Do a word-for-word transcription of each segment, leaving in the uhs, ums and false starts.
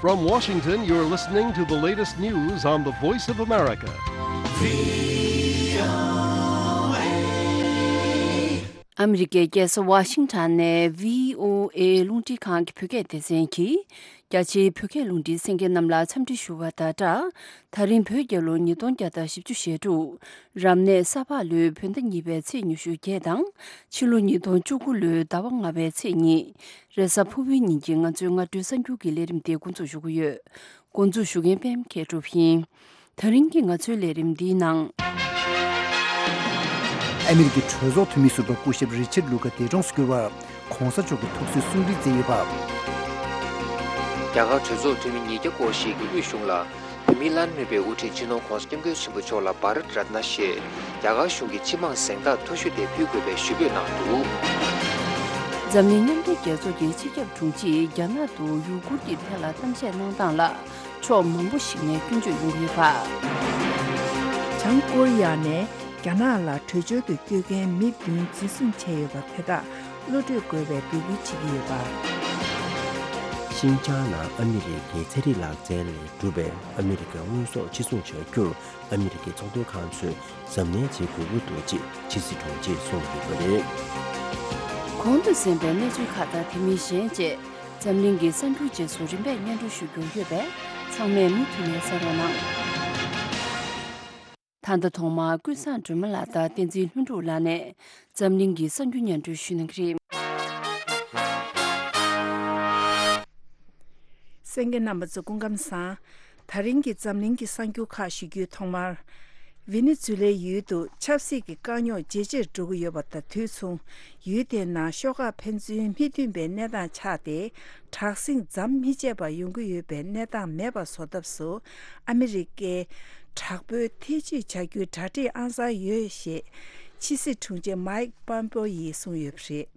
From Washington, you're listening to the latest news on the Voice of America. ཨ་མི་རི་ཀའི་རྒྱལ་ས་ཝ་ཤིང་ཊོན་ནས་བྷི་ཨོ་ཨེ་རླུང་འཕྲིན་ཁང་གི་བོད་སྐད་སྡེ་ཚན་གྱིས། རྒྱ་ཆེའི་བོད་སྐད་རླུང་འཕྲིན་གསན་མཁན་རྣམས་ལ་འཚམས་འདྲི་ཞུ་བ་དང་སྦྲགས། ད་རིང་བོད་རྒྱལ་ལོ་ཉིས་སྟོང་བརྒྱ་དང་བཞི་བཅུ་ཞེ་དྲུག་རབ་གནས་ས་ཕག་ལོའི་བོད་ཟླ་གཉིས་པའི་ཚེས་ཉི་ཤུ་བརྒྱད་དང་། ཕྱི་ལོ་ཉིས་སྟོང་བཅུ་དགུ་ལོའི་ཟླ་བ་ལྔ་པའི་ཚེས་གཉིས། རེས་གཟའ་ཕུར་བུའི་ཉིན་གྱི་ང་ཚོའི་སྔ་དྲོའི་གསར་འགྱུར་གྱི་ལས་རིམ་དེ་འགོ་འཛུགས་ཞུ་གི་ཡོད། འགོ་འཛུགས་ཞུ་མཁན་པད་མ་མཁས་གྲུབ་ཡིན། ད་རིང་གི་ང་ཚོའི་ལས་རིམ་འདིའི་ནང་། ཨ་མི་རི་ཀའི་གྲོས་ཚོགས་འཐུས་མི་ཟུར་པ་སྐུ་ཞབས་རི་ཆར་ལུ་ཁ་འདས་གྲོངས་སུ་གྱུར་བ། ༸གོང་ས་མཆོག་གིས་ཐུགས་གསོའི་གསུང་འཕྲིན་བསྩལ་ཡོད་པ། རྒྱ་གར་གྲོས་ཚོགས་འཐུས་མི་ཉིས་བརྒྱ་སྐོར་ཞིག་གིས་དབུས་གཞུང་ལ། བོད་མིའི་བླ་ན་མེད་པའི་དབུ་ཁྲིད་སྤྱི་ནོར་༸གོང་ས་༸སྐྱབས་མགོན་ཆེན་པོ་མཆོག་ལ་བྷ་རད་རཏ་ན་ཞེས་རྒྱ་གར་གཞུང་གི་སྤྱི་དམངས་གཟེངས་རྟགས་མཐོ་ཤོས་དེ་ཕུལ་དགོས་པའི་ཞུ་འབོད་གནང་འདུག། འཛམ་གླིང་མཉམ་འབྲེལ་རྒྱལ་ཚོགས་ཀྱི་སྤྱི་ཁྱབ་དྲུང་ཆེས་རྒྱ་ནག་ཏུ་ཡུ་གུར་གྱི་ཐད་ལ་གཏམ་བཤད་གནང་སྟངས་ལ་ཕྱོགས་མང་པོ་ཞིག་ནས་སྐྱོན་བརྗོད་ཡོང་གི་ཡོད་པ། བྱང་ཀོ་རི་ཡ་ནས་རྒྱ་ནག་ལ་བྲོས་བྱོལ་དུ་བསྐྱོད་མཁན་མི་བདུན་འཛིན་བཟུང་བྱས་ཡོད་པ་དེ་དག་གློད་བཀྲོལ་དགོས་པའི་འབོད་སྐུལ་བྱེད་ཀྱི་ཡོད་པ། ཤིན་ཅང་ནང་ཨ་མི་རི་ཀའི་ཚན་རིག་ལག་རྩལ་ལས་གྲུབ་པའི་ཨ་མི་རི་ཀའི་དངོས་ཟོག་ཕྱིར་ཚོང་བྱ་རྒྱུར་ཨ་མི་རི་ཀའི་ཚོང་དོན་ཁང་ཚོས་གཟབ་ནན་བྱེད་དགོས་ཀྱི་འདུག་ཅེས་ཕྱི་སྲིད་དྲུང་ཆེས་གསུངས་ཡོད་པ་རེད། གོང་དུ་གསན་པའི་གནས་ཚུལ་ཁག་དང་དེ་མིན་གཞན་བཅས་འཛམ་གླིང་གི་གསར་འགྱུར་རྗེས་སུ་རིམ་པས་སྙན་སྒྲོན་ཞུ་རྒྱུ་ཡོད་པས་ཚང་མས་མུ་མཐུད་ནས་གསན་རོགས་གནང་། ད་ལྟ་ཐོག་མར་ཀུན་བཟང་སྒྲོལ་མ་ལགས་དང་བསྟན་འཛིན་ལྷུན་གྲུབ་ལགས་ནས་འཛམ་གླིང་གི་གསར་འགྱུར་སྙན་སྒྲོན་ཞུ་གནང་གི་རེད། གསན་མཁན་རྣམ་པ་ཚོ་སྐུ་ཁམས་བཟང་། ད་རིང་གི་འཛམ་གླིང་གི་གསར་འགྱུར་ཁག་ཞུ་རྒྱུའི་ཐོག་མར། ཝེ་ནེ་ཛུ་ལའི་ཡུལ་དུ་ཆབ་སྲིད་ཀྱི་དཀའ་རྙོག་ཇེ་ཆེར་འགྲོ་གི་ཡོད་པ་དང་དུས་མཚུངས། ཡུལ་དེའི་ནང་ཤོག་ཁག་ཕན་ཚུན་མི་མཐུན་པའི་གནས་སྟངས་ཆགས་ཏེ། དྲག་ཟིང་མཚམས་མི་ཆད་པར་ཡོང་གི་ཡོད་པའི་གནས་སྟངས་མེད་པ་བཟོ་ཐབས་སུ། ཨ་མི་རི་ཀས་དྲག་པོའི་ཐེ་བྱུས་བྱ་རྒྱུའི་གྲ་སྒྲིག་ཨང་གསར་ཡོད་ཞེས། ཕྱི་སྲིད་དྲུང་ཆེ་མའིག་པམ་པེའོ་ཡིས་གསུངས་ཡོད་པ་རེད།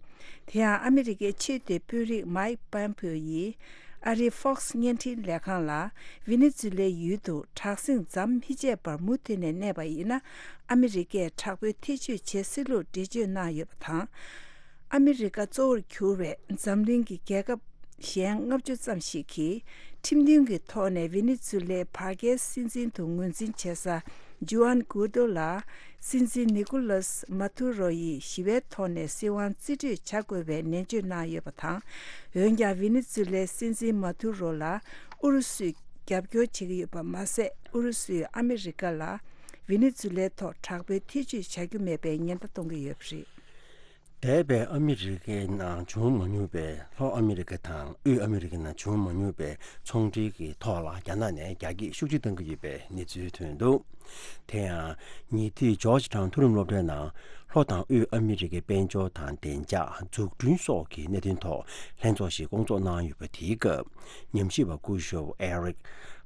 དེ་ཡང་ཨ་མི་རི་ཀའི་ཆེས་མཐོའི་དཔོན་རིགས་མའིག་པམ་པེའོ་ཡིས། ཨ་རིའི་ཧྥོག་སི་བརྙན་འཕྲིན་ལས་ཁང་ལ། ཝེ་ནེ་ཛུ་ལའི་ཡུལ་དུ་དྲག་ཟིང་མཚམས་མི་ཆད་པར་མུ་མཐུད་ནས་གནས་པ་ཡིན་ན། ཨ་མི་རི་ཀས་དྲག་པོའི་ཐེ་བྱུས་བྱེད་སྲིད་ལུགས་འགྲེལ་བརྗོད་གནང་ཡོད་པ་དང་། ཨ་མི་རི་ཀ་གཙོ་བོར་གྱུར་བའི་འཛམ་གླིང་གི་རྒྱལ་ཁབ་གཞན་ལྔ་བཅུ་ཙམ་ཞིག་གིས་ཁྲིམས་མཐུན་གྱི་ཐོག་ནས་ཝེ་ནེ་ཛུ་ལའི་བར་བརྒལ་སྲིད་འཛིན་དུ་ངོས་འཛིན་བྱེད་ས་ཇུ་ཨན་གུའོ་ཏོ་ལ། སྲིད་འཛིན་ནི་ཀོ་ལཱས་མ་ཐུ་རོ་ཡིས་ཞི་བའི་ཐོག་ནས་སྲིད་དབང་རྩིས་སྤྲོད་བྱ་དགོས་པའི་ནན་བརྗོད་གནང་ཡོད་པ་དང་། འོན་ཀྱང་ཝེ་ནེ་ཛུ་ལའི་སྲིད་འཛིན་མ་ཐུ་རོ་ལ་ཨུ་རུ་སུས་རྒྱབ་སྐྱོར་བྱེད་ཀྱི་ཡོད་པ་མ་ཟད། ཨུ་རུ་སུས་ཨ་མི་རི་ཀ་ལ་ཝེ་ནེ་ཛུ་ལའི་ཐོག་དྲག་པོའི་ཐེ་བྱུས་བྱ་རྒྱུ་མེད་པའི་ཉེན་བརྡ་གཏོང་གི་ཡོད་པ་རེད། འདས་པའི་ཨ་མི་རི་ཀའི་ནང་བྱུང་མ་མྱོང་བའི། ལྷོ་ཨ་མི་རི་ཀ་དང་དབུས་ཨ་མི་རི་ཀའི་ནང་བྱུང་མ་མྱོང་བའི་ཚོང་འབྲེལ་གྱི་ཐོག་ལ་རྒྱ་ནག་ནས་རྒྱ་སྐྱེད་ཤུགས་ཆེ་གཏོང་གི་ཡོད་པའི་གནས་ཚུལ་ཐོན་འདུག། དེ་ཡང་ཉེ་དུས་ཇོརྗ་ཊའུན་མཐོ་རིམ་སློབ་གྲྭའི་ནང་ལྷོ་དང་དབུས་ཨ་མི་རི་ཀའི་དཔལ་འབྱོར་དང་བདེ་འཇགས། འཛུགས་སྐྲུན་སོགས་ཀྱི་གནད་དོན་ཐོག་ལྷན་ཚོགས་ཤིག་བསྐོང་ཚོགས་གནང་ཡོད་པ་དེའི་སྐབས། ཉམས་ཞིབ་པ་སྐུ་ཞབས་ཨེ་རིག་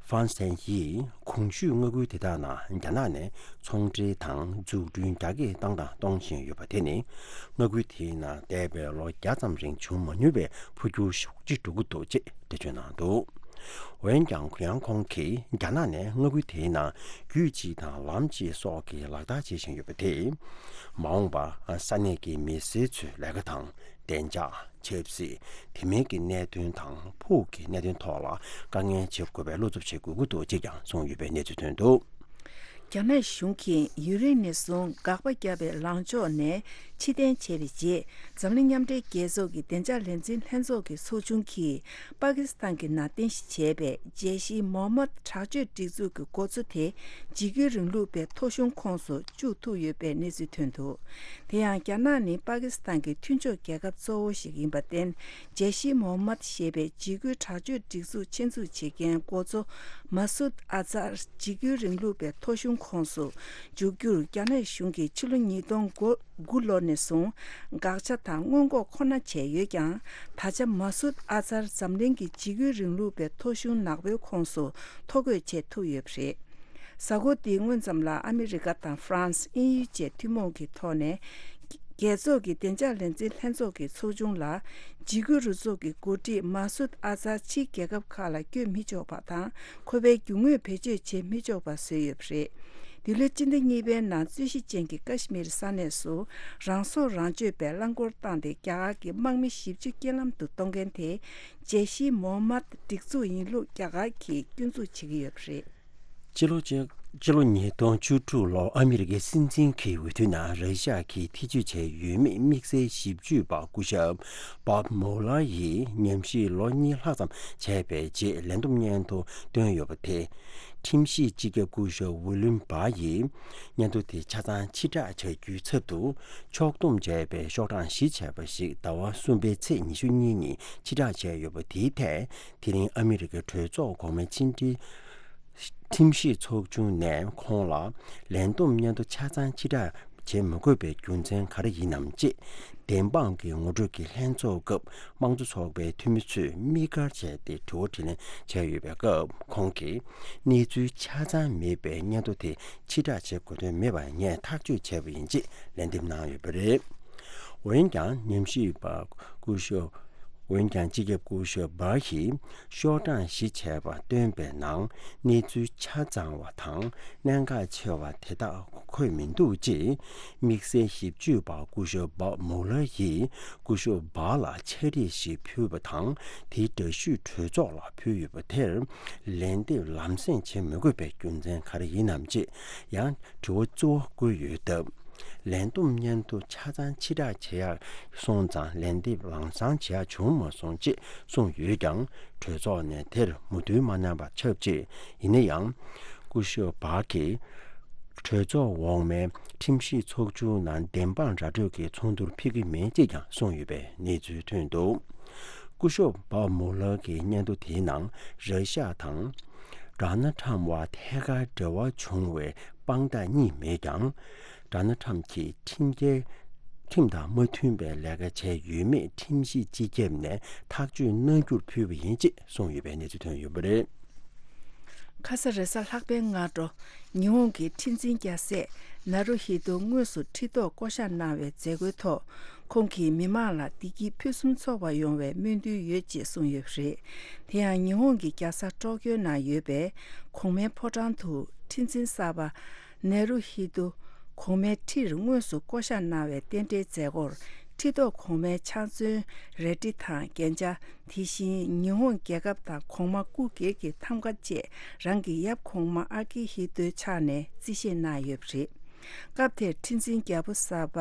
ཧྥན་སན་ཡིས་གོང་ཞུས་མངའ་ཁུལ་དེ་དག་ནང་རྒྱ་ནག་ནས་ཚོང་འབྲེལ་དང་འཛུགས་སྐྲུན་རྒྱ་སྐྱེད་བཏང་དང་གཏོང་བཞིན་ཡོད་པ་དེ་ནི། མངའ་ཁུལ་དེའི་ནང་འདས་པའི་ལོ་བརྒྱ་ཙམ་རིང་བྱུང་མ་མྱོང་བའི་འཕོ་འགྱུར་ཤུགས་ཆེ་འགྲོ་གི་འདུག་ཅེས་འགྲེལ་བརྗོད་གནང་འདུག། འོན་ཀྱང་ཡང་ཁོང་གིས་རྒྱ་ནག་ནས་མངའ་ཁུལ་དེའི་ནང་རྒྱུད་གཅིག་དང་ལམ་གཅིག་སོགས་ཀྱི་ལག་བསྟར་བྱེད་བཞིན་ཡོད་པ་དེས། མ་འོངས་པ་ས་གནས་ཀྱི་མི་སེར་ཚོའི་ལས་ཀ་དང་བདེ་འཇགས། ཆབ་སྲིད། དེ་མིན་གྱི་གནད་དོན་དང་ཕུགས་ཀྱི་གནད་དོན་ཐོག་ལ་དཀའ་ངལ་འཕྲད་དགོས་པའི་བློ་འཚབ་བྱེད་དགོས་ཀྱི་འདུག་ཅེས་ཀྱང་གསུངས་ཡོད་པའི་གནས་ཚུལ་ཐོན་འདུག། རྒྱ་ནག་གཞུང་གིས་ཡུན་རིང་ནས་བཟུང་དགག་པ་བརྒྱབ་པའི་ལངས་ཕྱོགས་ནས་ཕྱིར་འཐེན་བྱས་པའི་རྗེས། འཛམ་གླིང་མཉམ་འབྲེལ་རྒྱལ་ཚོགས་ཀྱི་བདེ་འཇགས་ལས་འཛིན་ལྷན་ཚོགས་ཀྱི་ཚོགས་ཆུང་གིས་པ་ཀི་སི་ཐན་གྱི་ནང་རྟེན་གཞི་བྱས་པའི་ཇེ་ཤི་མོ་ཧམ་མད་དྲག་སྤྱོད་སྒྲིག་འཛུགས་ཀྱི་འགོ་གཙོ་དེ་འཇིགས་སྐུལ་རིང་ལུགས་པའི་ཐོ་གཞུང་ཁོངས་སུ་བཅུག་ཐུབ་ཡོད་པའི་གནས་ཚུལ་ཐོན་འདུག། དེ་ཡང་རྒྱ་ནག་ནི་པ་ཀི་སི་ཐན་གྱི་མཐུན་ཕྱོགས་རྒྱལ་ཁབ་གཙོ་བོ་ཞིག་ཡིན་པར་བརྟེན། ཇེ་ཤི་མོ་ཧམ་མད་ཞེས་པའི་འཇིགས་སྐུལ་དྲག་སྤྱོད་སྒྲིག་འཛུགས་ཆེད་འཛུགས་བྱེད་མཁན་འགོ་གཙོ་མ་སུད་ཨ་ཛར་འཇིགས་སྐུལ་རིང་ལུགས་པའི་ཐོ་གཞུང་ཁོངས་སུ་འཇུག་རྒྱུར་རྒྱ་ནག་གཞུང་གིས་ཕྱི་ལོ་ཉིས་སྟོང་དགུ་ལོ་ནས་བཟུང་དགག་བྱ་དང་སྔོན་འགོག་ཁོ་ན་བྱས་ཡོད་ཀྱང་། ད་ཆ་མ་སུད་ཨ་ཛར་འཛམ་གླིང་གི་འཇིགས་སྐུལ་རིང་ལུགས་པའི་ཐོ་གཞུང་ནག་པོའི་ཁོངས་སུ་ཐོ་འགོད་བྱེད་ཐུབ་ཡོད་པ་རེད། གཟའ་འཁོར་འདིའི་སྔོན་ཙམ་ལ་ཨ་མི་རི་ཀ་དང་ཧྥ་རན་སི། དབྱིན་ཡུལ་བཅས་ཐུན་མོང་གི་ཐོག་ནས། རྒྱལ་ཚོགས་ཀྱི་བདེ་འཇགས་ལས་འཛིན་ལྷན་ཚོགས་ཀྱི་ཚོགས་ཆུང་ལ། འཇིགས་སྐུལ་རུ་ཚོགས་ཀྱི་འགོ་ཁྲིད་མ་སུད་ཨ་ཛར་ཕྱིའི་རྒྱལ་ཁབ་ཁག་ལ་བསྐྱོད་མི་ཆོག་པ་དང་། ཁོ་པའི་རྒྱུ་དངོས་བེད་སྤྱོད་བྱེད་མི་ཆོག་པ་བཟོས་ཡོད་པ་རེད། འདི་ལོའི་སྤྱི་ཟླ་གཉིས་པའི་ནང་རྩོད་གཞི་ཅན་གྱི་ཀ་ཤི་མིར་ས་གནས་སུ་རང་སྲོག་རང་གཅོད་པའི་རླངས་འཁོར་བཏང་སྟེ་རྒྱ་གར་གྱི་དམག་མི་བཞི་བཅུ་རྐྱེན་ལམ་དུ་གཏོང་མཁན་དེ་ཇེ་ཤི་མོ་མད་སྒྲིག་འཛུགས་ཡིན་ལུགས་རྒྱ་གར་གྱིས་སྐྱོན་འཛུགས་བྱེད་ཀྱི་ཡོད་པ་རེད། ཕྱི་ལོ་ཕྱི་ཕྱི་ལོ་ཉིས་སྟོང་བཅུ་དྲུག་ལོར་ཨ་མི་རི་ཀའི་སྲིད་འཛིན་གྱི་འོས་བསྡུའི་ནང་ར་ཤ་གིས་ཐེ་བྱུས་བྱས་ཡོད་མེད་དམིགས་བསལ་ཞིབ་དཔྱོད་པ་སྐུ་ཞབས་Bob Mueller་ཡིས་ཉམས་ཞིབ་ལོ་གཉིས་ལྷག་ཙམ་བྱས་པའི་རྗེས་ལན་འདེབས་སྙན་ཐོ་བཏོན་ཡོད་པ་དེ། ཁྲིམས་ཞིབ་སྤྱི་ཁྱབ་སྐུ་ཞབས་William Barr་ཡིས་སྙན་ཐོ་དེ་ཆ་ཚང་ཕྱིར་བསྒྲགས་བྱ་རྒྱུའི་ཚབ་ཏུ་ཕྱོགས་བསྡོམས་བྱས་པའི་ཤོག་གྲངས་བཞི་བྱས་པ་ཞིག་ཟླ་བ་གསུམ་པའི་ཚེས་ཉི་ཤུ་གཉིས་ཉིན་ཕྱིར་བསྒྲགས་བྱས་ཡོད་པ་དེའི་ཐད། དེ་རིང་ཨ་མི་རི་ཀའི་གྲོས་ཚོགས་གོང་མའི་ཕྱི་འབྲེལ་ཁྲིམས་ཞིབ་ཚོགས་ཆུང་ནས་ཁོང་ལ་ལན་འདེབས་སྙན་ཐོ་ཆ་ཚང་ཕྱིར་བསྒྲགས་བྱེད་མི་དགོས་པའི་རྒྱུ་མཚན་ག་རེ་ཡིན་ནམ་ཅེས་བདེན་དཔང་གི་ངོ་སྤྲོད་ཀྱི་ལྷན་ཚོགས་སྐབས་དམངས་གཙོ་ཚོགས་པའི་འཐུས་མི་ཚོས་དམིགས་བཀར་བྱས་ཏེ་དྲི་བ་དྲིས་ལན་བྱས་ཡོད་པའི་སྐབས། ཁོང་གིས་གནས་ཚུལ་ཆ་ཚང་མེད་པའི་སྙན་ཐོ་དེ་ཕྱིར་བསྒྲགས་བྱེད་དགོས་དོན་མེད་པར་ངས་ཐག་གཅོད་བྱས་པ་ཡིན་ཅེས་ལན་འདེབས་གནང་ཡོད་པ་རེད། འོན་ཀྱང་ཉམས་ཞིབ་པ་སྐུ་ཞབས། འོན་ཀྱང་སྤྱི་ཁྱབ་སྐུ་ཞབས་Barr་ཡིས་ཤོག་གྲངས་བཞི་བྱས་པ་བཏོན་པའི་ནང་གནས་ཚུལ་ཆ་ཚང་བ་དང་གནད་འགག་ཆེ་བ་དེ་དག་འཁོད་མི་འདུག་ཅེས་དམིགས་བསལ་ཞིབ་དཔྱོད་པ་སྐུ་ཞབས་Bob Mueller་ཡིས་སྐུ་ཞབས་Barr་ལ་ཕྱག་བྲིས་ཤིག་ཕུལ་བ་དང་། དེའི་འདྲ་བཤུས་གྲོས་ཚོགས་ལ་ཕུལ་ཡོད་པ་དེར་ལན་འདེབས་ལམ་སེང་བྱེད་མི་དགོས་པའི་རྒྱུ་མཚན་ག་རེ་ཡིན་ནམ་ཅེས་ཡང་དྲི་བ་གཙོ་བོ་བཀོད་ཡོད་སྟབས། ལན་འདེབས་སྙན་ཐོ་ཆ་ཚང་ཕྱིར་བསྒྲགས་བྱེད་ཡག་སོང་ཙང་ལན་འདེབས་ལམ་སང་བྱེད་ཡག་བྱུང་མ་སོང་ཅེས་གསུངས་ཡོད་ཀྱང་། གྲོས་ཚོགས་ནས་དེར་མོས་མཐུན་མ་གནང་བ་ཆབས་ཅིག་ཡིན་ན་ཡང་། སྐུ་ཞབས་Barr་གྱིས་གྲོས་ཚོགས་འོག་མའི་ཁྲིམས་ཞིབ་ཚོགས་ཆུང་ནང་བདེན་དཔང་ར་སྤྲོད་ཀྱི་ཚོགས་འདུར་ཕེབས་ཀྱི་མེད་ཅེས་ཀྱང་གསུངས་ཡོད་པའི་གནས་ཚུལ་ཐོན་འདུག་སྐུ་ཞབས་Bob Mueller་གྱི་སྙན་ཐོ་དེའི་ནང་ར་ཤ་དང་Donald Trump་བར་ཐད་ཀར་འབྲེལ་བ་བྱུང་བའི་དཔང་རྟགས་གཉིས་མེད་ཀྱང་། Donald Trump་གྱིས་ཁྲིམས་འགལ་ཁྲིམས་དང་མ་མཐུན་པའི་ལས་ཀ་བྱས་ཡོད་མེད་ཁྲིམས་ཞིབ་སྤྱི་ཁྱབ་ནས་ཐག་གཅོད་གནང་རྒྱུར་ཕུལ་བ་ཡིན་ཅེས་གསུངས་ཡོད་པའི་གནས་ཚུལ་ཐོན་ཡོད་པ་རེད། ཁ་ས་རེས་གཟའ་ལྷག་པའི་སྔ་དྲོ། ཉི་ཧོང་གི་ཁྲི་འཛིན་རྒྱལ་སྲས་ན་རུ་ཧི་ཏོ་དངོས་སུ་ཁྲི་ཐོག་བསྐོ་གཞག་གནང་བའི་མཛད་སྒོའི་ཐོག་ཁོང་གིས་མི་མང་ལ་བདེ་སྐྱིད་ཕུན་སུམ་ཚོགས་པ་ཡོང་བའི་སྨོན་འདུན་ཡོད་ཅེས་གསུངས་ཡོད་པ་རེད། དེ་ཡང་ཉི་ཧོང་གི་རྒྱལ་ས་ཀྲོ་ཀྱོ་ནང་ཡོད་པའི་གོང་མའི་ཕོ་བྲང་དུ་ཁྲི་འཛིན་གསར་པ་ནེ་རུ་ཧི་ཏུ་གོང་མའི་ཁྲིར་དངོས་སུ་བསྐོ་གཞག་གནང་བའི་རྟེན་འབྲེལ་མཛད་སྒོར་ཁྲི་ཐོག་གོང་མའི་ཕྱག་མཛོད་རལ་གྲི་དང་རྒྱན་ཆ། དེ་བཞིན་ཉི་ཧོང་རྒྱལ་ཁབ་དང་གོང་མ་སྐུ་སྒེར་གྱི་ཐམ་ག་བཅས་རང་གི་ཡབ་གོང་མ་ཨ་ཀི་ཧི་ཏོའི་ཕྱག་ནས་རྩིས་བཞེས་གནང་ཡོད་པ་རེད། སྐབས་དེར་ཁྲི་འཛིན་རྒྱལ་པོ་གསར་པ་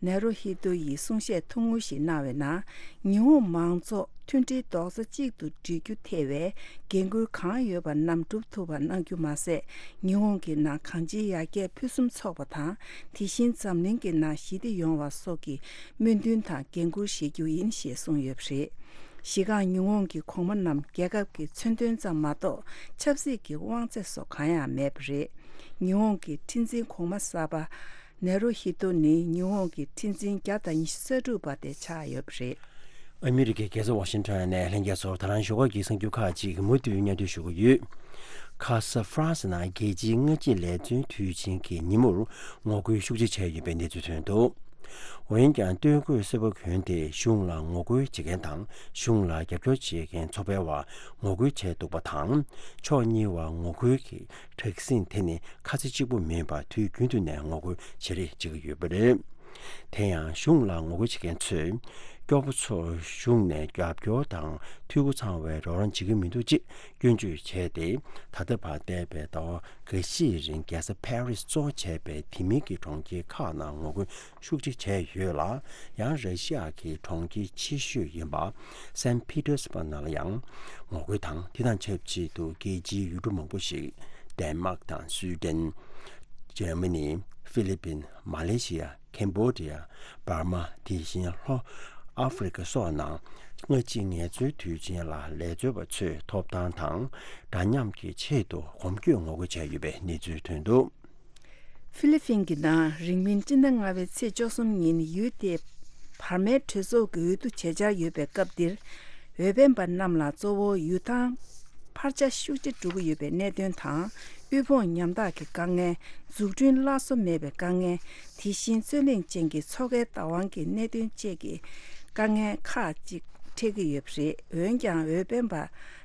ནེ་རུ་ཧི་ཏོ་ཡིས་གསུང་བཤད་ཐུང་ངུ་ཞིག་གནང་བའི་ནང་། ཉི་ཧོང་མང་ཚོགས་མཐུན་སྒྲིལ་རྡོག་རྩ་གཅིག་ཏུ་སྒྲིལ་རྒྱུ་ཐེ་བའི་འགན་ཁུར་གང་ཡོད་པ་རྣམས་སྒྲུབ་ཐུབ་པ་གནང་རྒྱུ་མ་ཟད། ཉི་ཧོང་གི་ནང་གང་ཅིའི་ཡར་རྒྱས་ཕུན་སུམ་ཚོགས་པ་དང་། དེ་བཞིན་འཛམ་གླིང་གི་ནང་ཞི་བདེ་ཡོང་བ་སོགས་ཀྱི་སྨོན་འདུན་དང་འགན་ཁུར་བཞེས་རྒྱུ་ཡིན་ཞེས་གསུངས་ཡོད་པ་རེད། གཞི་རྐང་ཉི་ཧོང་གི་གོང་མ་རྣམས་རྒྱལ་ཁབ་ཀྱི་མཚོན་དོན་ཙམ་མ་གཏོགས་ཆབ་སྲིད་ཀྱི་དབང་ཚད་སོགས་གང་ཡང་མེད་པ་རེད། ཉི་ཧོང་གི་ཁྲི་འཛིན་གོང་མ་གསར་པ་ནེ་རུ་ཧི་ཏོ་ནི་ཉི་ཧོང་གི་ཁྲི་འཛིན་བརྒྱ་དང་ཉི་ཤུ་རྩ་དྲུག་པ་དེ་ཆགས་ཡོད་པ་རེད། ཨ་མི་རི་ཀའི་རྒྱལ་ས་ཝ་ཤིང་ཊོན་ནས་ལྷན་རྒྱས་ཚོར་ད་རང་ཞོགས་ཀ་གི་གསར་འགྱུར་ཁག་ཅིག་མུ་མཐུད་སྙན་སྒྲོན་ཞུ་གི་ཡོད། ཁ་ས་ཧྥ་རན་སི་ནང་རྒྱལ་སྤྱིའི་སྔ་ཕྱི་ལས་བརྩོན་དུས་ཆེན་གྱི་ཉིན་མོར་ངོ་རྒོལ་ཤུགས་ཆེ་བྱས་ཡོད་པའི་གནས་ཚུལ་ཐོན་འདུག་འོན་ཀྱང་སྟོད་གོས་སེར་པོ་གྱོན་ཏེ་གཞུང་ལ་ངོ་རྒོལ་བྱེད་མཁན་དང་གཞུང་ལ་རྒྱབ་སྐྱོར་བྱེད་མཁན་ཚོགས་པའི་བར་ངོ་རྒོལ་བྱས་འདུག་པ་དང་། ཕྱོགས་གཉིས་བར་ངོ་རྒོལ་གྱི་དྲག་ཟིང་དེ་ནི་ཁ་ཚ་གཅིག་པུ་མིན་པར་དུས་རྒྱུན་དུ་ནས་ངོ་རྒོལ་བྱེད་རེས་བྱེད་ཀྱི་ཡོད་པ་རེད། དེ་ཡང་གཞུང་ལ་ངོ་རྒོལ་བྱེད་མཁན་ཚོས་སྐྱོ་པོ་ཚོར་གཞུང་ནས་རྒྱབ་སྐྱོར་དང་འཐུས་སྒོ་ཚང་བའི་རོགས་རམ་བྱེད་ཀྱི་མི་འདུག་ཅེས་སྐྱོན་བརྗོད་བྱས་ཏེ། ད་ལྟ་བར་འདས་པའི་ཟླ་བ་འགའ་ཤས་རིང་རྒྱལ་ས་ཕ་རི་སི་གཙོ་བྱས་པའི་དེ་མིན་གྱི་གྲོང་ཁྱེར་ཁག་ནང་ངོ་རྒོལ་ཤུགས་ཆེ་བྱས་ཡོད་ལ། ཡང་ར་ཤི་ཡ་གི་གྲོང་ཁྱེར་ཆེ་ཤོས་ཡིན་པ་སན་ཕི་ཏེར་སི་བྷག་ནང་ལ་ཡང་ངོ་རྒོལ་དང་། དེ་དང་ཆབས་ཅིག་ཏུ་རྒྱལ་སྤྱིའི་ཡུལ་གྲུ་མང་པོ་ཞིག་ཌེན་མཱག་དང་སུའི་ཏན། འཇར་མ་ནི། ཧྥི་ལི་པིན། མ་ལེ་ཤི་ཡ། ཁེམ་བྷོ་ཌི་ཡ། འབར་མ། དེ་བཞིན་ལྷོ་ཨ་ཧྥེ་རི་ཁ་སོགས་ནང་སྔ་ཕྱི་ངལ་རྩོལ་དུས་ཆེན་ལ་ལས་བྱེད་པ་ཚོས་ཐོབ་ཐང་དང་འདྲ་མཉམ་གྱི་ཆེད་དུ་གོམ་བགྲོད་ངོ་རྒོལ་བྱས་ཡོད་པའི་གནས་ཚུལ་ཐོན་འདུག་ཧྥི་ལི་ཕིན་གྱི་ནང་རིང་མིན་སྤྱི་ཟླ་ལྔ་པའི་ཚེས་བཅུ་གསུམ་ཉིན་ཡུལ་དེའི་བར་མའི་གྲོས་ཚོགས་ཀྱི་འོས་བསྡུ་བྱེད་འཆར་ཡོད་པའི་སྐབས་འདིར། འོས་འཕེན་པ་རྣམས་ལ་གཙོ་བོ་ཡུལ་ཐང་འཕར་ཆ་ཤུགས་ཆེ་འགྲོ་གི་ཡོད་པའི་གནད་དོན་དང་། དབུལ་ཕོངས་ཉམ་ཐག་གི་དཀའ་ངལ། འཛུགས་སྐྲུན་སླར་གསོ་མེད་པའི་དཀའ་ངལ། དེ་བཞིན་རྩོད་གླེང་ཅན་གྱི་མཚོ་ཁའི་བདག་དབང་གི་གནད་དོན་བཅས་ཀྱི་དཀའ་ངལ་ཁག་ཅིག་ འཕྲད་ཀྱི་ཡོད་པ་རེད། འོན་ཀྱང་འོས་འཕེན་པ་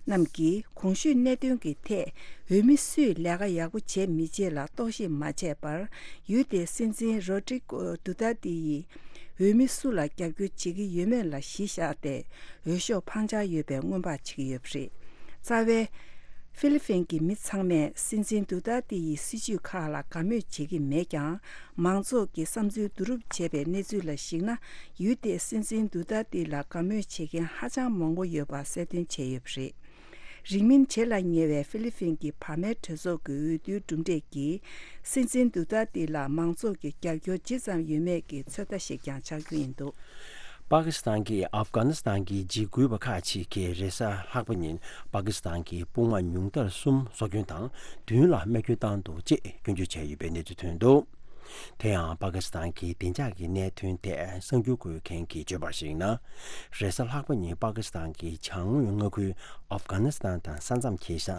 རྣམས་ཀྱིས་གོང་ཞུས་གནད་དོན་གྱི་ཐད་འོས་མི་སུས་ལས་ཀ་ཡག་པོ་བྱས་མི་བྱེད་ལ་རྟོག་ཞིབ་མ་བྱས་པར། ཡུལ་དེའི་སྲིད་འཛིན་རོ་ཏྲི་ཀོ་དུ་ཏར་ཏི་ཡིས་འོས་མི་སུ་ལ་རྒྱབ་སྐྱོར་བྱེད་ཀྱི་ཡོད་མེད་ལ་གཞི་བཞག་སྟེ། འོས་ཤོག་འཕང་འཆར་ཡོད་པའི་སྔོན་དཔག་བྱེད་ཀྱི་ཡོད་པ་རེད། རྩ་བའི་ཧྥི་ལི་ཕིན་གྱི་མི་ཚང་མས་སྲིད་འཛིན་དུ་ཏར་ཏི་ཡི་སྲིད་བྱུས་ཁག་ལ་དགའ་མོས་བྱེད་ཀྱི་མེད་ཀྱང་། མང་ཚོགས་ཀྱི་བསམ་ཚུལ་བསྡུ་རུབ་བྱས་པའི་གནས་ཚུལ་ལ་གཞིགས་ན། ཡུལ་དེའི་སྲིད་འཛིན་དུ་ཏར་ཏི་ལ་དགའ་མོས་བྱེད་མཁན་ཧ་ཅང་མང་པོ་ཡོད་པ་གསལ་སྟོན་བྱས་ཡོད་པ་རེད། རིང་མིན་བྱེད་ལ་ཉེ་བའི་ཧྥི་ལི་ཕིན་གྱི་བར་མའི་གྲོས་ཚོགས་ཀྱི་འོས་བསྡུའི་གྲུབ་འབྲས་ཀྱིས། སྲིད་འཛིན་དུ་ཏར་ཏི་ལ་མང་ཚོགས་ཀྱི་རྒྱབ་སྐྱོར་ཇི་ཙམ་ཡོད་མེད་ཀྱི་ཚོད་ལྟ་ཞིག་ཀྱང་ཆགས་རྒྱུ་ཡིན་འདུག། པ་ཀི་སི་ཐན་གྱིས་ཨབ་གྷ་ནི་སི་ཐན་གྱི་འཇིགས་སྐུལ་བ་ཁག་ཅིག་གིས་རེས་གཟའ་ལྷག་པ་ཉིན་པ་ཀི་སི་ཐན་གྱི་དཔུང་དམག་ཉུང་མཐར་གསུམ་སྲོག་སྐྱོན་དང་བདུན་ལ་རྨས་སྐྱོན་བཏང་འདུག་ཅེས་སྐྱོན་བརྗོད་བྱས་ཡོད་པའི་གནས་ཚུལ་ཐོན་འདུག། དེ་ཡང་པ་ཀི་སི་ཐན་གྱི་བདེ་འཇགས་ཀྱི་གནད་དོན་ཐད་གསར་འགྱུར་འགོད་མཁན་གྱིས་བརྗོད་པར་གཞིགས་ན། རེས་གཟའ་ལྷག་པ་ཉིན་པ་ཀི་སི་ཐན་གྱི་བྱང་ངོས་མངའ་ཁུལ་ཨབ་གྷ་ནི་སི་ཐན་དང་ས་མཚམས་འཁེལ་ས་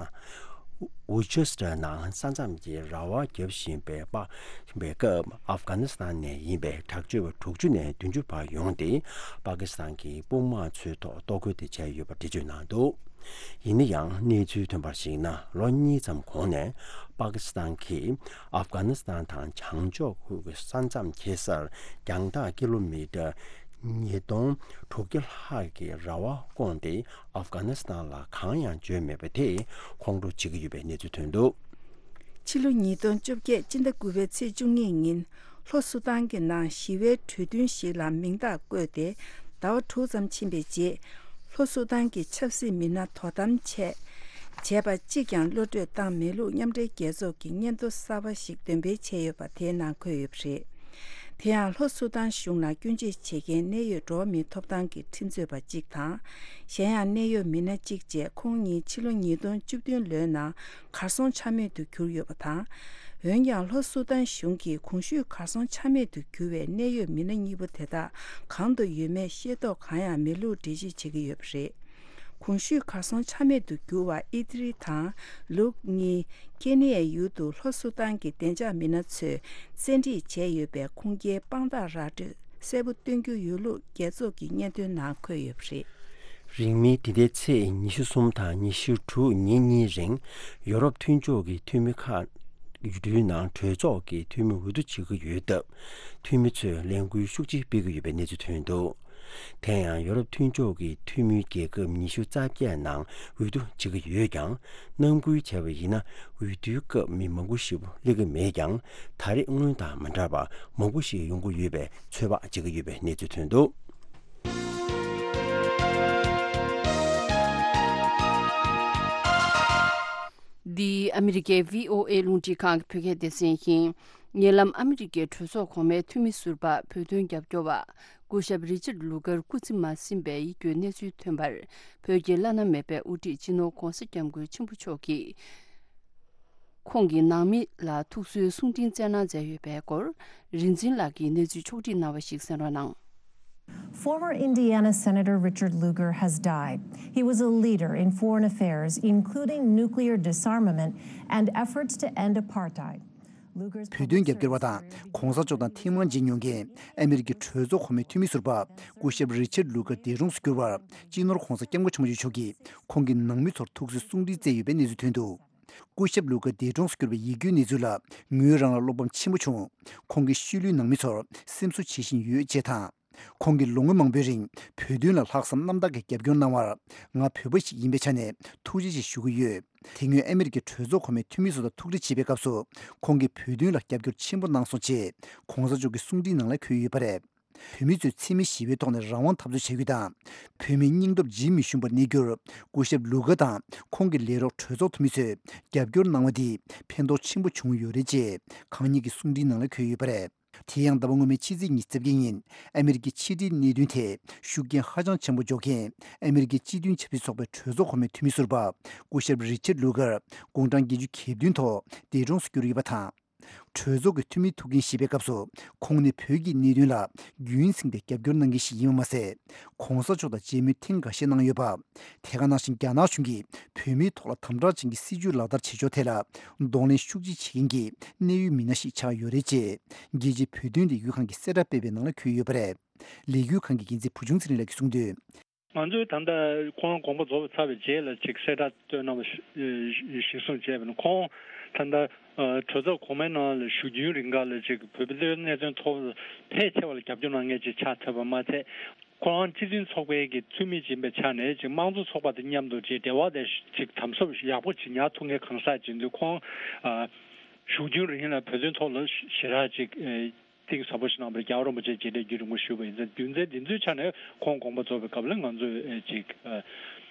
ཝུ་ཆེ་སི་ཐར་ནང་ས་མཚམས་ཀྱི་ར་བ་བརྒྱབ་བཞིན་པའི་པ་བཞིན་པའི་སྐབས། ཨབ་གྷ་ནི་སི་ཐན་ནས་ཡིན་པའི་དྲག་སྤྱོད་པ་དྲུག་ཅུ་ནས་བདུན་ཅུ་བར་ཡོང་སྟེ། པ་ཀི་སི་ཐན་གྱི་དཔུང་དམག་ཚོའི་ཐོག་གཏོར་རྒོལ་དེ་བྱས་ཡོད་པ་འགྲེལ་བརྗོད་གནང་འདུག། ཡིན་ན་ཡང་གནས་ཚུལ་ཐོན་པར་གཞིགས་ན། ལོ་གཉིས་ཙམ་གོང་ནས་པ་ཀི་སི་ཐན་གྱིས་ཨབ་གྷ་ནི་སི་ཐན་དང་བྱང་ཕྱོགས་ཁུལ་གྱི་ས་མཚམས་འཁེལ་སར་རྒྱང་ཐག་ཀི་ལོ་མི་ཊར་ཉིས་སྟོང་དྲུག་བརྒྱ་ལྷག་གི་ར་བ་བསྐོངས་ཏེ། ཨབ་གྷ་ནི་སི་ཐན་ལ་གང་ཡང་བརྗོད་མེད་པ་དེས་ཁོང་ཁྲོ་བྱེད་ཀྱི་ཡོད་པའི་གནས་ཚུལ་ཐོན་འདུག། ཕྱི་ལོ་ཉིས་སྟོང་བཅོ་བརྒྱད་སྤྱི་ཟླ་དགུ་པའི་ཚེས་བཅུ་གཉིས་ཉིན། ལྷོ་སུ་དཱན་གྱི་ནང་ཞི་བའི་གྲོས་མཐུན་ཞིག་ལ་མིང་རྟགས་བཀོད་དེ། ཟླ་བ་དྲུག་ཙམ་ཕྱིན་པའི་རྗེས། ལྷོ་སུ་དཱན་གྱི་ཆབ་སྲིད་མི་སྣ་དོ་དམ་ཆེད་བྱས་པ་གཅིག་ཀྱང་གློད་བཀྲོལ་བཏང་མེད་ལུགས་མཉམ་འབྲེལ་རྒྱལ་ཚོགས་ཀྱི་སྙན་ཐོ་གསར་པ་ཞིག་འདོན་སྤེལ་བྱས་ཡོད་པ་དེའི་ནང་འཁོད་ཡོད་པ་རེད། དེ་ཡང་ལྷོ་སུ་དཱན་གཞུང་ལ་སྐྱོན་བརྗོད་བྱེད་མཁན་གནད་ཡོད་འགྲོ་བ་མིའི་ཐོབ་ཐང་གི་ཁྲིམས་རྩོད་པ་གཅིག་དང་། གཞན་ཡང་གནད་ཡོད་མི་སྣ་གཅིག་བཅས་ཁོང་ཉིད་ཕྱི་ལོ་ཉིས་སྟོང་བཅུ་བདུན་ལོའི་ནང་གར་སོང་ཆ་མེད་དུ་གྱུར་ཡོད་པ་དང་། འོན་ཀྱང་ལྷོ་སུ་དཱན་གཞུང་གིས་གོང་ཞུས་གར་སོང་ཆ་མེད་དུ་གྱུར་བའི་གནད་ཡོད་མི་སྣ་གཉིས་པོ་དེ་དག་གང་དུ་ཡོད་མེད་ཤེས་རྟོགས་གང་ཡང་མེད་ལུགས་འགྲེལ་བརྗོད་བྱེད་ཀྱི་ཡོད་པ་རེད། གོང་ཞུས་གར་སོང་ཆ་མེད་དུ་གྱུར་བ་ཨི་ཏི་རི་དང་ལུག་གཉིས་ཀེ་ནི་ཡའི་ཡུལ་དུ་ལྷོ་སུ་དཱན་གྱི་བདེ་འཇགས་མི་སྣ་ཚོས་བཙན་ཁྲིད་བྱས་ཡོད་པའི་ཁུངས་སྐྱེལ་དཔང་རྟགས་ར་སྤྲོད་གསལ་པོ་སྟོན་རྒྱུ་ཡོད་ལུགས་རྒྱལ་ཚོགས་ཀྱི་སྙན་ཐོའི་ནང་འཁོད་ཡོད་པ་རེད། རིང་མིན་འདི་ཟླའི་ཚེས་ཉི་ཤུ་གསུམ་དང་ཉི་ཤུ་དྲུག་ཉིན་གཉིས་རིང་ཡོ་རོབ་མཐུན་ཕྱོགས་ཀྱི་འཐུས་མི་ཁག་ཡུལ་གྲུའི་ནང་གྲོས་ཚོགས་ཀྱི་འཐུས་མི་འོས་བསྡུ་བྱེད་ཀྱི་ཡོད་སྟབས། འཐུས་མི་ཚོས་ལས་འགུལ་ཤུགས་ཆེ་སྤེལ་གྱི་ཡོད་པའི་གནས་ཚུལ་ཐོན་འདུག། དེ་ཡང་ཡོ་རོབ་མཐུན་ཕྱོགས་ཀྱི་འཐུས་མི་རྒྱལ་ཁབ་ཉི་ཤུ་རྩ་བརྒྱད་ནང་འོས་བསྡུ་བྱེད་ཀྱི་ཡོད་ཀྱང་། རྣམ་འགུལ་བྱས་པ་ཡིན་ན། འོས་བསྡུའི་སྐབས་མི་མང་པོ་ཞིག་སླེབས་ཀྱི་མེད་ཀྱང་། ད་རེས་སྔོན་དང་མ་འདྲ་བར་མང་པོ་ཞིག་ཡོང་གི་ཡོད་པའི་ཚོད་དཔག་བྱེད་ཀྱི་ཡོད་པའི་གནས་ཚུལ་ཐོན་འདུག། འདི་ཨ་མི་རི་ཀའི་བྷི་ཨོ་ཨེ་རླུང་འཕྲིན་ཁང་གི་བོད་སྐད་སྡེ་ཚན་ཡིན། ཉེ་ལམ་ཨ་མི་རི་ཀའི་གྲོས་ཚོགས་གོང་མའི་འཐུས་མི་ཟུར་པ་བོད་དོན་རྒྱབ་སྐྱོར་བ་སྐུ་ཞབས་རི་ཅར་ལུ་གར་སྐུ་ཚེ་མ་ཟིན་པའི་ཡིད་སྐྱོའི་གནས་ཚུལ་ཐོན་པར། བོད་ཀྱི་བླ་ན་མེད་པའི་དབུ་ཁྲིད་སྤྱི་ནོར་༧གོང་ས་༧སྐྱབས་མགོན་ཆེན་པོ་མཆོག་གིས། ཁོང་གི་ནང་མི་ལ་ཐུགས་གསོའི་གསུང་འཕྲིན་བསྩལ་གནང་མཛད་ཡོད་པའི་སྐོར། རིག་འཛིན་ལགས་ཀྱིས་གནས་ཚུལ་ཕྱོགས་སྒྲིག་གནང་བ་ཞིག་གསན་རོགས་གནང་། Former Indiana Senator Richard Lugar has died. He was a leader in foreign affairs, including nuclear disarmament and efforts to end apartheid. Lugar's བོད་དོན་རྒྱབ་སྐྱོར་བ་དང་གོང་ས་མཆོག་དང་ཐེངས་མང་མཇལ་མྱོང་མཁན་ཨ་མི་རི་ཀའི་གྲོས་ཚོགས་གོང་མའི་འཐུས་མི་ཟུར་པ་སྐུ་ཞབས་རི་ཅར་ལུ་གར་འདས་གྲོངས་སུ་གྱུར་བར། སྤྱི་ནོར་༧གོང་ས་༧སྐྱབས་མགོན་ཆེན་པོ་མཆོག་གིས་ཁོང་གི་ནང་མི་ཚོར་ཐུགས་གསོའི་གསུང་འཕྲིན་བསྩལ་ཡོད་པའི་གནས་ཚུལ་ཐོན་འདུག། སྐུ་ཞབས་ལུ་གར་འདས་གྲོངས་སུ་གྱུར་པའི་ཡིད་སྐྱོའི་གནས་ཚུལ་ལ་ངོས་རང་ལ་བློ་ཕམ་ཆེན་པོ་བྱུང་། ཁོང་གི་ཤུལ་ལུས་ནང་མི་ཚོར་སེམས་གསོ་བྱེད་བཞིན་ཡོད་ཅེས་དང་། ཁོང་གིས་ལོ་ངོ་མང་པོའི་རིང་བོད་དོན་ལ་ལྷག་བསམ་རྣམ་དག་གིས་རྒྱབ་སྐྱོར་གནང་བར། ང་བོད་པ་ཞིག་ཡིན་པའི་ཆ་ནས་ཐུགས་རྗེ་ཆེ་ཞུ་གི་ཡོད། དེ་སྔོན་ཨ་མི་རི་ཀའི་གྲོས་ཚོགས་གོང་མའི་འཐུས་མི་ཚོ་དང་ཐུག་འཕྲད་བྱེད་པའི་སྐབས་སུ། ཁོང་གིས་བོད་དོན་ལ་རྒྱབ་སྐྱོར་ཆེན་པོ་གནང་སོང་ཅེས་གོང་ས་མཆོག་གི་གསུང་འཕྲིན་ནང་ལ་འཁོད་ཡོད་པ་རེད། བོད་མི་ཚོས་འཚེ་མེད་ཞི་བའི་ཐོག་ནས་རང་དབང་འཐབ་རྩོད་བྱ་རྒྱུ་དང་། བོད་མིའི་སྙིང་སྟོབས་ཇི་མི་ཞུམ་པར་གནས་རྒྱུར། སྐུ་ཞབས་ལུ་ག་དང་ཁོང་གི་ལས་རོགས་གྲོས་ཚོགས་འཐུས་མི་ཚོས་རྒྱབ་སྐྱོར་གནང་བ་འདིས་ཕན་ཐོགས་ཆེན་པོ་བྱུང་ཡོད་རེད་ཅེས་གང་ཉིད་ཀྱི་གསུང་འཕྲིན་ནང་ལ་འཁོད་ཡོད་པ་རེད། དེ་ཡང་ཟླ་བ་སྔོན་མའི་ཕྱི་ཚེས་ཉི་ཤུ་རྩ་བརྒྱད་ཉིན་ཨ་མི་རི་ཀའི་ཕྱི་འབྲེལ་གནད་དོན་ཐད་ཤུགས་རྐྱེན་ཧ་ཅང་ཆེན་པོ་འཇོག་མཁན་ཨ་མི་རི་ཀའི་སྤྱི་མཐུན་ཆབ་སྲིད་ཚོགས་པའི་གྲོས་ཚོགས་གོང་མའི་འཐུས་མི་ཟུར་པ་སྐུ་ཞབས་རི་ཅར་ལུ་གར་དགུང་གྲངས་བརྒྱད་ཅུ་གྱ་བདུན་ཐོག་འདས་གྲོངས་སུ་གྱུར་ཡོད་པ་དང་། གྲོས་ཚོགས་ཀྱི་འཐུས་མི་ཐུག་འཕྲད་བྱེད་པའི་སྐབས་སུ་ཁོང་ནི་བོད་ཀྱི་གནད་དོན་ལ་རྒྱུན་བསྲིངས་ཏེ་རྒྱབ་སྐྱོར་གནང་མཁན་ཞིག་ཡིན་པ་མ་ཟད། གོང་ས་མཆོག་དང་མཇལ་མོལ་ཐེངས་འགའ་ཤས་གནང་ཡོད་པ། དེ་ག་ནང་བཞིན་རྒྱ་ནག་གཞུང་གིས་བོད་མིའི་ཐོག་ལ་དམ་དྲག་ཅན་གྱི་སྲིད་བྱུས་ལག་བསྟར་བྱེད་ཕྱོགས་ཐད་ལ་གདོང་ལེན་ཤུགས་ཆེ་བྱེད་མཁན་གྱི་གནད་ཡོད་མི་སྣ་ཞིག་ཆགས་ཡོད་རེད་ཅེས་རྒྱལ་སྤྱིའི་བོད་དོན་ལས་འགུལ་ཁང་གིས་གསལ་བསྒྲགས་སྤེལ་བའི་ནང་ལ་འཁོད་ཡོད་པ་རེད། ལས་འགུལ་ཁང་གི་འགན་འཛིན་བུ་ཆུང་ཚེ་རིང་ལགས་ཀྱིས་གསུངས་དོན། ང་ཚོས་ད་ལྟ་ཁོང་དགོངས་པ་རྫོགས་པ་ཚར་བའི་རྗེས་ལ་ཅིག་གསལ་བསྒྲགས་བཏོན་གནང་བ་ཞིག་གཞིར་བཟུང་བྱས་པ་ཡིན་ན། ཁོང་ད་ལྟ་གྲོས་ཚོགས་གོང་མའི་ནང་ལ་བཞུགས་རྒྱུན་རིང་ག་ལ་ཅིག་བོད་པའི་གནད་དོན་ཐོག་ཕལ་ཆེ་བ་ལ་རྒྱབ་སྐྱོར་གནང་མཁན་ཅིག་ཆགས་ཐུབ་པ་མ་ཚད། ཁོ་རང་སྤྱི་མཐུན་ཚོགས་པའི་གི་འཐུས་མི་ཡིན་པའི་ཆ་ནས་ཅིག་དམངས་གཙོ་ཚོགས་པ་དང་མཉམ་དུ་ཅིག་འབྲེལ་བ་དེ་ཅིག་དམ་ཟབ་ཡག་པོ་ཅིག་ཉར་ཐུབ་མཁན་གང་ཟག་ཅིག་ཡིན་དུས། ཁོང་ཨ་བཞུགས་རྒྱུན་རིང་ལ་བོད་དོན་ཐོག་ལ་ཞེ་དྲག་ཅིག་ཨ་གཏིང་ཟབ་པོ་ཞིག་གནང་བར་རྒྱལ་བ་རིན་པོ་ཆེ་རྗེས་དྲན་རྒྱུན་རིང་པོ་ཞུས་པ་ཡིན་ཙང་། རྒྱུ་མཚན་འདི་ཚོའི་ཆ་ནས་ཁོང་དགོངས་པ་རྫོགས་པའི་སྐབས་ལ་ང་ཚོས་ཨ་ཅིག་ཨ་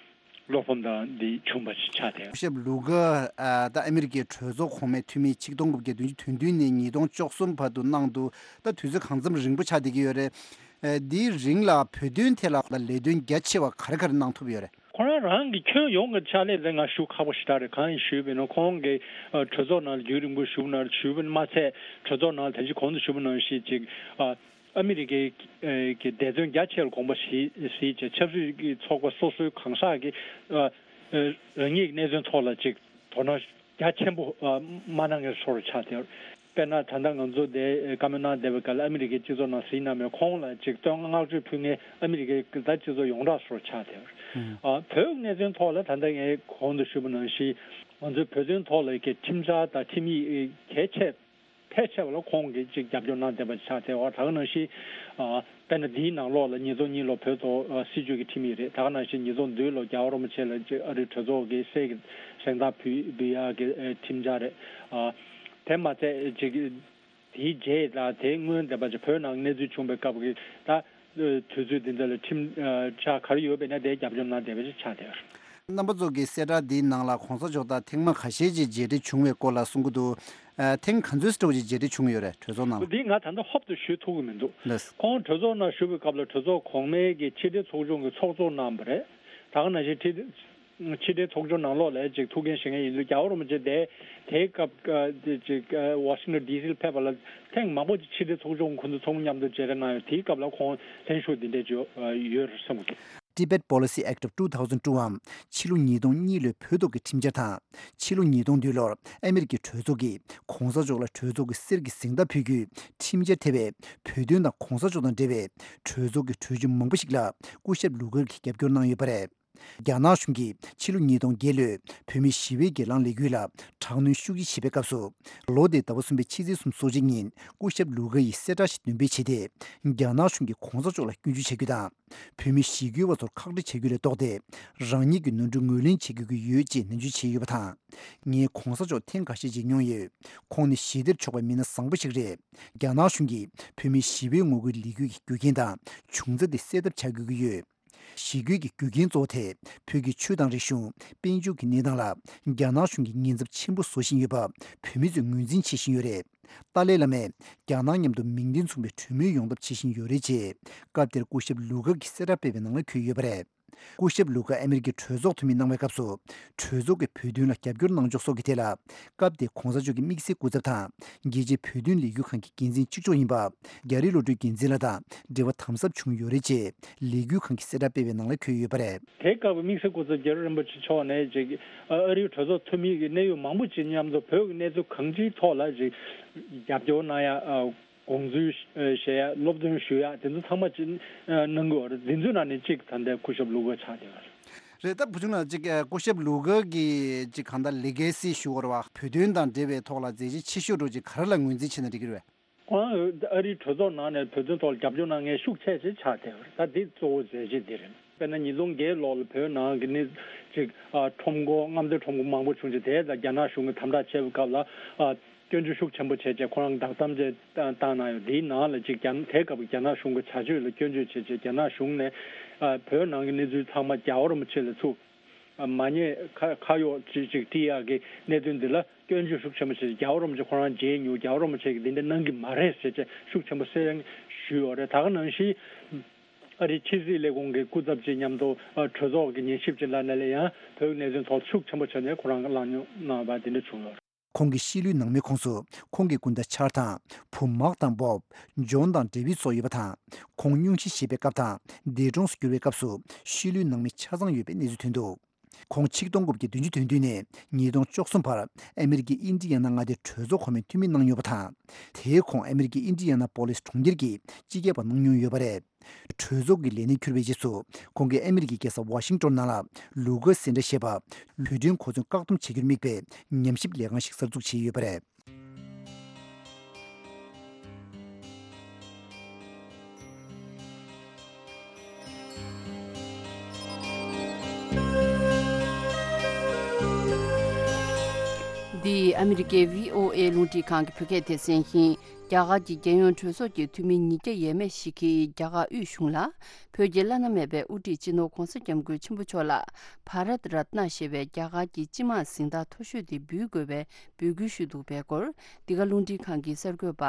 བློ་ཕམ་དང་འདི་བྱུང་བ་ཞིག་ཆགས་ཏེ། སྐུ་ཞབས་ལུ་ག་ཨ་ད་ཨ་མི་རི་ཀའི་གྲོས་ཚོགས་གོང་མའི་འཐུས་མི་ཆིག་སྟོང་དགུ་བརྒྱ་བདུན་ཅུ་དོན་བདུན་ནས་ཉིས་སྟོང་བཅུ་གསུམ་བར་དུ་གནང་འདུག་ད་དུས་ཚོད་གང་འཚམ་རིང་པོ་ཆགས་བསྡད་ཀྱི་ཡོད་རེད། ཨ་འདིའི་རིང་ལ་བོད་དོན་ཐད་ལ་ལས་དོན་རྒྱ་ཆེ་བ་ག་རེ་ག་རེ་གནང་ཐུབ་ཡོད་རེད། ཁོ་རང་རང་གི་ཁྱོན་ཡོངས་ཀྱི་ཕྱག་ལས་དེ་ང་ཞུ་ཁག་པོ་ཞེ་དྲག་རེད། གང་ཡིན་ཞུས་པ་ཡིན་ན། ཁོང་གིས་ཨ་གྲོས་ཚོགས་ནང་ལ་རྒྱུན་རིང་པོ་བཞུགས་ན་བཞུགས་པ་མ་ཚད། གྲོས་ཚོགས་ནང་ལ་ད་ཅི་གོང་དུ་ཞུས་པ་ནང་བཞིན་ཅིག་ཨ་ཨ་མི་རི་ཀའི་ཨ་གི་འབད་བརྩོན་རྒྱ་ཆེ་བར་དགོངས་པ་བཞེས་བཞེས་བྱས། ཆབ་སྲིད་ཀྱི་ཚོགས་པ་སོ་སོའི་གང་ཟག་གིས་ཨ་ཨ་རང་ཉིད་ཀྱི་གནད་དོན་ཐོག་ལ་ཅིག་དོ་སྣང་རྒྱ་ཆེན་པོ་ཨ་མ་གནང་མཁན་བཟོ་འདྲ་ཆགས་བསྡད། དཔེར་ན་ད་ལྟ་ང་ཚོ་འདིར་བཀའ་མོལ་གནང་བསྡད་པའི་སྐབས་ལ་ཨ་མི་རི་ཀའི་སྤྱི་ཚོགས་ནང་གཟིགས་གནང་མེད། ཁོང་ལ་ཅིག་བསྟོད་བསྔགས་བརྗོད་ཕུལ་མཁན་ཨ་མི་རི་ཀའི་ད་སྤྱི་ཚོགས་ཡོངས་གྲགས་བཟོ་འདྲ་ཆགས་བསྡད། ཨ་བོད་གནད་དོན་ཐོག་ལ་ད་ལྟ་ངས་གོང་དུ་ཞུས་པ་ནང་བཞིན་ང་ཚོའི་བོད་དོན་ཐོག་ལ་གི་ཁྲིམས་འཆར་དང་ཁྲིམས་ཡིག་གལ་ཆེ་ཕལ་ཆེ་བ་ལ་ཁོང་གིས་ཅིག་རྒྱབ་སྐྱོར་གནང་བསྡད་པ་ཆགས་བསྡད་པ། ད་ག་ནང་བཞིན་ཨ་དཔེར་ན་འདིའི་ནང་ལོགས་ལ་ཉིས་སྟོང་གཉིས་ལོ་བོད་ཐོག་ཨ་སྲིད་བྱུས་ཀྱི་ཁྲིམས་ཡིག་རེད། ད་ག་ནང་བཞིན་ཉིས་སྟོང་བདུན་ལོ་རྒྱལ་བ་རིན་པོ་ཆེ་ལ་ཅིག་ཨ་རིའི་གྲོས་ཚོགས་ཀྱི་གསེར་གྱི་གཟེངས་རྟགས་ཕུལ་ཕུལ་ཡག་གི་ཨ་ཁྲིམས་འཆར་རེད། ཨ་དེ་མ་ཚད་ཅིག་དེའི་རྗེས་དང་དེའི་སྔོན་འདས་པ་ཅིག་བོད་ནང་གནས་ཚུལ་བྱུང་བའི་སྐབས་ཀྱི་ད་དུས་ཚོད་འདི་འདྲ་ལ་ཁྲིམས་ཨ་འཆར་ག་རེ་ཡོད་པ་ཡིན་ན་དེ་རྒྱབ་སྐྱོར་གནང་བསྡད་པ་ཞིག་ཆགས་བསྡད་ཡོད། རྣམ་པ་ཚོ་གི་གསལ་བསྒྲགས་འདིའི་ནང་ལ་གོང་ས་མཆོག་དང་ཐེངས་མ་ཁ་ཤས་ཅིག་མཇལ་འཕྲད་བྱུང་བའི་སྐོར་ལ་གསུང་གི་འདུག་ཨ་ཐེངས་ག་ཚོད་ཙམ་ཅིག་མཇལ་འཕྲད་བྱུང་ཡོད་རེད། གྲོས་ཚོགས་ནང་ལ། འདི་ང་ད་ལྟ་ཧོབ་ཏེ་ཞུ་ཐུབ་ཀྱི་མི་འདུག་ལགས། ཁོང་གྲོས་ཚོགས་ནང་བཞུགས་པའི་སྐབས་ལ་གྲོས་ཚོགས་གོང་མའི་གི་ཕྱི་དྲིལ་ཚོགས་ཆུང་གི་ཚོགས་གཙོ་གནང་བ་རེད། ད་ག་ནང་བཞིན་ཕྱི་ཕྱི་དྲིལ་ཚོགས་ཆུང་ནང་ལོགས་ལ་ཅིག་ཐུགས་འགན་བཞེས་མཁན་ཡིན་དུས། རྒྱལ་བ་རིན་པོ་ཆེ་དེ་དེའི་སྐབས་ཨ་དེ་ཅིག་ཨ་ཝ་ཤིང་ཊོན་ཌི་སི་ལ་ཕེབས་པ་ལ་ཐེངས་མང་པོ་ཅིག་ཕྱི་དྲིལ་ཚོགས་ཆུང་ཁོང་ཚོ་ཚང་མ་མཉམ་དུ་མཇལ་འཕྲད་གནང་ཡོད། དེའི་སྐབས་ལ་ཁོང་ལྷན་ཞུགས་འདི་འདྲས་ཅིག་ཡོད་རེད་བསམ་གྱི་འདུག Tibet Policy Act of two thousand two འམ་ཕྱི་ལོ་ཉིས་སྟོང་གཉིས་ལོའི་བོད་ཐོག་གི་ཁྲིམས་འཆར་དང་། ཕྱི་ལོ་ཉིས་སྟོང་བདུན་ལོར་ཨ་མི་རི་ཀའི་གྲོས་ཚོགས་ཀྱིས་གོང་ས་མཆོག་ལ་གྲོས་ཚོགས་ཀྱི་གསེར་གྱི་གཟེངས་རྟགས་ཕུལ་རྒྱུའི་ཁྲིམས་འཆར་ཐེ་བའི་བོད་དོན་དང་གོང་ས་མཆོག་དང་འབྲེལ་བའི་གྲོས་ཚོགས་ཀྱི་གྲོས་ཆོད་མང་པོ་ཞིག་ལ་སྐུ་ཞབས་ལུ་གར་གྱིས་རྒྱབ་སྐྱོར་གནང་ཡོད་པ་རེད། རྒྱ་ནག་གཞུང་གིས་ཕྱི་ལོ་ཉིས་སྟོང་བརྒྱད་ལོའི་བོད་མིའི་ཞི་བའི་སྒེར་ལངས་ལས་འགུལ་ལ་དྲག་གནོན་ཤུགས་ཆེ་བྱས་པའི་སྐབས་སུ། ལོ་དེའི་ཟླ་བ་གསུམ་པའི་ཕྱི་ཚེས་སོ་གཅིག་ཉིན་སྐུ་ཞབས་ལུ་གར་ཡིས་གསལ་བསྒྲགས་ཤིག་འདོན་སྤེལ་བྱས་ཏེ། རྒྱ་ནག་གཞུང་གིས་གོང་ས་མཆོག་ལ་སྐྱོན་བརྗོད་བྱ་རྒྱུ་དང་། བོད་མི་ཞི་རྒོལ་བ་ཚོར་ཁག་དཀྲི་བྱ་རྒྱུ་ལས་ལྡོག་སྟེ། རང་ཉིད་ཀྱི་ནོར་འཁྲུལ་ངོས་ལེན་བྱེད་དགོས་ཀྱི་ཡོད་ཅེས་ནན་བརྗོད་བྱས་ཡོད་པ་དང་། ངས་གོང་ས་མཆོག་ཐེངས་འགའ་ཤས་མཇལ་མྱོང་ཡོད། ཁོང་ནི་ཞི་བདེར་ཕྱོགས་པའི་མི་སྣ་བཟང་པོ་ཞིག་རེད། རྒྱ་ནག་གཞུང་གིས་བོད་མིའི་ཞི་བའི་ངོ་རྒོལ་ལས་འགུལ་གྱི་རྒྱུ་རྐྱེན་དང་བྱུང་རྩ་དེ་སེལ་ཐབས་བྱ་དགོས་ཀྱི་ཡོད། ཞི་རྒོལ་གྱི་རྒྱུ་རྐྱེན་གཙོ་བོ་དེ་བོད་ཀྱི་ཆོས་དང་རིག་གཞུང་། དཔལ་འབྱོར་གྱི་གནས་སྟངས་ལ་རྒྱ་ནག་གཞུང་གིས་ཉེན་ཚབས་ཆེན་པོ་བཟོ་བཞིན་ཡོད་པ་བོད་མི་ཚོས་ངོས་འཛིན་བྱེད་བཞིན་ཡོད་རེད། ཏཱ་ལའི་བླ་མས་རྒྱ་ནག་མཉམ་དུ་མིང་དོན་མཚུངས་པའི་གྲོས་མོལ་ཡོང་ཐབས་བྱེད་བཞིན་ཡོད་རེད་ཅེས་སྐབས་དེར་སྐུ་ཞབས་ལུ་གར་གྱིས་གསལ་བསྒྲགས་སྤེལ་བའི་ནང་ལ་འཁོད་ཡོད་པ་རེད། སྐུ་ཞབས་ལུ་གར་ཨ་མི་རི་ཀའི་གྲོས་ཚོགས་འཐུས་མི་གནང་བའི་སྐབས་སུ། གྲོས་ཚོགས་ཀྱི་བོད་དོན་ལ་རྒྱབ་སྐྱོར་གནང་ཕྱོགས་སོགས་ཀྱི་ཐད་ལ། སྐབས་དེའི་གོང་ས་མཆོག་གི་དམིགས་བསལ་སྐུ་ཚབ་དང་། རྒྱལ་སྤྱིའི་བོད་དོན་ལས་འགུལ་ཁང་གི་འགན་འཛིན་གཅིག་ལྕོགས་ཡིན་པ། རྒྱ་རི་བློ་གྲོས་འགན་འཛིན་ལགས་དང་འབྲེལ་བ་དམ་ཟབ་བྱུང་ཡོད་རེད་ཅེས་ལས་འགུལ་ཁང་གིས་གསལ་བསྒྲགས་སྤེལ་བའི་ནང་ལ་འཁོད་ཡོད་པ་རེད། དེའི་སྐབས་དམིགས་བསལ་སྐུ་ཚབ་རྒྱ་རི་རིན་པོ་ཆེ་མཆོག་ནས་ཅིག་ཨ་རིའི་གྲོས་ཚོགས་འཐུས་མི་གི་གནད་ཡོད་མང་པོ་ཅིག་མཉམ་དུ་བོད་ཀྱི་གནས་ཚུལ་གང་ཅིའི་ཐོག་ལ་ཅིག་རྒྱབ་སྐྱོར་གནང་ཡ། ཨ་དགོངས་ཚུལ་བཤད་ཡ། སློབ་སྟོན་ཞུ་ཡ། དེ་ཚོ་ཚང་མ་ཅིག་གནང་གི་ཡོད་རེད། དེ་ཚོའི་ནང་ནས་གཅིག་ད་ལྟའི་སྐུ་ཞབས་ལུ་གར་ཆགས་བསྡད་ཡོད་རེད། རེད། ད་བུ་ཆུང་ལགས་ཅིག་སྐུ་ཞབས་ལུ་གར་གྱི་ཅིག་གང་ལྟར་ལི་གེ་སི་ཞུ་བར་བ། བོད་དོན་དང་འབྲེལ་བའི་ཐོག་ལ་མཛད་རྗེས་ཆེ་ཤོས་འདྲ་ཅིག་ག་རེ་ལ་ངོས་འཛིན་བྱས་ན་འགྲིག་གི་རེད། ཁོང་ཨ་རིའི་གྲོས་ཚོགས་ནང་ནས་བོད་དོན་ཐོག་ལ་རྒྱབ་སྐྱོར་གནང་མཁན་ཤུགས་ཆེ་ཆེ་ཆགས་བསྡད་པ་རེད། ད་འདི་གཙོ་བོ་མཛད་རྗེས་འདི་རེད། དཔེར་ན་ཉིས་སྟོང་བརྒྱད་ལོ་ལ་བོད་ནང་གི་ནི་ཅིག་ཨ་ཁྲོམ་སྐོར། མངའ་སྡེ་ཁྲོམ་སྐོར་མང་པོ་བྱུང་རྗེས། དེ་ལ་རྒྱ་ནག་གཞུང་གིས་དམ་དྲག་བྱས་པའི་སྐབས་ལ་ཨ་སྐྱོན་བརྗོད་ཤུགས་ཆེན་པོ་བྱས་རྗེས་ཁོ་རང་བདག་དམ་བཅས་བཏང་གནང་ཡོད། དེའི་ནང་ལ་ཅིག་རྒྱ་དེའི་སྐབས་ཀྱི་རྒྱ་ནག་གཞུང་གི་བྱ་སྤྱོད་ལ་སྐྱོན་བརྗོད་བྱས་རྗེས། རྒྱ་ནག་གཞུང་ནས་ཨ་བོད་ནང་གི་གནས་ཚུལ་ཚང་མ་རྒྱལ་བ་རིན་པོ་ཆེ་ལ་ཚུར་མ་ཉེས་ཁ་ཁ་གཡོག་ཅིག་ཅིག་སྤྲད་ཡག་གི་གནད་དོན་འདི་ལ་སྐྱོན་བརྗོད་ཤུགས་ཆེན་པོ་བྱས། རྒྱལ་བ་རིན་པོ་ཆེ་ཁོ་རང་མཇལ་མྱོང་། རྒྱལ་བ་རིན་པོ་ཆེ་གིས་འདི་འདྲ་གནང་གི་མ་རེད་ཟེར་བྱས་ཤུགས་ཆེན་པོ་གསལ་ཞུས་ཡོད་རེད། ད་ག་ནང་བཞིན་ཨ་རིའི་ཕྱི་སྲིད་ལས་ཁུངས་ཀྱི་སྐུ་ཚབ་ཅིག་མཉམ་དུ་ཨ་གྲོས་ཚོགས་ཀྱི་ཉན་ཞིབ་ཅིག་ལ་ནས་ལ་ཡང་བོད་ཀྱི་གནད་དོན་ཐོག་ཤུགས་ཆེན་པོ་བྱས་ནས་ཁོ་རང་གིས་གླེང་སློང་གནང་བ་འདི་འདྲ་བྱུང་ཡོད་རེད། ཁོང་གི་ཤི་ལོའི་ནང་མིའི་ཁོངས་སུ་ཁོང་གི་སྐུ་ཟླ་ཆར་དང་བུ་མག་དང་བོབ། ཇོན་དང་ཌེ་བིད་སོགས་ཡོད་པ་དང་། ཁོང་སྙུང་གཞི་བཞེས་པའི་སྐབས་དང་འདས་གྲོངས་སུ་གྱུར་བའི་སྐབས་སུ་ཤི་ལོའི་ནང་མི་ཆ་ཚང་ཡོད་པའི་གནས་ཚུལ་ཐོན་འདུག་ཁོང་ཆིག་སྟོང་དགུ་བརྒྱ་བདུན་ཅུ་དོན་བདུན་ནས་ཉིས་སྟོང་བཅུ་གསུམ་བར་ཨ་མེ་རི་ཀའི་ཨིན་ཌི་ཡ་ན་མངའ་སྡེའི་གྲོས་ཚོགས་གོང་མའི་འཐུས་མི་གནང་མྱོང་བ་དང་། དེའི་གོང་ཨ་མེ་རི་ཀའི་ཨིན་ཌི་ཡ་ན་པོ་ལིས་གྲོང་ཁྱེར་གྱི་སྤྱི་ཁྱབ་པ་གནང་མྱོང་ཡོད་པ་རེད། གྲོས་ཚོགས་ཀྱི་ལས་གནས་འཁྱུར་བའི་རྗེས་སུ། ཁོང་གིས་ཨ་མེ་རི་ཀའི་རྒྱལ་ས་ཝ་ཤིང་ཏོན་ནང་ལ་ལུ་ཀ་སེན་ཏྲ་ཞེས་པ། བོད་དོན་གོ་མཚོན་བཀག་སྡོམ་བྱེད་རྒྱུར་དམིགས་པའི་ཉམས་ཞིབ་ལས་ཁང་ཞིག་གསར་འཛུགས་བྱས་ཡོད་པ་རེད། འདི་ཨ་མེ་རི་ཀའི་བྷི་ཨོ་ཨེ་རླུང་འཕྲིན་ཁང་གི་བོད་སྐད་སྡེ་ཚན་ཡིན། རྒྱ་གར་གྱི་རྒྱལ་ཡོངས་གྲོས་ཚོགས་ཀྱི་འཐུས་མི་ཉིས་བརྒྱ་ཡས་མས་ཤིག་གིས་རྒྱ་གར་དབུས་གཞུང་ལ། བོད་ཀྱི་བླ་ན་མེད་པའི་དབུ་ཁྲིད་སྤྱི་ནོར་༧གོང་ས་༧སྐྱབས་མགོན་ཆེན་པོ་མཆོག་ལ་བྷ་རཏ་རཏ་ན་ཞེས་པའི་རྒྱ་གར་གྱི་སྤྱི་དམངས་གཟེངས་རྟགས་མཐོ་ཤོས་དེ་འབུལ་དགོས་པའི་འབོད་སྐུལ་ཞུས་འདུག་པའི་སྐོར། འདི་ག་རླུང་འཕྲིན་ཁང་གི་གསར་འགོད་པ་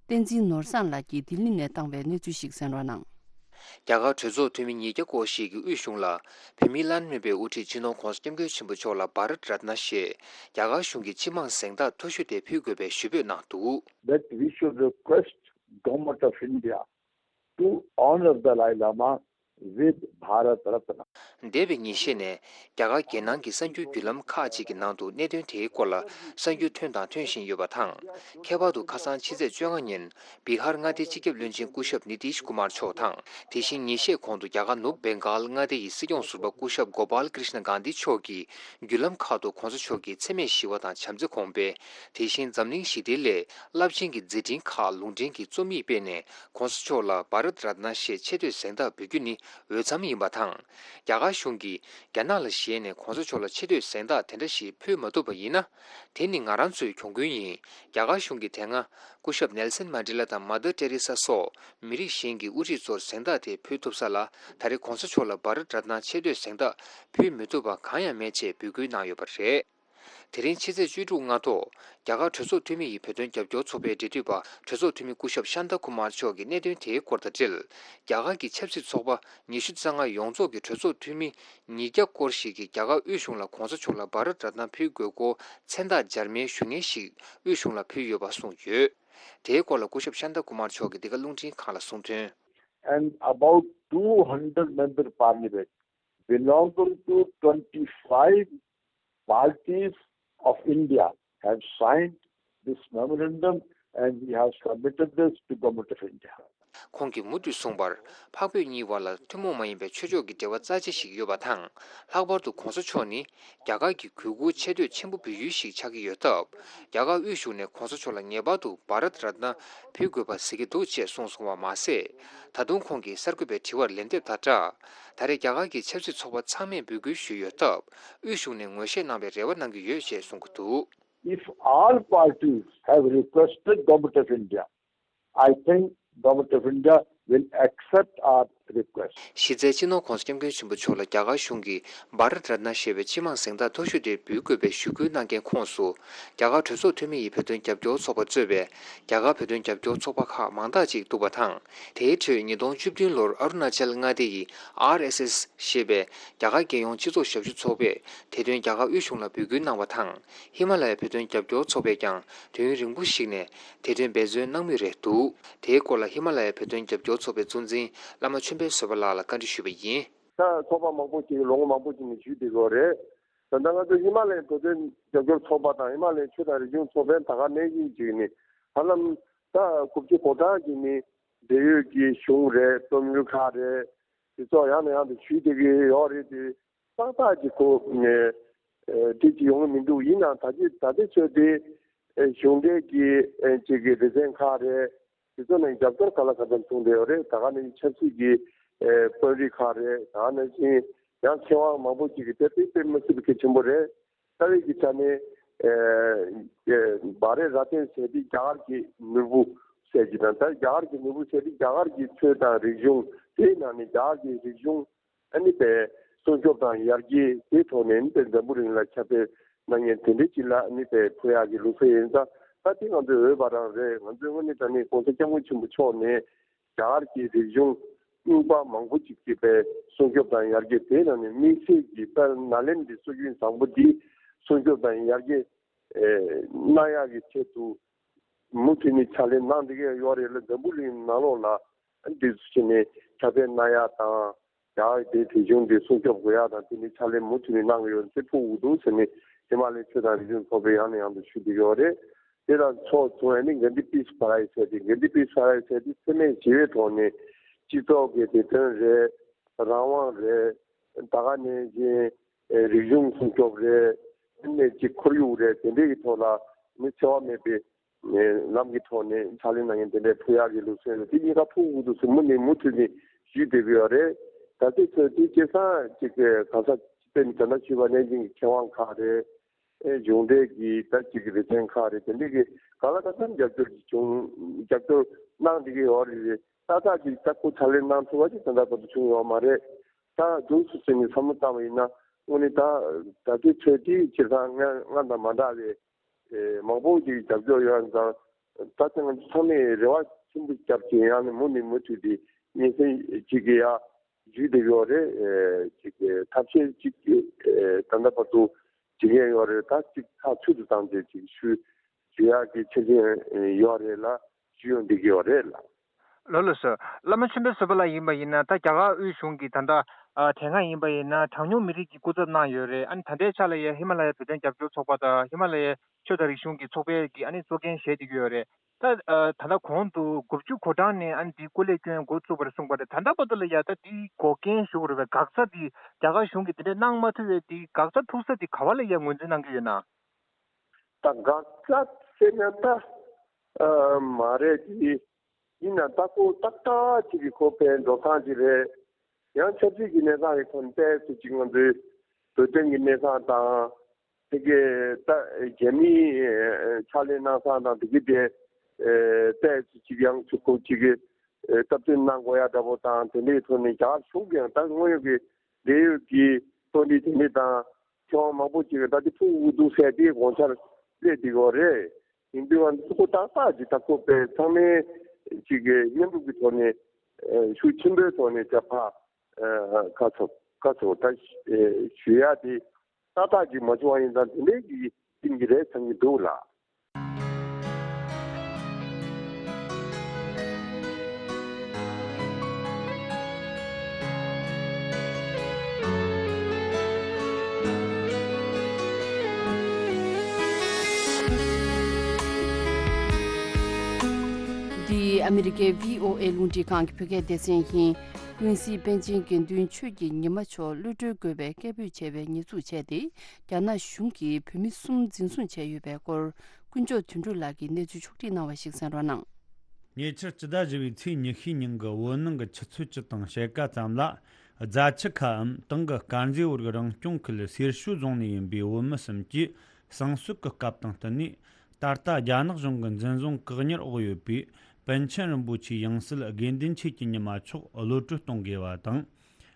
བསྟན་འཛིན་ནོར་བཟང་ལགས་ཀྱིས་ལྡི་ལི་ནས་བཏང་བའི་གནས་ཚུལ་ཞིག་གསན་རོགས་གནང་། རྒྱ་གར་གྲོས་ཚོགས་འཐུས་མི་ཉིས་བརྒྱ་སྐོར་ཞིག་གིས་དབུས་གཞུང་ལ། བོད་མིའི་བླ་ན་མེད་པའི་དབུ་ཁྲིད་སྤྱི་ནོར་༧གོང་ས་༧སྐྱབས་མགོན་ཆེན་པོ་མཆོག་ལ་བྷ་རཏ་རཏ་ན་ཞེས་རྒྱ་གར་གཞུང་གི་སྤྱི་དམངས་གཟེངས་རྟགས་མཐོ་ཤོས་དེ་ཕུལ་དགོས་པའི་ཞུ་འབོད་གནང་འདུག། That we should request Government of India to honor Dalai Lama with Bharat Ratna. འདས་པའི་ཉིན་ཤས་ནས་རྒྱ་གར་རྒྱལ་ནང་གི་གསར་འགྱུར་བརྒྱུད་ལམ་ཁག་ཅིག་གི་ནང་དུ་གནད་དོན་དེའི་སྐོར་ལ་གསར་འགྱུར་ཐོན་དང་ཐོན་བཞིན་ཡོད་པ་དང་། ཁྱད་པར་དུ་ཁ་སང་ཕྱི་ཚེས་བཅོ་ལྔ་ཉིན་བི་ཧར་མངའ་སྡེའི་སྤྱི་ཁྱབ་བློན་ཆེན་སྐུ་ཞབས་ནི་ཏིཤ་ཀུ་མར་མཆོག་དང་། དེ་བཞིན་ཉིན་ཤས་གོང་དུ་རྒྱ་གར་ནུབ་བེང་གཱལ་མངའ་སྡེ་ཡི་སྲིད་སྐྱོང་ཟུར་པ་སྐུ་ཞབས་གོ་པཱལ་ཀྲིཤ་ན་གྷན་དྷི་མཆོག་གིས་བརྒྱུད་ལམ་ཁག་ཏུ་༧གོང་ས་མཆོག་གི་མཚན་སྨད་ཞི་བ་དང་བྱམས་བརྩེ་གོང་འཕེལ། དེ་བཞིན་འཛམ་གླིང་ཞི་བདེའི་སླད་རླབས་ཆེན་གྱི་མཛད་འཕྲིན་ཁག་ལུང་འདྲེན་གྱི་རྩོམ་ཡིག་སྤེལ་ནས། ༧གོང་ས་མཆོག་ལ་བྷ་རཏ་རཏ་ན་ཞེས་ཆེ་བསྟོད་གཟེངས་རྟགས་འབུལ་རྒྱུ་ནི་འོས་འཚམ་ཡིན་པ་དང་། རྒྱ་གར་གཞུང་གིས་རྒྱ་ནག་ལ་ཞེད་ནས་༧གོང་ས་མཆོག་ལ་ཆེ་བསྟོད་གཟེངས་རྟགས་དེ་འདྲ་ཞིག་ཕུལ་མ་ཐུབ་པ་ཡིན་ན། དེ་ནི་ང་རང་ཚོའི་གྱོང་གུན་ཡིན། རྒྱ་གར་གཞུང་གིས་དེ་སྔ་སྐུ་ཞབས་ནེལ་སན་མན་ཌེ་ལ་དང་མ་དར་ཏེ་རེ་ས་སོགས་མི་རིགས་གཞན་གྱི་དབུ་ཁྲིད་ཚོར་གཟེངས་རྟགས་དེ་ཕུལ་ཐུབ་ས་ལ། ད་རེས་༧གོང་ས་མཆོག་ལ་བྷ་རཏ་རཏ་ན་ཆེ་བསྟོད་གཟེངས་རྟགས་ཕུལ་མི་ཐུབ་པ་གང་ཡང་མེད་ཅེས་འབོད་སྐུལ་གནང་ཡོད་པ་རེད། དེ་རིང་ཕྱི་ཚེས་བཅུ་དྲུག་སྔ་དྲོ། རྒྱ་གར་གྲོས་ཚོགས་འཐུས་མི་ཡི་བོད་དོན་རྒྱབ་སྐྱོར་ཚོགས་པའི་འབྲེལ་མཐུད་པ་གྲོས་ཚོགས་འཐུས་མི་སྐུ་ཞབས་ཤཱན་ཏ་ཀུ་མར་མཆོག་གིས་གནད་དོན་དེའི་སྐོར་དང་འབྲེལ། རྒྱ་གར་གྱི་ཆབ་སྲིད་ཚོགས་པ་ཉི་ཤུ་རྩ་ལྔ་ཡོངས་རྫོགས་ཀྱི་གྲོས་ཚོགས་འཐུས་མི་ཉིས་བརྒྱ་སྐོར་ཞིག་གིས་རྒྱ་གར་དབུས་གཞུང་ལ་༧གོང་ས་མཆོག་ལ་བྷ་རཏ་རཏ་ན་ཕུལ་དགོས་སྐོར་མཚན་རྟགས་འབྱར་མའི་ཞུ་སྙན་ཞིག་དབུས་གཞུང་ལ་ཕུལ་ཡོད་པ་གསུངས་ཡོད། དེའི་སྐོར་ལ་སྐུ་ཞབས་ཤཱན་ཏ་ཀུ་མར་མཆོག་གིས་འདི་ག་རླུང་འཕྲིན་ཁང་ལ་གསུངས་དོན། And about two hundred member parliament belonging to twenty-five parties of India have signed this memorandum and we have submitted this to Government of India. ཁོང་གིས་མུ་མཐུད་གསུངས་པར། འཕགས་བོད་གཉིས་བར་ལ་ཐུན་མོང་མ་ཡིན་པའི་ཆོས་ཕྱོགས་ཀྱི་འབྲེལ་བ་རྩ་ཆེ་ཞིག་ཡོད་པ་དང་། ལྷག་པར་དུ་༧གོང་ས་མཆོག་ནི་རྒྱ་གར་གྱི་གུས་བཀུར་ཆེ་བསྟོད་ཆེན་པོ་འབུལ་ཡུལ་ཞིག་ཆགས་ཀྱི་ཡོད་སྟབས། རྒྱ་གར་དབུས་གཞུང་ནས་༧གོང་ས་མཆོག་ལ་ངེས་པར་དུ་བྷ་རཏ་རཏ་ན་ཕུལ་དགོས་པ་གཟིགས་ཀྱི་འདུག་ཅེས་གསུངས་སོང་བ་མ་ཟད། ད་དུང་ཁོང་གིས་གསར་འགོད་པའི་དྲི་བར་ལན་འདེབས་དང་སྦྲགས། ད་རེས་རྒྱ་གར་གྱི་ཆབ་སྲིད་ཚོགས་པ་ཚང་མས་འབོད་སྐུལ་ཞུས་ཡོད་སྟབས། དབུས་གཞུང་ནས་ངོས་བཞེས་གནང་བའི་རེ་བ་གནང་གི་ཡོད་ཅེས་གསུངས་ཀྱི་འདུག། If all parties have requested Government of India, I think Government of India will accept our request. གཞི་རྩའི་སྤྱི་ནོར་༧གོང་ས་༧སྐྱབས་མགོན་ཆེན་པོ་མཆོག་ལ་རྒྱ་གར་གཞུང་གིས་བྷ་རཏ་རཏ་ན་ཞེས་པའི་སྤྱི་དམངས་གཟེངས་རྟགས་མཐོ་ཤོས་དེ་འབུལ་དགོས་པའི་ཞུ་སྐུལ་གནང་མཁན་ཁོངས་སུ། རྒྱ་གར་གྲོས་ཚོགས་འཐུས་མི་ཡི་བོད་དོན་རྒྱབ་སྐྱོར་ཚོགས་པ་གཙོས་པའི་རྒྱ་གར་བོད་དོན་རྒྱབ་སྐྱོར་ཚོགས་པ་ཁག་མང་དག་ཅིག་འདུག་པ་དང་། དེའི་ཁྲོད་ཉིས་སྟོང་བཅུ་བདུན་ལོར་ཨ་རུ་ན་ཅལ་མངའ་སྡེ་ཡི་ཨར་ཨེས་ཨེས་ཞེས་པའི་རྒྱ་གར་རྒྱལ་ཡོངས་སྤྱི་ཚོགས་ཞབས་ཞུ་ཚོགས་པས་དེ་དོན་རྒྱ་གར་དབུས་གཞུང་ལ་འབོད་སྐུལ་གནང་བ་དང་། ཧི་མ་ལ་ཡའི་བོད་དོན་རྒྱབ་སྐྱོར་ཚོགས་པས་ཀྱང་དུས་ཡུན་རིང་པོ་ཞིག་ནས་དེ་དོན་འབད་བརྩོན་གནང་མུས་རེད་འདུག། དེའི་སྐོར་ལ་ཧི་མ་ལ་ཡའི་བོད་དོན་རྒྱབ་སྐྱོར་ཚོགས་པའི་གཙོ་འཛིན་བླ་མ་ཆོས་འཕེལ་བཟོད་པ་ལགས་ལ་བཀའ་འདྲི་ཞུས་པ་ཡིན། ད་ཚོགས་པ་མང་པོ་ཅིག་ལོ་ངོ་མང་པོ་ཅིག་ནས་ཞུས་བསྡད་ཡོད་རེད། ད་ལྟ་ང་ཚོ་ཧི་མ་ལ་ཡའི་བོད་དོན་རྒྱབ་སྐྱོར་ཚོགས་པ་དང་ཧི་མ་ལ་ཡའི་ཆོས་དང་རིག་གཞུང་ཚོགས་པས་ད་ག་ནང་བཞིན་བྱས་ནས་ཧ་ལམ་ད་དགུ་བཅུ་གོ་གྲངས་ཀྱིས་ནི་འབྲེལ་ཡོད་ཀྱི་གཞུང་རེད། རྩོམ་ཡིག་ཁག་རེད། དེ་ཚོ་ཡང་ནས་ཡང་དུ་ཞུས་བསྡད་ཀྱི་ཡོད་རེད་དེ། ཏག་ཏག་ཅིག་གོ་ནས་ཨེ་འགྲིག་ཅིག་ཡོང་གི་མི་འདུག། ཡིན་ནའང་ད་ཅི་ད་ལྟའི་ཆོས་དེ་ཨེ་གཞུང་འབྲེལ་གྱི་ཨེ་ཅིག་གི་སྡེ་ཚན་ཁག་རེད། དེ་ཚོ་ནས་རྒྱབ་སྐྱོར་ག་ལ་ག་ཚོད་བྱུང་བསྡད་ཡོད་རེད། ད་ག་ནང་བཞིན་ཆབ་སྲིད་ཀྱི་ཨེ་དཔོན་རིགས་ཁག་རེད། ད་ག་ནང་བཞིན་ཡང་མཁས་དབང་མང་པོ་ཅིག་གིས་དེ་དཔེ་དཔེ་མི་སྲིད་པའི་གལ་ཆེན་པོ་རེད། རྩ་བའི་གི་ཆ་ནས་ཨེ་ཨེ་བྷ་རེ་ར་ཏན་ཟེར་དེ་རྒྱ་གར་གྱི་ནོར་བུ་ཟེར་གྱི་དང་། ད་རྒྱ་གར་གྱི་ནོར་བུ་ཟེར་དེ་རྒྱ་གར་གྱི་ཆོས་དང་རིག་གཞུང་། དེའི་ནང་ནས་རྒྱ་གར་གྱི་རིག་གཞུང་ཨ་ནི་པའི་སྲུང་སྐྱོབ་དང་ཡར་རྒྱས་དེའི་ཐོག་ནས་ཨ་ནི་པའི་འཛམ་བུ་གླིང་ལ་ཁྱབ་སྤེལ་གནང་མཁན་དེ་འདྲའི་ཅིག་ལ་ཨ་ནི་པའི་ཕུལ་ཡག་གི་ལུགས་སྲོལ་ཡིན་ཙང་། ད་དེ་ང་ཚོའི་འོས་པ་རང་རེད། ང་ཚོའི་དངོས་གནས་དྲང་གནས་༧གོང་ས་༧སྐྱབས་མགོན་ཆེན་པོ་མཆོག་ནས་རྒྱ་གར་གྱི་རིག་གཞུང་རྙིང་པ་མང་པོ་ཅིག་གི་པའི་སྲུང་སྐྱོབ་དང་ཡར་རྒྱས། དེའི་ནང་ནས་དམིགས་བསལ་གྱི་དཔལ་ནཱ་ལེནྡྲའི་སྲོལ་རྒྱུན་བཟང་པོ་འདི་སྲུང་སྐྱོབ་དང་ཡར་རྒྱས་ཨེ་གནང་ཡག་གི་ཆེད་དུ་མུ་མཐུད་ནས་ཕྱག་ལས་གནང་བསྡད་ཀྱི་ཡོད་རེད་ལ། འཛམ་བུ་གླིང་ནང་ལོགས་ལ་འདི་ཚོ་བྱས་ནས་ཁྱབ་སྤེལ་གནང་ཡག་དང་། ཡང་དེ་དེ་གཞུང་དེ་སྲུང་སྐྱོབ་དགོས་ཡག་དང་དེ་ནི་ཕྱག་ལས་མུ་མཐུད་ནས་གནང་གི་ཡོད་ཚེ་ཕུགས་འུ་དུ་ཟེར་ནས་ཧི་མ་ལའི་ཆོས་དང་རིག་གཞུང་ཚོགས་པས་ཡང་ནས་ཡང་དུ་ཞུ་བསྡད་ཡོད་རེད། དེ་དང་ཕྱོགས་མཚུངས་ནས་གྷན་དྷི་པིས་པ་རའི་ཟེར་ཏེ་གྷན་དྷི་པིས་པ་རའི་ཟེར་ཏེ་འཚེ་མེད་ཞི་བའི་ཐོག་ནས་སྤྱི་ཚོགས་ཀྱི་བདེ་དོན་རེད། རང་དབང་རེད། ད་ག་ནས་ཀྱི་རིག་གཞུང་སྲུང་སྐྱོབ་རེད། དེ་ནས་ཀྱི་ཁོར་ཡུག་རེད། དེ་འདྲའི་གི་ཐོག་ལ་ནི་འཚེ་བ་མེད་པའི་ལམ་གྱི་ཐོག་ནས་ཕྱག་ལས་གནང་མཁན་དེ་འདྲའི་ཕུལ་ཡག་གི་ལུགས་སྲོལ་རེད། དེ་གཉིས་ཀ་ཕུགས་འུ་དུ་སུ་མུ་ནས་མུ་མཐུད་ནས་ཞུས་བསྡད་ཀྱི་ཡོད་རེད། ད་ལྟའི་ཆར་དེ་སྐལ་བཟང་གཅིག་གི་གང་ཟག་སྤྱི་དཔོན་ད་ལྟ་ཞུས་པ་ནས་ཀྱི་མཁས་དབང་ཁག་རེད། ཨེ་གཞུང་འབྲེལ་གྱི་ད་ཅིག་རེ་འདུན་ཁག་རེད། དེ་འདྲ་གི་གང་ལ་གང་འཚམ་རྒྱབ་སྐྱོར་གྱི་བྱུང་རྒྱབ་སྐྱོར་གནང་བསྡད་ཀྱི་ཡོད་རེད། ཏག་ཏག་ཅིག་ད་ཁོ་ཕྱག་ལས་གནང་ཐུབ་པ་ཅིག་ད་ལྟ་བར་དུ་བྱུང་ཡོད་མ་རེད། ད་འདུག་སུ་ཟེར་ནས་བསམ་བློ་བཏང་བ་ཡིན་ན་དངོས་གནས་ད་ད་ལྟའི་ཆོས་དེའི་སྤྱིར་བཏང་སྔ་སྔ་དང་མ་འདྲ་བའི་ཨེ་མང་པོ་ཅིག་རྒྱབ་སྐྱོར་ཡོད་ཙང་ད་ལྟ་ང་ཚོ་ཚང་མས་རེ་བ་ཆེན་པོ་བརྒྱབ་ཀྱི་ཡང་ནས་མུ་ནས་མུ་མཐུད་དེ་སྙན་སེང་ཅིག་གི་ཡ། ཞུས་བསྡད་ཡོད་རེད། ཨེ་ཅིག་ཐབས་ཤེས་ཅིག་ཨེ་ད་ལྟ་བར་དུ་བྱེད་མཁན་ཡོད་རེད། ད་ཅིག་ཐག་ཆོད་དུ་བཏང་སྟེ་ཅིག་ཞུ་ཞུ་ཡག་གི་ཆ་རྐྱེན་ཡོད་རེད་ལ་ཞུ་ཡོང་བསྡད་ཀྱི་ཡོད་རེད་ལ། ལགས་ལགས་སོ། བླ་མ་ཆོས་འཕེལ་བཟོད་པ་ལགས་ཡིན་པ་ཡིན་ན་ད་རྒྱ་གར་དབུས་གཞུང་གི་ད་ལྟ་ཨ་དེ་སྔ་ཡིན་པ་ཡིན་ན་གྲངས་ཉུང་མི་རིགས་ཀྱི་སྐུ་ཚབ་གནང་ཡོད་རེད། ཨ་ནི་ད་ལྟའི་ཆ་ལ་ཡ་ཧི་མ་ལ་ཡའི་བོད་དོན་རྒྱབ་སྐྱོར་ཚོགས་པ་དང་ཧི་མ་ལ་ཡའི་ཆོས་དང་རིག་གཞུང་གི་ཚོགས་པའི་གི་ཨ་ནི་གཙོ་འགན་བཞེས་བསྡད་ཀྱི་ཡོད་རེད། ད་ཨ་ད་ལྟ་གོང་དུ་དགུ་བཅུ་གོ་གྲངས་ནས་ཨ་ནི་འདི་སྐུ་ལས་བསྐྱོན་འགོ་བཙུགས་པ་རེད་གསུངས་པ་རེད། ད་ལྟ་བར་དུ་ལ་ཡ་ད་འདི་འགོག་རྐྱེན་ཞུ་དགོས་རེད་པས། འགག་རྩ་འདི་རྒྱ་གར་གཞུང་གིས་འདི་འདྲ་གནང་མ་ཐུབ་པའི་འདི་འགག་རྩ་ཐུག་ས་འདི་ག་བ་ལ་ཡ་ངོས་འཛིན་གནང་གི་ཡོད་ན། ད་འགག་རྩ་ཟེར་ན་ད་ཨ་མ་རེད། འདི་ཡིན་ན་ད་ཁོ་ཏག་ཏག་ཅིག་གི་ཁོ་ཕན་འགྲོ་སྟངས་ཅིག་རེད། ཡང་ཆབ་སྲིད་ཀྱི་གནས་སྟངས་ཀྱི་ཐོག་ནས་ཏོག་ཙམ་ཅིག་ང་ཚོའི་བོད་དོན་གྱི་གནས་སྟངས་དང་། དེ་གའི་ད་རྒྱ་མིའི་ཕྱག་ལས་གནང་སྟངས་དང་དེ་གའི་དེ་ཏོག་ཙམ་ཅིག་ཡང་ཚུར་ཁུག་ཅིག་གི་སྟབས་བསྟུན་གནང་དགོས་ཡ་འདྲ་པོ་དང་དེ་འདྲའི་ཐོག་ནས་རྒྱ་གར་གཞུང་གིས་ཡང་ད་དངོས་ཡོད་ཀྱི་འབྲེལ་ཡོད་ཀྱི་གཙོ་འདི་དེ་འདྲ་དང་ཁྱོན་མང་པོ་ཅིག་གི་ད་དེ་ཕུགས་འུ་དུ་ཟེར་དེ་དགོངས་འཆར་སླེབས་བསྡད་ཡོད་རེད། ཡིན་དུས་ང་ཚོ་ཁོ་ཏག་ཏག་ཅིག་ད་ཁོ་པས་ཚང་མས་ཅིག་གི་མཉམ་རུབ་ཀྱི་ཐོག་ནས་ཤུགས་ཆེན་པོའི་ཐོག་ནས་ད་ཕ་ཁ་ཚོ་ཁ་ཚོ་ད་ཞུ་ཡ་དེ། ཏག་ཏག་ཅིག་མ་བྱུང་བ་ཡིན་ཙང་དེ་འདྲའི་གི་ཡིན་གྱི་རེད་བསམ་གྱི་འདུག་ལ། འདི་ཨ་མི་རི་ཀའི་བྷི་ཨོ་ཨེ་རླུང་འཕྲིན་ཁང་གི་བོད་སྐད་སྡེ་ཚན་ཡིན། ཀུན་གཟིགས་པཎ་ཆེན་དགེ་འདུན་ཆོས་ཀྱི་ཉི་མ་མཆོག་གློད་གྲོལ་དགོས་པའི་སྐད་འབོད་བྱས་པའི་ཉེས་འཛུགས་བྱས་ཏེ། རྒྱ་ནག་གཞུང་གིས་བོད་མི་གསུམ་འཛིན་བཟུང་བྱས་ཡོད་པའི་སྐོར། དཀོན་མཆོག་དོན་གྲུབ་ལགས་ཀྱིས་གནས་ཚུལ་ཕྱོགས་བསྒྲིགས་གནང་བ་ཞིག་གསན་རོགས་གནང་། ཉེ་ཆར་སྤྱི་ཟླ་བཞི་པའི་ཚེས་ཉི་ཤུའི་ཉིན་གྱི་བོད་ནང་གི་ཆུ་ཚོད་བཅུ་དང་ཕྱེད་ཀ་ཙམ་ལ། རྫ་ཆུ་ཁའམ་དེང་གི་དཀར་མཛེས་བར་གྱི་རང་སྐྱོང་ཁུལ་སེར་ཤུལ་རྫོང་ནས་ཡིན་པའི་བོད་མི་གསུམ་གྱིས་གསང་སྤྱོད་ཀྱི་སྐབས་དང་བསྟུན་ནས། ད་ལྟ་རྒྱ་ནག་གཞུང་གི་འཛིན་བཟུང་བཀག་ཉར་འོག་ཡོད་པའི་པཎ་ཆེན་རིན་པོ་ཆེའི་ཡང་སྲིད་དགེ་འདུན་ཆོས་ཀྱི་ཉི་མ་མཆོག་གློད་གྲོལ་གཏོང་དགོས་པ་དང་།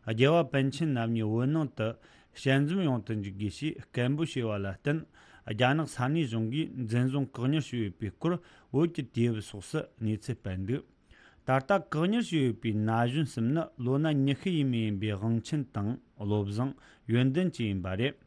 རྒྱལ་བ་པཎ་ཆེན་རྣམ་གཉིས་བོད་ནང་དུ་ཞལ་འཛོམས་ཡོང་དུ་འཇུག་དགོས་ཞེས་སྐད་འབོད་བྱས་པ་ལ་བརྟེན། རྒྱ་ནག་ས་གནས་གཞུང་གིས་འཛིན་བཟུང་བཀག་ཉར་བྱས་ཡོད་པའི་སྐོར་བོད་ཀྱི་དུས་བབ་སོགས་སུ་གནས་ཚུལ་སྤེལ་འདུག་ད་ལྟ་བཀག་ཉར་བྱས་ཡོད་པའི་ན་གཞོན་གསུམ་ནི་ལོ་ན་ཉི་ཤུ་ཡས་མས་ཡིན་པའི་དབང་ཆེན་དང་བློ་བཟང་ཡོན་ཏན་བཅས་ཡིན་པ་རེད།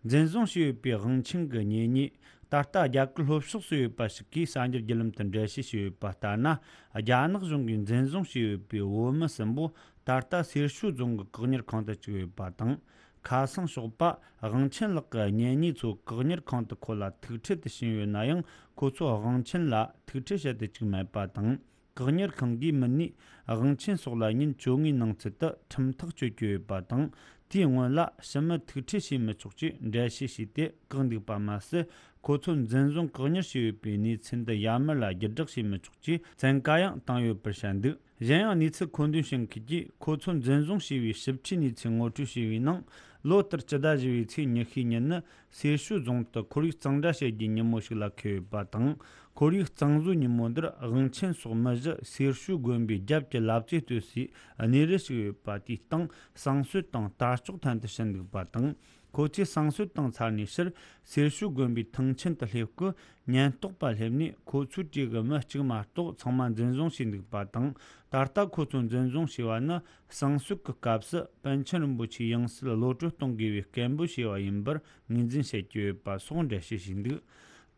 འཛིན་བཟུང་བྱས་ཡོད་པའི་དབང་ཆེན་གྱི་གཉེན་ཉེ། ད་ལྟ་རྒྱ་གར་ལྷོ་ཕྱོགས་སུ་ཡོད་པ་ཞིག་གིས་གསར་འགྱུར་བརྒྱུད་ལམ་དུ་འགྲེལ་བཤད་བྱས་ཡོད་པ་ལྟར་ན། རྒྱ་ནག་གཞུང་གིས་འཛིན་བཟུང་བྱས་ཡོད་པའི་བོད་མི་གསུམ་པོ་ད་ལྟ་སེར་ཤུལ་རྫོང་གི་བཀག་ཉར་ཁང་དུ་བཅུག་ཡོད་པ་དང་། ཁ་སང་ཞོགས་པ་དབང་ཆེན་ལགས་ཀྱི་གཉེན་ཉེ་ཚོ་བཀག་ཉར་ཁང་དུ་ཁོ་ལ་ཐུག་འཕྲད་དུ་ཕྱིན་ཡོད་ན་ཡང་། ཁོ་ཚོས་དབང་ཆེན་ལ་ཐུག་འཕྲད་བྱེད་དུ་བཅུག་མེད་པ་དང་། བཀག་ཉར་ཁང་གིས་མི་སྣས་དབང་ཆེན་སོགས་ལ་ཉིན་བཅོ་ལྔའི་ནང་ཚུད་དུ་ཁྲིམས་ཐག་གཅོད་ཀྱི་ཡོད་པ་དང་། དེའི་སྔོན་ལ་ཕྱི་མི་ཐུག་འཕྲད་བྱེད་མི་ཆོག་ཅེས་འགྲེལ་བཤད་བྱས་ཏེ་བཀག་འདུག་པ་མ་ཟད། ཁོ་ཚོ་འཛིན་བཟུང་བཀག་ཉར་བྱས་ཡོད་པའི་གནས་ཚུལ་འདི་ཡར་མར་ལ་བརྒྱུད་བསྒྲགས་བྱེད་མི་ཆོག་ཅེས་བཙན་བཀའ་ཡང་བཏང་ཡོད་པར་བཤད་འདུག་གཞན་ཡང་གནས་ཚུལ་མཁོ་འདོན་བྱེད་མཁན་གྱིས་ཁོ་ཚོ་འཛིན་བཟུང་བྱས་པའི་ཞིབ་ཕྲའི་གནས་ཚུལ་ངོ་སྤྲོད་བྱས་པའི་ནང་། ལོ་ལྟར་སྤྱི་ཟླ་བཞི་པའི་ཚེས་ཉི་ཤུའི་ཉིན་ནི་སེར་ཤུལ་རྫོང་དུ་ཁོར་ཡུག་གཙང་སྦྲ་བྱེད་རྒྱུའི་ཉིན་མོ་ཞིག་ལ་འཁེལ་ཡོད་པ་དང་། ཁོར་ཡུག་གཙང་བཟོའི་ཉིན་མོ་འདིར་དབང་ཆེན་སོགས་མི་བཞི་སེར་ཤུལ་དགོན་པའི་རྒྱབ་ཀྱི་ལབ་ཙེ་སྟོད་སའི་གནས་རི་ཞིག་ཡོད་པ་དེའི་སྟེང་གསང་སྤྱོད་དང་དར་ལྕོག་འཐེན་དུ་ཕྱིན་འདུག་པ་དང་། ཁོ་ཚོས་གསང་སྤྱོད་དང་ཚར་ནས་ཕྱིར་སེར་ཤུལ་དགོན་པའི་ཐང་ཆེན་དུ་སླེབས་སྐུ། ཉེན་རྟོག་པ་སླེབས་ནས་ཁོ་ཚོའི་གྲས་ཀྱི་མི་གཅིག་མ་གཏོགས་ཚང་མ་འཛིན་བཟུང་བྱས་འདུག་པ་དང་། ད་ལྟ་ཁོ་ཚོ་འཛིན་བཟུང་བྱས་པ་ནི་གསང་སྤྱོད་ཀྱི་སྐབས་སུ་པཎ་ཆེན་རིན་པོ་ཆེའི་ཡང་སྲིད་གློད་གྲོལ་གཏོང་དགོས་པའི་སྐད་འབོད་བྱས་པ་ཡིན་པར་ངོས་འཛིན་བྱེད་ཀྱི་ཡོད་པ་སོགས་འགྲེལ་བཤད་བྱས་འདུག་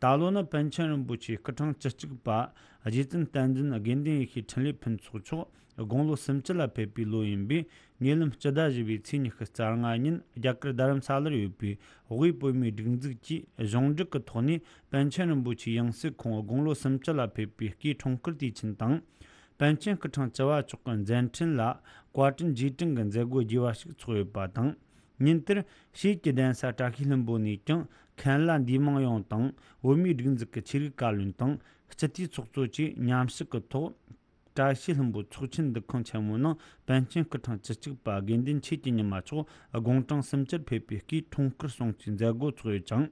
ད་ལོ་ནི་པཎ་ཆེན་རིན་པོ་ཆེའི་སྐུ་ཕྲེང་བཅུ་གཅིག་པ་རྗེ་བཙུན་བསྟན་འཛིན་དགེ་འདུན་ཡེ་ཤེས་འཕྲིན་ལས་ཕུན་ཚོགས་མཆོག་དགུང་ལོ་སུམ་ཅུ་ལ་ཕེབས་པའི་ལོ་ཡིན་པས། ཉེ་ལམ་སྤྱི་ཟླ་བཞི་པའི་ཚེས་ཉི་ཤུ་རྩ་ལྔ་ཉིན་རྒྱ་གར་རྡ་རམ་ས་ལར་ཡོད་པའི་དབུས་བོད་མིའི་སྒྲིག་འཛུགས་ཀྱིས་གཞུང་འབྲེལ་གྱི་ཐོག་ནས་པཎ་ཆེན་རིན་པོ་ཆེའི་ཡང་སྲིད་ཁོངས་དགུང་ལོ་སུམ་ཅུ་ལ་ཕེབས་པའི་སྐུའི་འཁྲུངས་སྐར་དུས་ཆེན་དང་། པཎ་ཆེན་སྐུ་ཕྲེང་བཅུ་བ་མཆོག་གི་མཛད་འཕྲིན་ལ་བཀའ་དྲིན་རྗེས་དྲན་གྱི་མཛད་སྒོ་རྒྱས་པ་ཞིག་ཚོགས་ཡོད་པ་དང་། ཉིན་དེར་ཕྱིས་ཀྱི་གདན་ས་བཀྲ་ཤིས་ལྷུན་པོ་ནས་ཀྱང་མཁན་བླ་འདུས་མང་ཡོངས་དང་བོད་མིའི་སྒྲིག་འཛུགས་ཀྱི་ཆོས་རིག་བཀའ་བློན་དང་སྤྱི་འཐུས་ཚོགས་གཙོ་བཅས་མཉམ་ཞུགས་ཀྱི་ཐོག་བཀྲ་ཤིས་ལྷུན་པོ་ཚོགས་ཆེན་འདུ་ཁང་ཆེན་མོའི་ནང་པཎ་ཆེན་སྐུ་ཕྲེང་བཅུ་གཅིག་པ་དགེ་འདུན་ཆོས་ཀྱི་ཉི་མ་མཆོག་དགུང་གྲངས་སུམ་ཅུར་ཕེབས་པའི་སྐུའི་འཁྲུངས་སྐར་སྲུང་བརྩིའི་མཛད་སྒོ་ཚོགས་ཡོད་ཅིང་།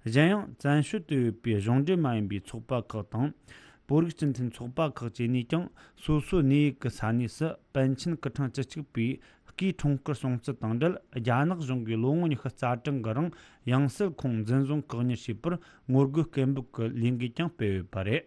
གཞན་ཡང་བཙན་བྱོལ་དུ་ཡོད་པའི་གཞུང་འབྲེལ་མ་ཡིན་པའི་ཚོགས་པ་ཁག་དང་། བོད་རིགས་སྤྱི་མཐུན་ཚོགས་པ་ཁག་བཅས་ནས་ཀྱང་སོ་སོའི་གནས་ཡུལ་གྱི་ས་གནས་སུ་པཎ་ཆེན་སྐུ་ཕྲེང་བཅུ་གཅིག་པའི་སྐུའི་འཁྲུངས་སྐར་སྲུང་བརྩི་དང་འབྲེལ། རྒྱ་ནག་གཞུང་གིས་ལོ་ངོ་ཉི་ཤུ་རྩ་གྲངས་ཀྱི་རིང་ཡང་སྲིད་ཁོངས་འཛིན་བཟུང་བཀག་ཉར་བྱས་པར་ངོ་རྒོལ་སྐད་འབོད་ཀྱི་ལས་འགུལ་ཀྱང་སྤེལ་ཡོད་པ་རེད།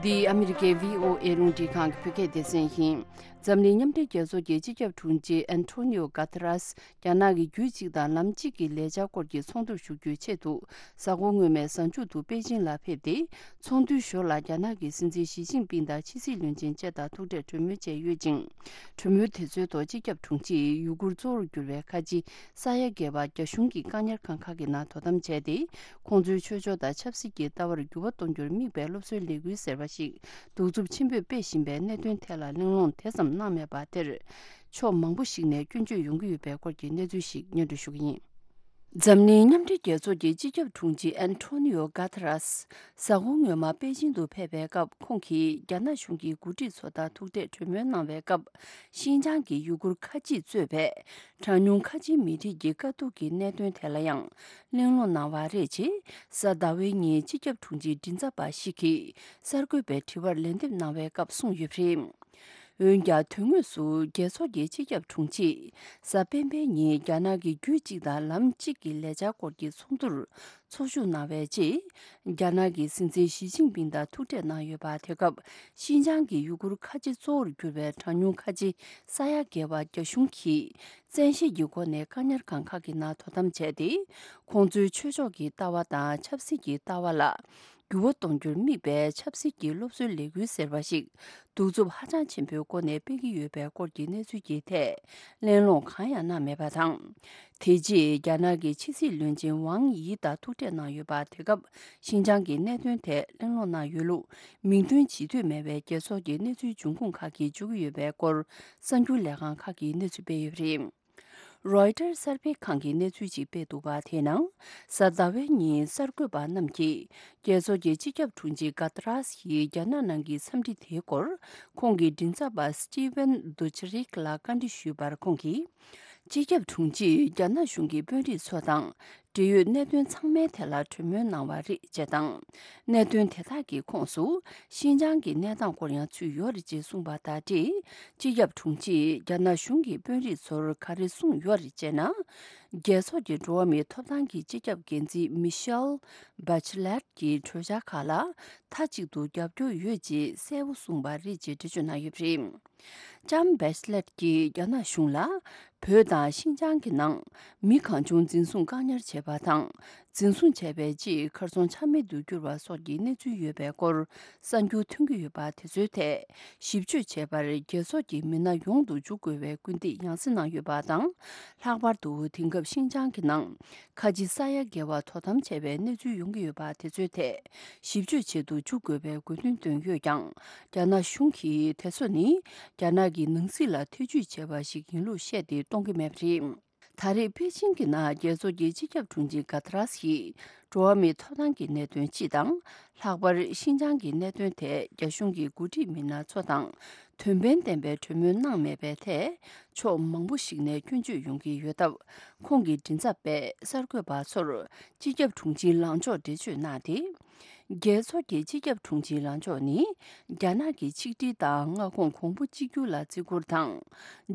འདི་ཨ་མི་རི་ཀའི་བྷི་ཨོ་ཨེ་རླུང་འཕྲིན་ཁང་གི་བོད་སྐད་སྡེ་ཚན་ཡིན། འཛམ་གླིང་མཉམ་འབྲེལ་རྒྱལ་ཚོགས་ཀྱི་སྤྱི་ཁྱབ་དྲུང་ཆེ་ཨན་ཐོ་ནིའོ་གྷ་ཐ་རས། རྒྱ་ནག་གི་རྒྱུད་གཅིག་དང་ལམ་གཅིག་གི་ལས་འཆར་སྐོར་གྱི་ཚོགས་འདུར་ཞུགས་རྒྱུའི་ཆེད་དུ། གཟའ་འཁོར་སྔོན་མའི་གཟའ་མཇུག་ཏུ་པེ་ཅིང་ལ་ཕེབས་ཏེ། ཚོགས་འདུའི་ཞོར་ལ་རྒྱ་ནག་གི་སྲིད་འཛིན་ཞི་ཅིན་ཕིང་དང་ཕྱི་སྲིད་བློན་ཆེན་བཅས་དང་ཐུག་འཕྲད་གྲོས་མོལ་བྱས་ཡོད་ཅིང་། གྲོས་མོལ་དེ་ཚོའི་ཐོག་སྤྱི་ཁྱབ་དྲུང་ཆེས་ཡུ་གུར་གཙོ་བོར་གྱུར་བའི་ཁ་ཆེ་ས་ཡ་བརྒལ་བ་རྒྱ་གཞུང་གི་བཀག་ཉར་ཁང་ཁག་གི་ནང་དོ་དམ་བྱས་ཏེ། ཁོང་ཚོའི་ཆོས་ཕྱོགས་དང་ཆབ་སྲིད་ཀྱི་ལྟ་བར་འགྱུར་བ་གཏོང་རྒྱུར་དམིགས་པའི་སློབ་གསོའི་ལས་འགུལ་ཟེར་བ་ཞིག་གདུག་རྩུབ་ཆེན་པོས་སྤེལ་བཞིན་པའི་གནད་དོན་ཐད་ལ་གླེང་སློང་དེ་ཙམ་གནང་མེད་པ་དེར། ཕྱོགས་མང་པོ་ཞིག་ནས་སྐྱོན་བརྗོད་ཡོང་གི་ཡོད་པའི་སྐོར་གྱི་གནས་ཚུལ་ཞིག་སྙན་སྒྲོན་ཞུ་གི་ཡིན། འཛམ་གླིང་མཉམ་འབྲེལ་རྒྱལ་ཚོགས་ཀྱི་སྤྱི་ཁྱབ་དྲུང་ཆེ་ཨན་ཐོ་ནིའོ་གྷ་ཐ་རས། གཟའ་འཁོར་སྔོན་མ་པེ་ཅིང་དུ་ཕེབས་པའི་སྐབས། ཁོང་གིས་རྒྱ་ནག་གཞུང་གི་འགོ་ཁྲིད་ཚོ་དང་ཐུག་འཕྲད་གྲོས་མོལ་གནང་བའི་སྐབས། ཤིན་ཅང་གི་ཡུ་གུར་ཁ་ཆེས་གཙོས་པའི་གྲངས་ཉུང་ཁ་ཆེའི་མི་རིགས་ཀྱི་དཀའ་སྡུག་གི་གནད་དོན་ཐད་ལ་ཡང་གླེང་སློང་གནང་བ་རེད། ཅེས་གཟའ་ཟླ་བའི་ཉིན་སྤྱི་ཁྱབ་དྲུང་ཆེའི་མགྲིན་ཚབ་པ་ཞིག་གིས་གསར་འགོད་པའི་དྲི་བར་ལན་འདེབས་གནང་བའི་སྐབས་གསུངས་ཡོད་པ་རེད། འོན་ཀྱང་དོན་དངོས་སུ་རྒྱལ་ཚོགས་ཀྱི་སྤྱི་ཁྱབ་དྲུང་ཆེས་གཟའ་སྤེན་པའི་ཉིན་རྒྱ་ནག་གི་རྒྱུད་གཅིག་དང་ལམ་གཅིག་གི་ལས་འཆར་སྐོར་གྱི་ཚོགས་འདུར་ཚོགས་ཞུགས་གནང་བའི་རྗེས། རྒྱ་ནག་གི་སྲིད་འཛིན་ཞི་ཅིན་ཕིང་དང་ཐུག་འཕྲད་གནང་ཡོད་པ། དེ་སྐབས་ཤིན་ཅང་གི་ཡུ་གུར་ཁ་ཆེ་གཙོ་བོར་གྱུར་པའི་གྲངས་ཉུང་ཁ་ཆེ་ས་ཡ་བརྒལ་བ་རྒྱ་གཞུང་གིས་བཙན་ཤེད་ཀྱི་སྒོ་ནས་བཀག་ཉར་ཁང་ཁག་གི་ནང་དོ་དམ་བྱས་ཏེ། ཁོང་ཚོའི་ཆོས་ཕྱོགས་ཀྱི་ལྟ་བ་དང་ཆབ་སྲིད་ཀྱི་ལྟ་བ་ལ་འགྱུར་བ་གཏོང་རྒྱུར་དམིགས་པའི་ཆབ་སྲིད་ཀྱི་སློབ་གསོའི་ལས་འགུལ་ཟེར་བ་ཞིག་གདུག་རྩུབ་ཧ་ཅང་ཆེན་པོའི་སྒོ་ནས་སྤེལ་གྱི་ཡོད་པའི་སྐོར་གྱི་གནས་ཚུལ་གྱི་ཐད་གླེང་སློང་གང་ཡང་གནང་མེད་པ་དང་། དེ་རྗེས་རྒྱ་ནག་གི་ཕྱི་སྲིད་བློན་ཆེན་ཝང་ཡི་དང་ཐུག་འཕྲད་གནང་ཡོད་པ། དེ་སྐབས་ཤིན་ཅང་གི་གནད་དོན་ཐད་གླེང་སློང་གནང་ཡོད་ལུགས་མིང་འདོན་བྱེད་འདོད་མེད་པའི་རྒྱལ་ཚོགས་ཀྱི་གནས་ཚུལ་འབྱུང་ཁུངས་ཁག་གིས་བརྗོད་ཀྱི་ཡོད་པའི་སྐོར་གསར་འགྱུར་ལས་ཁང་ཁག་གིས་གནས་ཚུལ་སྤེལ་ཡོད་པ་རེད། རོའི་ཊར་གསར་སྤེལ་ཁང་གིས་གནས་ཚུལ་ཅིག་སྤེལ་འདུག་པ། དེ་ནང་གཟའ་ཟླ་བའི་ཉིན་གསར་འགོད་པ་རྣམས་ཀྱིས་རྒྱལ་ཚོགས་ཀྱི་སྤྱི་ཁྱབ་དྲུང་ཆེ་གྷ་ཏ་རས་ཀྱིས་རྒྱ་ནག་ནང་གི་འཚམས་འདྲི་དེའི་སྐོར་ཁོང་གི་མགྲིན་ཚབ་པ་སི་ཊི་ཝན་དུ་ཆ་རིག་ལ་བཀའ་འདྲི་ཞུས་པར། ཁོང་གིས་སྤྱི་ཁྱབ་དྲུང་ཆེས་རྒྱ་ནག་གཞུང་གི་དཔོན་རིགས་ཚོ་དང་འབྲེལ་ཡོད་གནད་དོན་ཚང་མའི་ཐད་ལ་གྲོས་མོལ་གནང་བ་རེད་ཅེས་དང་། གནད་དོན་དེ་དག་གི་ཁོངས་སུ་ཤིན་ཅང་གི་གནས་སྟངས་སྐོར་ཡང་ཚུད་ཡོད་རེད་ཅེས་གསུངས་པ་དང་འབྲེལ། སྤྱི་ཁྱབ་དྲུང་ཆེས་རྒྱ་ནག་གཞུང་གི་དཔོན་རིགས་ཚོར་ག་རེ་གསུངས་ཡོད་རེད་ཅེ་ན། རྒྱལ་ཚོགས་ཀྱི་འགྲོ་བ་མིའི་ཐོབ་ཐང་གི་སྤྱི་ཁྱབ་འགན་འཛིན་མི་ཤེལ་བྷ་ཆི་ལེད་ཀྱི་གྲོས་འཆར་ཁག་ལ་མཐའ་གཅིག་ཏུ་རྒྱབ་སྐྱོར་ཡོད་ཅེས་གསལ་པོ་གསུངས་པ་རེད་ཅེས་འགྲེལ་བརྗོད་གནང་ཡོད་པ་རེད། ལྕམ་བྷེ་ཆི་ལེད་ཀྱིས་རྒྱ་ནག་གཞུང་ལ་བོད་དང་ཤིན་ཅང་གི་ནང་མི་གང་བྱུང་འཛིན་བཟུང་བཀག་ཉར་བྱས་པ་དང་། འཛིན་བཟུང་བྱས་པའི་རྗེས་གར་སོང་ཆ་མེད་དུ་གྱུར་བ་སོགས་ཀྱི་གནས་ཚུལ་ཡོད་པའི་སྐོར་གསར་འགྱུར་ཐོན་གྱི་ཡོད་པ་དེ་ཚོའི་ཐད་ཞིབ་དཔྱོད་བྱེད་པར་རྒྱལ་ཚོགས་ཀྱི་མི་སྣ་ཡོང་དུ་འཇུག་དགོས་པའི་སྐུལ་འདེད་ཡང་སེ་གནང་ཡོད་པ་དང་། ལྷག་པར་དུ་དེང་སྐབས་ཤིན་ཅང་གི་ནང་ཁ་ཆེ་ས་ཡ་བརྒལ་བ་དོ་དམ་བྱས་པའི་གནས་ཚུལ་ཡོང་གི་ཡོད་པ་དེ་ཚོའི་ཐད་ཞིབ་དཔྱོད་བྱེད་དུ་འཇུག་དགོས་པའི་དགོས་འདུན་བཏོན་ཡོད་ཀྱང་། རྒྱ་ནག་གཞུང་གིས་དེ་ཚོ་ནི་རྒྱ་ནག་གི་ནང་སྲིད་ལ་ཐེ་ཇུས་བྱས་པ་ཞིག་ཡིན་ལུགས་བཤད་དེ་གཏོང་གི་མེད་པ་རེད། ད་རེས་པེ་ཅིང་གི་ནང་རྒྱལ་ཚོགས་ཀྱི་སྤྱི་ཁྱབ་དྲུང་ཆེ་གྷ་ཐ་རས་ཀྱིས་འགྲོ་བ་མིའི་ཐོབ་ཐང་གི་གནད་དོན་སྤྱི་དང་། ལྷག་པར་ཤིན་ཅང་གི་གནད་དོན་ཐད་རྒྱ་གཞུང་གི་འགོ་ཁྲིད་མི་སྣ་ཚོ་དང་དོན་ཕན་ལྡན་པའི་གྲོས་མོལ་གནང་མེད་པའི་ཐད་ཕྱོགས་མང་པོ་ཞིག་ནས་སྐྱོན་བརྗོད་ཡོང་གི་ཡོད་སྟབས། ཁོང་གི་མགྲིན་ཚབ་པས་གསར་འགོད་པ་ཚོར་སྤྱི་ཁྱབ་དྲུང་ཆེའི་ལངས་ཕྱོགས་འགྲེལ་བརྗོད་གནང་སྟེ། རྒྱལ་ཚོགས་ཀྱི་སྤྱི་ཁྱབ་དྲུང་ཆེའི་ལངས་ཕྱོགས་ནི། རྒྱ་ནག་གི་ཆིག་སྒྲིལ་དང་མངའ་ཁོངས་གོང་བུ་གཅིག་གྱུར་ལ་བརྩི་བཀུར་དང་།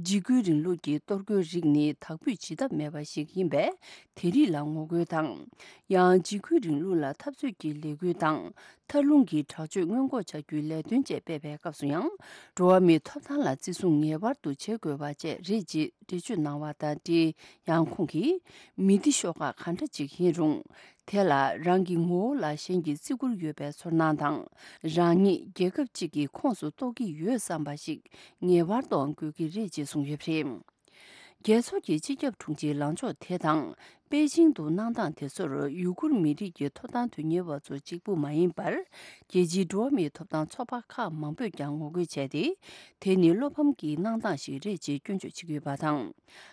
འཇིགས་སྐུལ་རིང་ལུགས་ཀྱི་གཏོར་རྒོལ་རིགས་ནི་དག་འབུད་བྱེད་ཐབས་མེད་པ་ཞིག་ཡིན་པས། དེ་རིགས་ལ་ངོ་རྒོལ་དང་། ཡང་འཇིགས་སྐུལ་རིང་ལུགས་ལ་འཐབ་རྩོད་ཀྱི་ལས་འགུལ་དང་། མཐར་ལྷུང་གི་དྲག་སྤྱོད་སྔོན་འགོག་བྱ་རྒྱུའི་ལས་དོན་བཅས་སྤེལ་བའི་སྐབས་སུ་ཡང་། འགྲོ་བ་མིའི་ཐོབ་ཐང་ལ་བརྩི་སྲུང་ངེས་པར་དུ་བྱེད་དགོས་པ་བཅས་རེད་ཅེས་འགྲེལ་བརྗོད་གནང་བ་དང་འབྲེལ། ཡང་ཁོང་གིས། མི་འདི་ཤོག་ཁག་གང་འདྲ་ཅིག་ཡིན་རུང་། དེ་ལ་རང་གི་ངོ་བོ་ལ་གཞན་གྱིས་བརྩི་བཀུར་ཡོད་པའི་ཚོར་སྣང་དང་། རང་ཉིད་རྒྱལ་ཁབ་ཅིག་གི་ཁོངས་སུ་གཏོགས་ཀྱི་ཡོད་བསམ་པ་ཞིག་ངེས་པར་དུའང་དགོས་ཀྱི་རེད་ཅེས་གསུངས་ཡོད་པ་རེད། རྒྱལ་ཚོགས་ཀྱི་སྤྱི་ཁྱབ་དྲུང་ཆེའི་ལངས་ཕྱོགས་དེ་དང་། པེ་ཅིང་དུ་གནང་སྟངས་དེ་ཚོར་ཡུ་གུར་མི་རིགས་ཀྱི་ཐོབ་ཐང་དོན་གཉེར་བ་ཚོ་གཅིག་པུ་མ་ཡིན་པར། རྒྱལ་སྤྱིའི་འགྲོ་བ་མིའི་ཐོབ་ཐང་ཚོགས་པ་ཁག་མང་པོས་ཀྱང་ངོ་རྒོལ་བྱས་ཏེ། དེ་ནི་བློ་ཕམ་གྱི་གནང་སྟངས་ཤིག་རེད་ཅེས་སྐྱོན་བརྗོད་བྱེད་ཀྱི་ཡོད་པ་དང་།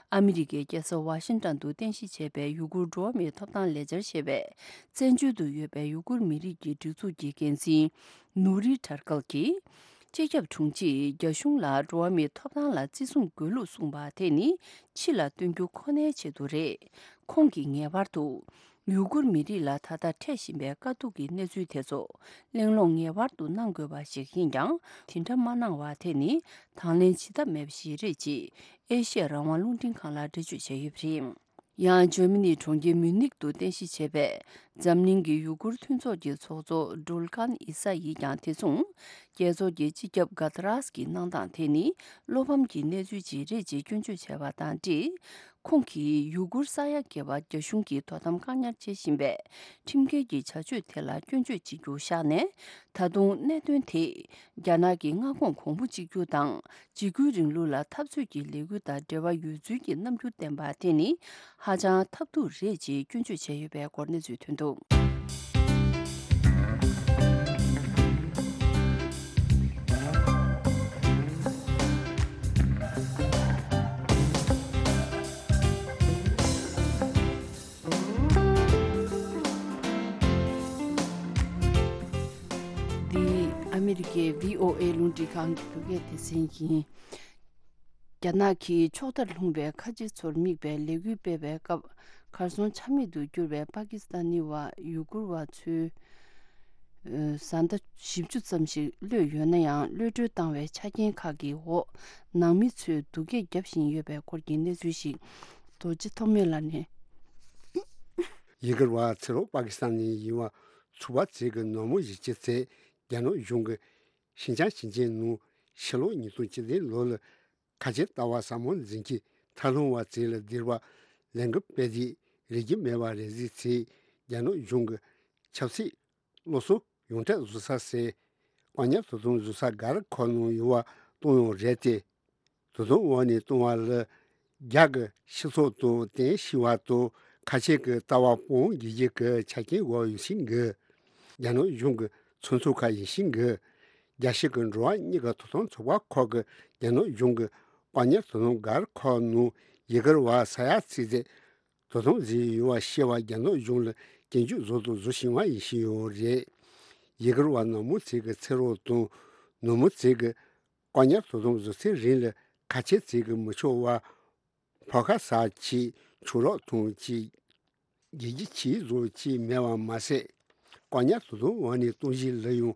ཨ་མི་རི་ཀའི་རྒྱལ་ས་ཝ་ཤིང་ཏོན་དུ་རྟེན་གཞི་བྱས་པའི་ཡུ་གུར་འགྲོ་བ་མིའི་ཐོབ་ཐང་ལས་འཆར་ཞེས་པའི་བཙན་བྱོལ་དུ་ཡོད་པའི་ཡུ་གུར་མི་རིགས་ཀྱི་སྒྲིག་འཛུགས་ཀྱི་འགན་འཛིན་ནུ་རི་ཐར་ཀལ་གྱིས། སྤྱི་ཁྱབ་དྲུང་ཆེས་རྒྱ་གཞུང་ལ་འགྲོ་བ་མིའི་ཐོབ་ཐང་ལ་བརྩི་སྲུང་དགོས་ལུགས་གསུངས་པ་དེ་ནི་ཕྱི་ལ་སྟོན་རྒྱུ་ཁོ་ནའི་ཆེད་དུ་རེད། ཁོང་གིས་ངེས་པར་དུ་ཡུ་གུར་མི་རིགས་ལ་ད་ལྟ་འཕྲད་བཞིན་པའི་དཀའ་སྡུག་གི་གནས་ཚུལ་དེ་ཚོ་གླེང་སློང་ངེས་པར་དུ་གནང་དགོས་པ་ཞིག་ཡིན་ཀྱང་། དེ་འདྲ་མ་གནང་བ་དེ་ནི་དང་ལེན་བྱེད་ཐབས་མེད་པ་ཞིག་རེད་ཅེས་ཨེ་ཤ་ཡ་རང་དབང་རླུང་འཕྲིན་ཁང་ལ་འགྲེལ་བརྗོད་བྱས་ཡོད་པ་རེད། ཡང་ཇར་མ་ནིའི་གྲོང་ཁྱེར་མིའུ་ནིག་ཏུ་རྟེན་གཞི་བྱས་པའི་འཛམ་གླིང་གི་ཡུ་གུར་མཐུན་ཚོགས་ཀྱི་ཚོགས་གཙོ་ཌུལ་ཀཱན་ཨི་ས་ཡིས་ཀྱང་དེ་མཚུངས། རྒྱལ་ཚོགས་ཀྱི་སྤྱི་ཁྱབ་ག་ཏ་རཱས་ཀྱི་གནང་སྟངས་དེ་ནི་བློ་ཕམ་གྱི་གནས་ཚུལ་ཅིག་རེད་ཅེས་སྐྱོན་བརྗོད་བྱས་པ་དང་འབྲེལ། ཁོང་གིས་ཡུ་གུར་ས་ཡ་བརྒལ་བར་རྒྱ་གཞུང་གིས་དོ་དམ་བཀག་ཉར་བྱེད་བཞིན་པའི་ཁྲིམས་འགལ་གྱི་བྱ་སྤྱོད་དེ་ལ་སྐྱོན་བརྗོད་བྱེད་རྒྱུ་བཞག་ནས། ད་དུང་གནད་དོན་དེ་རྒྱ་ནག་གི་མངའ་ཁོངས་གོང་བུ་གཅིག་གྱུར་དང་། འཇིགས་སྐུལ་རིང་ལུགས་ལ་འཐབ་རྩོད་ཀྱི་ལས་འགུལ་དང་འབྲེལ་བ་ཡོད་ཚུལ་གྱི་རྣམ་འགྱུར་བསྟན་པ་དེ་ནི་ཧ་ཅང་ཐབས་སྡུག་རེད་ཅེས་སྐྱོན་བརྗོད་བྱས་ཡོད་པའི་སྐོར་གནས་ཚུལ་ཐོན་འདུག། འདི་ཨ་མི་རི་ཀའི་བྷི་ཨོ་ཨེ་རླུང་འཕྲིན་ཁང་གི་བོད་སྐད་སྡེ་ཚན་ཡིན། རྒྱ་ནག་གིས་ཕྱོགས་མཐར་ལྷུང་བའི་ཁ་ཆེ་ཚོར་དམིགས་པའི་ལས་འགུལ་སྤེལ་བའི་སྐབས། གར་སོང་ཆ་མེད་དུ་གྱུར་བའི་པ་ཀི་སི་ཐན་ནི་བ་ཡུ་གུར་བ་ཚོའི་བཟའ་ཟླ་བཞི་བཅུ་ཙམ་ཞིག་གློད་ཡོད་ན་ཡང་། གློད་གྲོལ་བཏང་བའི་ཆ་རྐྱེན་ཁག་གི་འོག་ནང་མི་ཚོས་སྡུག་སྐད་བརྒྱབ་བཞིན་ཡོད་པའི་སྐོར་གྱི་གནས་ཚུལ་ཞིག་རྡོ་རྗེ་ཐོགས་མེད་ལགས་ནས། ཡུ་གུར་བ་ཚེ་རོགས་པ་ཀི་སི་ཐན་ནས་ཡིན་པ་ཚོ་པ་ཚོས་ཀྱི་ནག་མོ་གཞིས་བྱེས་ཚོས་རྒྱ་ནག་གཞུང་གིས་ཤིན་ཅང་ཞིང་ཆེན་ནང་ཕྱི་ལོ་ཉིས་སྟོང་བཅུ་བདུན་ལོ་ལ་ཁ་ཆེ་ལྟ་བ་ཟབ་མོ་འཛིན་གྱིས་མཐའ་ལྷུང་བ་ཚོ་ལ་བསྡུར་བ་ལས་འགུལ་སྤེལ་ཏེ། རིགས་རྒྱུད་མེད་པ་རེ་ཟིག་ཚོས་རྒྱ་ནག་གཞུང་གི་ཆབ་སྲིད་སློབ་གསོ་ཡོངས་གྲགས་བཟོ་ས་ཟེར་བཀག་ཉར་དོ་དམ་བཟོ་ས་སྒར་ཁག་ནང་ཡོད་པ་གཏོང་ཡོད་རེད་དེ། དོ་དམ་འོག་ནས་གཏོང་བ་ལ་རྒྱ་གི་སྤྱི་ཚོགས་དང་བསྟན་ཞེན་པ་དང་ཁ་ཆེ་གི་ལྟ་བ་སྤོང་དགོས་རྒྱུ་གི་ཆ་རྐྱེན་དགོས་ཡོད་ཤིང་གི། རྒྱ་ནག་གཞུང་གི་ཚོགས་འཛིན་ཁག་ཡིན་ཤིང་གི། རྒྱལ་སྤྱི་གི་འགྲོ་བ་མིའི་ཐོབ་ཐང་ཚོགས་པ་ཁག་གི་རྒྱ་ནག་གཞུང་གི་བཀག་ཉར་དོ་དམ་སྒར་ཁག་ནང་ཡུ་གུར་བ་ས་ཡ་ཚོ་ཚོས་དོ་དམ་བཟོས་ཡོད་པ་ཤེས་པ་རྒྱ་ནག་གཞུང་ལ་སྐྱོན་བརྗོད་བཟོ་དང་བཟོ་བཞིན་པ་ཡིན་བཞིན་ཡོད་རེད། ཡུ་གུར་བ་ནག་མོ་ཚོ་གི་ཚེ་རོགས་དང་ནག་མོ་ཚོ་གི་བཀག་ཉར་དོ་དམ་བཟོ་ཚེ་རིང་ལ་ཁ་ཆེ་ཚོ་གི་མི་ཆོག་པ། ཕོ་ཁ་ཟ་ཅིག་ཆུ་རགས་འཐུང་ཅིག་རྒྱལ་རྒྱུ་ཆེ་བཟོ་ཅིག་མེད་པ་མ་ཟད། བཀག་ཉར་དོ་དམ་འོག་ནས་གཏོང་གཞི་ལ་ཡང་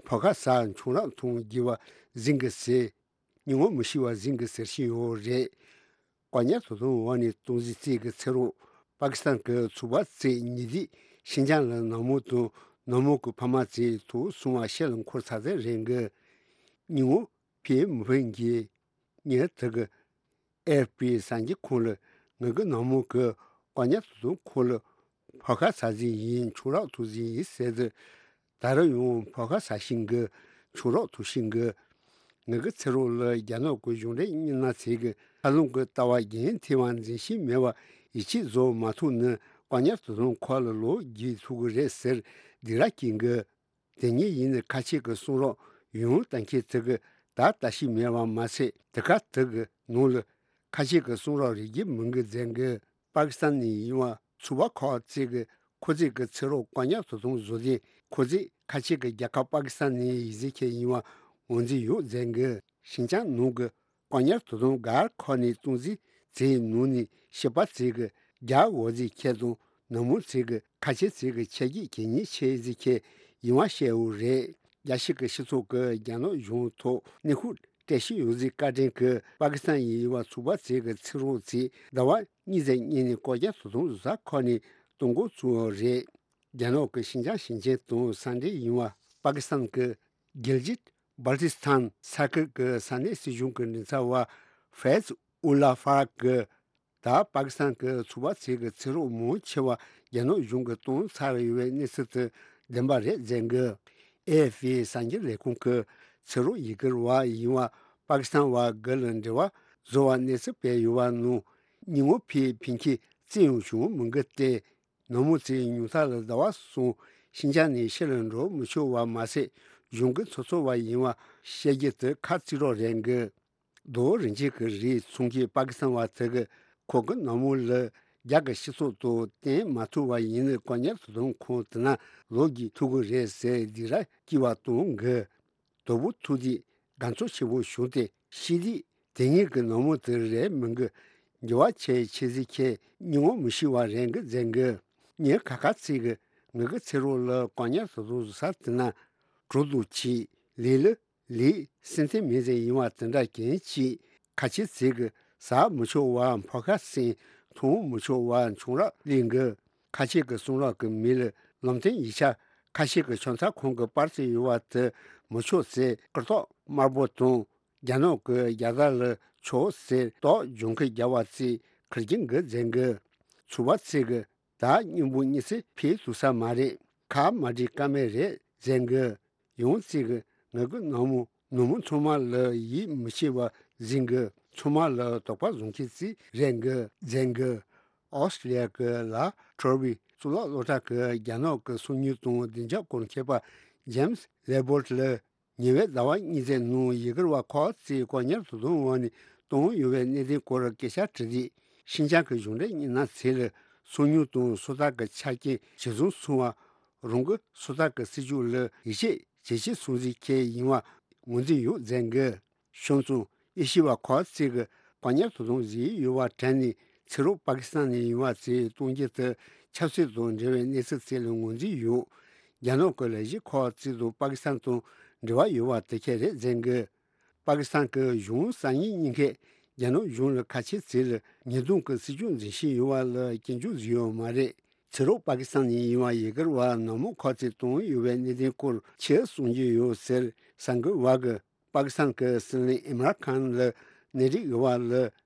ཕོ་ཁ་ཟ་ཆུ་རགས་འཐུང་རྒྱུ་བ་ཟིན་གི་ཟེར། སྙིང་བོ་མི་ཤི་བ་ཟིན་གི་ཟེར་བཞིན་ཡོད་རེད། བཀག་ཉར་དོ་དམ་འོག་ནས་གཏོང་གཞི་ཚོ་གི་ཚེ་རོགས་པ་ཀི་སི་ཐན་གི་ཚོ་པ་ཚོས་ཉེ་དུས་ཤིན་ཅང་ལ་ནག་མོ་དང་ནག་མོ་གི་ཕ་མ་ཚོའི་ཐོག་སོང་བ་ཤེལ་ལ་འཁོར་ཚར་ཚར་རེད་གི། སྙིང་བོ་ཕན་མི་ཕན་གི། ངས་དེ་གི་ཨེ་ཨེཕ་པི་གསར་འགྱུར་ཁང་ལ་ངེད་ཀྱི་ནག་མོ་གི་བཀག་ཉར་དོ་དམ་ཁང་ལ་ཕོ་ཁ་ཟ་ཟིན་ཡིན། ཆུ་རགས་འཐུང་ཟིན་ཡིན་ཟེར་ཏེ། ད་རུང་ཡང་ཕོ་ཁ་ཟ་བཞིན་གི། ཆུ་རགས་འཐུང་བཞིན་གི། ངེད་ཀྱི་ཚེ་རོགས་ལ་རྒྱ་ནག་གི་གཞུང་འབྲེལ་མི་སྣ་ཚོས་གི་ཧ་ལམ་གི་ལྟ་བ་རྒྱུན་མཐུད་པ་འཛིན་བཞིན་མེད་པ་ཡིད་ཆེས་བཟོ་མ་ཐུབ་ན་བཀག་ཉར་དོ་དམ་ཁང་ལ་ལོག་རྒྱུག་ཐུབ་གི་རེད་ཟེར་སྡིགས་ར་སྐྱེལ་གི། དེ་ཉིད་ཡིན་ནའི་ཁ་ཆེ་གི་གསུང་རོགས་ཡོང་ལྟ་མཁན་དེ་གི་ད་ལྟ་ཞིག་མེད་པ་མ་ཟད། དེ་ག་དེ་གི་ནང་ལ་ཁ་ཆེ་གི་གསུང་རོགས་རིགས་རྒྱུད་མིན་གི་ཟེར་གི། པ་ཀི་སི་ཐན་ནས་ཡིན་པ་ཚོ་པ་ཁག་ཅིག་གི་ཁོ་ཚོས་གི་ཚེ་རོགས་བཀག་ཉར་དོ་དམ་བཟོ་དུས་ཁོ་ཚོས་ཁ་ཆེ་གི་རྒྱལ་ཁབ་པ་ཀི་སི་ཐན་ནས་ཡིན་ཟེར་མཁན་ཡིན་པ་ངོས་འཛིན་ཡོད་ཟེར་གི། ཤིན་ཅང་ནང་གི་བཀག་ཉར་དོ་དམ་སྒར་ཁག་ནས་གཏོང་རྩིས་བྱས་ནང་ནས་ཤི་པ་ཚོས་གི་རྒྱ་འོག་ཟིག་ཁྱེད་དང་ནུབ་མོ་ཚོས་གི་ཁ་ཆེ་ཚོས་གི་ཆ་རྒྱུས་གལ་གཉིས་ཆེ་ཟིག་ཁྱེད་ཡིན་བ་བཤད་འོ་རེད། རྒྱལ་སྤྱི་གི་སྤྱི་ཚོགས་གི་རྒྱ་ནག་གཞུང་ཐོག་གནོན་ཤུགས་སྤྲད་བཞིན་ཡོད་ཟིག་བཀའ་དྲིན་གི་པ་ཀི་སི་ཐན་ཡིན་བ་ཚོ་པ་ཚོས་གི་ཚེ་རོགས་ཚོས་ཟླ་བ་གཉིས་ཙམ་སྔོན་ནས་བཀག་ཉར་དོ་དམ་བཟོ་ས་ཁག་ནས་གཏོང་འགོ་བཙུགས་འོ་རེད། རྒྱ་ནག་གི་ཤིན་ཅང་ཞིང་ཆེན་དང་ས་འབྲེལ་ཡིན་པ་པ་ཀི་སི་ཐན་གྱི་གིལ་ཇིད་བལ་ཏི་སི་ཐན་ས་ཁུལ་གྱི་ས་གནས་སྲིད་གཞུང་གི་མགྲིན་ཚབ་པ་ཧྥེ་ཛི་ཨུ་ལ་ཧྥ་རག་གིས། ད་པ་ཀི་སི་ཐན་གྱི་ཚོགས་པ་ཚོས་ཀྱི་ཚེ་སྲོག་མང་ཆེ་བ་རྒྱ་ནག་གཞུང་གིས་བཏང་ཚར་ཡོད་པའི་གནས་ཚུལ་དེ་བདེན་པ་རེད་ཟེར་གི། ཨེ་ཨེཕ་པི་གསར་འགྱུར་ལས་ཁུངས་ཀྱིས་ཚེ་སྲོག་ཡི་གེར་བ་ཡིན་པ་པ་ཀི་སི་ཐན་བ་དགུ་ལ་འབྲེལ་བ་བཟོ་བ་གནས་ཚུལ་སྤེལ་ཡོད་པ་ནང་། སྙིང་ངོ་ཕན་ཕན་ཁེ་རྩིས་ཡོང་བྱུང་མི་འགི་སྟེ། ནག་མོ་ཚོས་ཉུང་མཐའ་ལ་ཟླ་བ་གསུམ་ཤིན་ཅང་ནས་ཕྱི་ལ་འགྲོ་མི་ཆོག་པ་མ་ཟད། གཞུང་གི་ཚོགས་གཙོ་བ་ཡིན་པ་བཤད་རྒྱུ་དེ་ཁ་རྩིས་རོགས་རེད་གི། རྡོ་རིན་ཆེན་གྱི་རིགས་ཚོང་ཁྱིམ་པ་ཀི་སི་ཐན་བ་དེ་གིས་ཁོ་གི་ནག་མོ་ལ་རྒྱ་གི་སྤྱི་ཚོགས་དང་བསྟུན་མ་ཐུབ་པ་ཡིན་ན་བཀག་ཉར་དུ་གཏོང་ཁོང་དེ་ན་ལོག་རྒྱུ་ཐུག་གི་རེད་ཟེར་སྡིགས་ར་སྐྱེ་བ་གཏོང་གི། དོ་པོ་ཐུག་དུས་དགའ་ཚོར་ཆེ་པོ་བྱུང་སྟེ་ཤི་དུས་དེ་ངེད་ཀྱི་ནག་མོ་དེ་རེད་མིན་གི། འགྱུར་བ་ཆེ་ཆེ་ཟིག་ཁྱེད་སྙིང་བོ་མི་ཤི་བ་རེད་གི་ཟེར་གི། ངས་ཁ་ཁ་ཚིག་གི་ངེད་ཀྱི་ཚེ་རོགས་ལ་བཀག་ཉར་དུ་གཏོང་ས་དེ་ན་གྲོ་དུ་ཆི་ལི་ལི། ལས་སེམས་ཐེངས་མེད་ཟེར་ཡིན་བ་དེ་འདྲ་གན་ཅིག་ཁ་ཆེ་ཚིག་གི་ཟ་མི་ཆོག་བ་ཕོ་ཁ་སེང་འཐུང་མི་ཆོག་བ་ཆུང་རག་ལིང་གི་ཁ་ཆེ་གི་གསུང་རག་གི་མི་ལ་ལམ་སྟོན་ཡིག་ཆ་ཁ་ཤས་ཀྱི་ཆོན་ཚ་ཁོང་གི་པར་ཚིག་ཡོད་བ་དེ་མི་ཆོག་ཟེར་སྐུ་ཐོག་དམར་པོ་དང་རྒྱ་ནག་གི་རྒྱལ་དར་ལ་ཆོག་ཟེར་ཏོག་ལྗོངས་ཁུལ་རྒྱལ་བ་ཚིག་ཁིར་གྱིན་གི་ཟེར་གི་ཚུ་བ་ཚིག་གི་ད་སྙིང་པོ་གཉིས་ཚེ་ཕེ་ཐུ་ས་མ་རེད། ཁ་མ་འདྲི་ཀ་མེད་རེད་ཟེར་གི། ཡང་ཚིག་གི་ང་གི་ནང་མོ་ནུ་མོ་ཚང་མ་ལ་ཡིད་མི་ཆེས་པ་ཟིན་གི་ཚང་མ་ལ་དོགས་པ་བཟུང་ཁྱེད་ཚིག་རེད་གི་ཟེར་གི། ཨོ་སི་ལི་ཡ་གི་ལ་ཁྲོར་བི་གཙུག་ལག་སློབ་གྲྭ་གི་རྒྱ་ནག་གི་སོ་ཉུལ་དང་བདེ་འཇགས་སྐོར་མཁས་པ་ཇེམ་སི་ལེ་བོལ་ལ། ཉེ་བའི་ཟླ་བ་གཉིས་ཙམ་ནང་ཡི་གེར་བ་ཁོག་ཚིག་བཀག་ཉར་དུ་གཏོང་འོག་ནས་གཏོང་ཡོད་པའི་གནད་དོན་སྐོར་སྐད་ཆ་དྲིས་དུས་ཤིན་ཅང་གི་གཞུང་འབྲེལ་མི་སྣ་ཚོ་ལ་སོ་ཉུལ་དང་སོ་ཐར་གྱི་ཆ་རྐྱེན་ཇི་བཟུང་སོང་བ། རང་གི་སོ་ཐར་གྱི་སྲིད་ཇུས་ལ་ཡིད་ཆེས་ཇེ་ཆེ་སོང་ཟིག་ཁྱེད་ཡིན་བ་ངོས་འཛིན་ཡོད་ཟེར་གི། བྱུང་སོང་ཨེ་ཤི་བ་ཁོག་ཚིག་གི་བཀག་ཉར་དུ་གཏོང་བཞིན་ཡོད་པ་དྲན་ནས་ཚེ་རོགས་པ་ཀི་སི་ཐན་ནས་ཡིན་བ་ཚོས་གཏོང་རྒྱུ་དེ་ཆབ་སྲིད་དང་འབྲེལ་བའི་གནས་ཚུལ་ཚོ་ལ་ངོས་འཛིན་ཡོད། རྒྱ་ནག་གི་ལས་གཞི་ཁོག་ཚིག་དང་པ་ཀི་སི་ཐན་དང་འབྲེལ་བ་ཡོད་པ་དེ་ཁྱེད་རེད་ཟེར་གི། པ་ཀི་སི་ཐན་གྱི་གཞུང་གསར་རྙིང་གཉིས་ཀས་རྒྱ་ནག་གཞུང་ལ་ཁ་ཆེ་ཚོ་ལ་ཉེས་རྡུང་གི་སྲིད་ཇུས་འཛིན་བཞིན་ཡོད་པ་ལ་སྐྱོན་བརྗོད་བཟོས་ཡོད་མ་རེད། ཚེ་རོགས་པ་ཀི་སི་ཐན་ནས་ཡིན་བ་ཡི་གེར་བ་ནག་མོ་ཁོག་ཚིག་གཏོང་ཡོད་པའི་གནད་དོན་སྐོར་ཆེད་གསུང་རྒྱུ་ཡོད་ཟེར་གསར་འགོད་པ་གི། པ་ཀི་སི་ཐན་གྱི་སྲིད་བློན་ཨིམ་རཱན་ཁཱན་ལ་གནས་རིགས་དབར་ལ་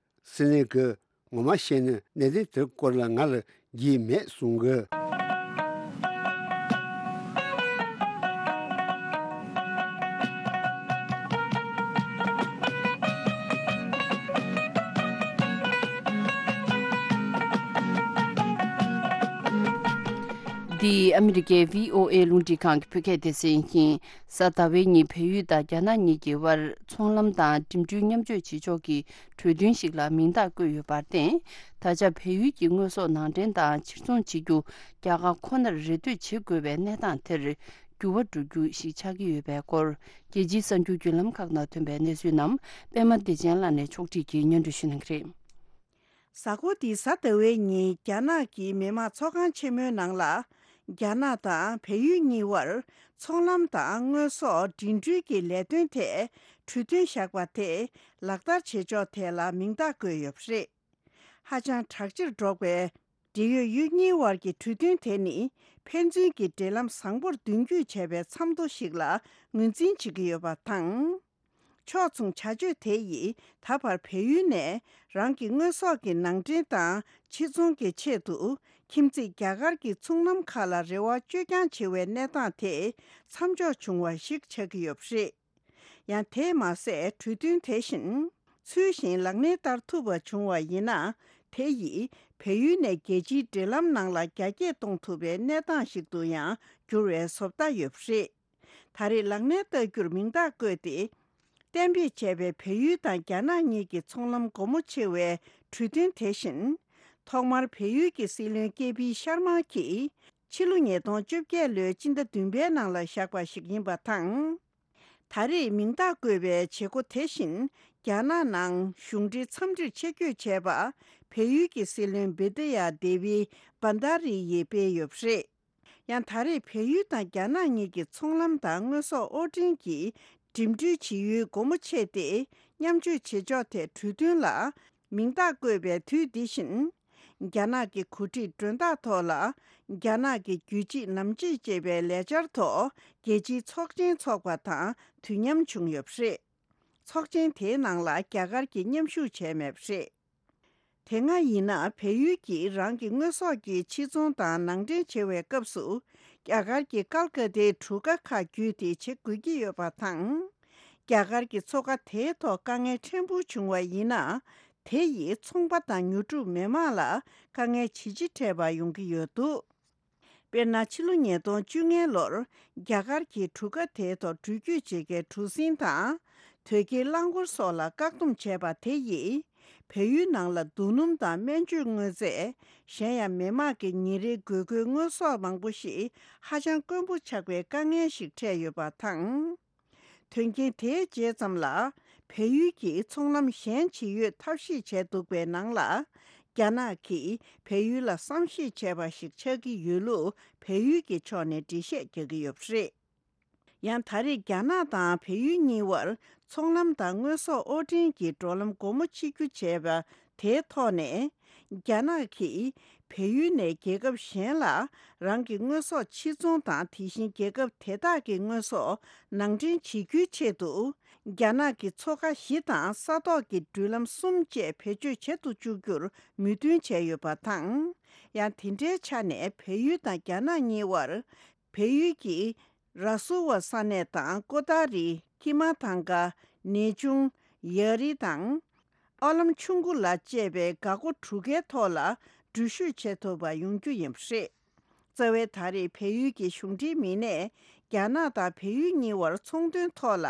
སྲིད་བློན་གྱིས་ངོ་མ་བཤད་ན་གནད་དོན་དེ་སྐོར་ལ་ང་ལ་རྒྱུས་མེད་གསུང་གི། འདི་ཨ་མི་རི་ཀའི་བྷི་ཨོ་ཨེ་རླུང་འཕྲིན་ཁང་གི་བོད་སྐད་སྡེ་ཚན་ཡིན། གཟའ་ཟླ་བའི་ཉིན་བལ་ཡུལ་དང་རྒྱ་ནག་གཉིས་ཀྱི་དབར་ཚོང་ལམ་དང་འགྲིམ་འགྲུལ་མཉམ་སྤྱོད་བྱེད་ཕྱོགས་ཀྱི་གྲོས་མཐུན་ཞིག་ལ་མིང་རྟགས་བཀོད་ཡོད་པར་བརྟེན། ད་ཆ་བལ་ཡུལ་གྱི་དངོས་ཟོག་ནང་འདྲེན་དང་ཕྱིར་ཚོང་བྱེད་རྒྱུ་རྒྱ་གར་ཁོ་ནར་རེ་ལྟོས་བྱེད་དགོས་པའི་གནས་སྟངས་དེར་འགྱུར་བ་འགྲོ་རྒྱུ་ཞིག་ཆགས་ཀྱི་ཡོད་པའི་སྐོར། རྒྱལ་སྤྱིའི་གསར་འགྱུར་བརྒྱུད་ལམ་ཁག་ནང་ཐོན་པའི་གནས་ཚུལ་རྣམས་པད་མ་བདེ་ཆེན་ལགས་ནས་ཕྱོགས་སྒྲིག་གིས་སྙན་སྒྲོན་ཞུ་གནང་གི་རེད། གཟའ་འཁོར་འདིའི་གཟའ་ཟླ་བའི་ཉིན་རྒྱ་ནག་གི་མི་དམངས་ཚོགས་ཁང་ཆེན་མོའི་ནང་ལ། རྒྱ་ནག་དང་བལ་ཡུལ་གཉིས་དབར་ཚོང་ལམ་དང་དངོས་ཟོག་འགྲིམ་འགྲུལ་གྱི་ལས་དོན་ཐད་གྲོས་མཐུན་བཞག་པ་དེ་ལག་བསྟར་བྱེད་ཕྱོགས་ཐད་ལ་མིང་རྟགས་བཀོད་ཡོད་པ་རེད། ཧ་ཅང་དྲག་ཆེར་འགྲོ་བའི་འབྲེལ་ཡོད་ཡུལ་གཉིས་དབར་གྱི་གྲོས་མཐུན་དེ་ནི་ཕན་ཚུན་གྱི་འབྲེལ་ལམ་བཟང་པོར་མདུན་སྐྱོད་བྱས་པའི་མཚམས་ཐོ་ཞིག་ལ་ངོས་འཛིན་བྱེད་ཀྱི་ཡོད་པ་དང་། ཕྱོགས་མཚུངས་བྱ་སྤྱོད་དེ་ཡིས་ད་བར་བལ་ཡུལ་ནས་རང་གི་དངོས་ཟོག་གི་ནང་འདྲེན་དང་ཕྱིར་ཚོང་གི་ཆེད་དུ་ཁྱིམ་མཚེས་རྒྱ་གར་གྱི་ཚོང་ལམ་ཁག་ལ་རེ་བ་བཅོས་ཀྱང་བྱེད་པའི་གནས་སྟངས་དེ་མཚམས་འཇོག་བྱུང་བ་ཞིག་ཆགས་ཀྱི་ཡོད་པ་རེད། ཡང་དེས་མ་ཟད་གྲོས་མཐུན་དེ་བཞིན་ཚུལ་བཞིན་ལག་ལེན་བསྟར་ཐུབ་པ་བྱུང་བ་ཡིན་ན། དེ་ཡིས་བལ་ཡུལ་ནས་རྒྱལ་སྤྱིའི་འབྲེལ་ལམ་ནང་ལ་རྒྱ་སྐྱེད་གཏོང་ཐུབ་པའི་གནས་སྟངས་ཤིག་ཏུ་ཡང་འགྱུར་བའི་བཟོ་ལྟ་ཡོད་པ་རེད། ད་རེས་ལག་ལེན་བསྟར་རྒྱུར་མིང་རྟགས་བཀོད་དེ། གཏན་འབེབས་བྱས་པའི་བལ་ཡུལ་དང་རྒྱ་ནག་གཉིས་ཀྱི་ཚོང་ལམ་སྒོ་མོ་ཕྱེ་བའི་གྲོས་མཐུན་དེ་བཞིན། ཐོག་མར་བལ་ཡུལ་གྱི་སྲིད་བློན་ཀེ་པི་ཤར་མ་གྱིས་ཕྱི་ལོ་ཉིས་སྟོང་བཅོ་བརྒྱད་ལོའི་སྤྱི་ཟླ་བདུན་པའི་ནང་ལ་བཞག་པ་ཞིག་ཡིན་པ་དང་། ད་རེས་མིང་རྟགས་བཀོད་པའི་བྱེད་སྒོ་དེ་བཞིན་རྒྱ་ནག་ནང་གཞུང་འབྲེལ་འཚམས་འདྲིར་ཆེད་བསྐྱོད་བྱས་པ་བལ་ཡུལ་གྱི་སྲིད་བློན་བི་དི་ཡ་དེ་བི་བྷན་དྷ་རི་ཡིས་སྤེལ་ཡོད་པ་རེད། ཡང་ད་རེས་བལ་ཡུལ་དང་རྒྱ་ནག་གཉིས་ཀྱི་ཚོང་ལམ་དང་དངོས་ཟོག་དབོར་འདྲེན་གྱི་འགྲིམ་འགྲུལ་བྱེད་ཡུལ་སྒོ་མོ་ཕྱེ་སྟེ་མཉམ་སྤྱོད་བྱེད་ཕྱོགས་ཐད་གྲོས་མཐུན་ལ་མིང་རྟགས་བཀོད་པའི་དུས་འདི་བཞིན། རྒྱ་ནག་གི་གོ་སྒྲིག་མགྲོན་བདག་ཐོག་ལ་རྒྱ་ནག་གི་རྒྱུད་གཅིག་ནམ་གཅིག་ཅེས་པའི་ལས་འཆར་ཐོག་རྒྱལ་སྤྱིའི་ཚོགས་ཆེན་འཚོགས་པ་དང་དུས་མཉམ་བྱུང་ཡོད་པ་རེད། ཚོགས་ཆེན་དེའི་ནང་ལ་རྒྱ་གར་གྱིས་མཉམ་ཞུགས་བྱས་མེད་པ་རེད། དེ་སྔ་ཡིན་ན་བལ་ཡུལ་གྱིས་རང་གི་དངོས་ཟོག་གི་ཕྱིར་ཚོང་དང་ནང་འདྲེན་བྱེད་པའི་སྐབས་སུ། རྒྱ་གར་གྱི་ཀལ་ཀ་ཏའི་གྲུ་ཁ་ཁག་བརྒྱུད་དེ་བྱེད་དགོས་ཀྱི་ཡོད་པ་དང་། རྒྱ་གར་གྱི་མཚོ་ཁ་དེའི་ཐོག་དཀའ་ངལ་ཕྲན་བུ་བྱུང་བ་ཡིན་ན། དེ་ཡིས་ཚོང་པ་དང་ཉོ་སྒྲུབ་མི་མང་ལ་དཀའ་ངལ་ཇི་ཆེ་འཕྲད་པ་ཡོང་གི་ཡོད་འདུག་དཔེར་ན། ཕྱི་ལོ་ཉིས་སྟོང་བཅོ་ལྔ་ལོར་རྒྱ་གར་གྱི་གྲུ་ཁ་དེའི་ཐོག་འགྲུལ་སྐྱོད་བྱེད་མཁན་གྲུ་གཟིངས་དང་། དོས་སྐྱེལ་རླངས་འཁོར་སོགས་ལ་བཀག་སྡོམ་བྱས་པ་དེ་ཡིས། བལ་ཡུལ་ནང་ལ་རྡོ་སྣུམ་དང་སྨན་བཅོས་དངོས་རྫས། གཞན་ཡང་མི་དམངས་ཀྱི་ཉིན་རེའི་དགོས་མཁོའི་དངོས་ཟོག་མང་པོ་ཞིག་ཧ་ཅང་དཀོན་པོ་ཆགས་པའི་དཀའ་ངལ་ཞིག་འཕྲད་ཡོད་པ་དང་། དོན་རྐྱེན་དེའི་རྗེས་ཙམ་ལ། བལ་ཡུལ་གྱིས་ཚོང་ལམ་གཞན་ཇི་ཡོད་ཐབས་ཤེས་བྱས་འདུག་པའི་ནང་ལ། རྒྱ་ནག་གིས་བལ་ཡུལ་ལ་བསམ་ཤེས་བྱས་པ་ཞིག་ཆགས་ཀྱི་ཡོད་ལུགས་བལ་ཡུལ་གྱི་ཕྱོགས་ནས་འགྲེལ་བཤད་རྒྱག་གི་ཡོད་པ་རེད། ཡང་ད་རེས་རྒྱ་ནག་དང་བལ་ཡུལ་གཉིས་བར་ཚོང་ལམ་དང་དངོས་ཟོག་དབོར་འདྲེན་གྱི་འགྲོ་ལམ་སྒོ་མོ་ཕྱེ་རྒྱུ་བྱས་པ་དེའི་ཐོག་ནས། རྒྱ་ནག་གིས་བལ་ཡུལ་ནས་རྒྱལ་ཁབ་གཞན་ལ་རང་གི་དངོས་ཟོག་ཕྱིར་ཚོང་དང་། དེ་བཞིན་རྒྱལ་ཁབ་དེ་དག་གི་དངོས་ཟོག་ནང་འདྲེན་བྱེད་རྒྱུའི་ཆེད་དུ། རྒྱ་ནག་གི་མཚོ་ཁ་བཞི་དང་ས་ཐོག་གི་འགྲུལ་ལམ་གསུམ་བཅས་བེད་སྤྱོད་བྱེད་དུ་བཅུག་རྒྱུར་མོས་མཐུན་བྱས་ཡོད་པ་དང་། ཡང་དེ་འདྲའི་ཆ་ནས་བལ་ཡུལ་དང་རྒྱ་ནག་གཉིས་བར། བལ་ཡུལ་གྱི་ར་སུ་ཝ་ས་གནས་དང་ཀོ་ཏཱ་རི། ཀི་མ་ཐང་ཀ། ནེ་ཆུང་། ཡ་རི་དང་། ཨོ་ལམ་ཆུང་ཀུ་ལ་བཅས་པའི་འགག་སྒོ་དྲུག་ཀའི་ཐོག་ལ་འགྲུལ་བཞུད་བྱེད་ཐུབ་པ་ཡོང་རྒྱུ་ཡིན་པ་རེད། རྩ་བའི་ད་རེས་བལ་ཡུལ་གྱི་གཞུང་འབྲེལ་མི་སྣས་རྒྱ་ནག་དང་བལ་ཡུལ་གཉིས་བར་ཚོང་དོན་ཐོག་ལ་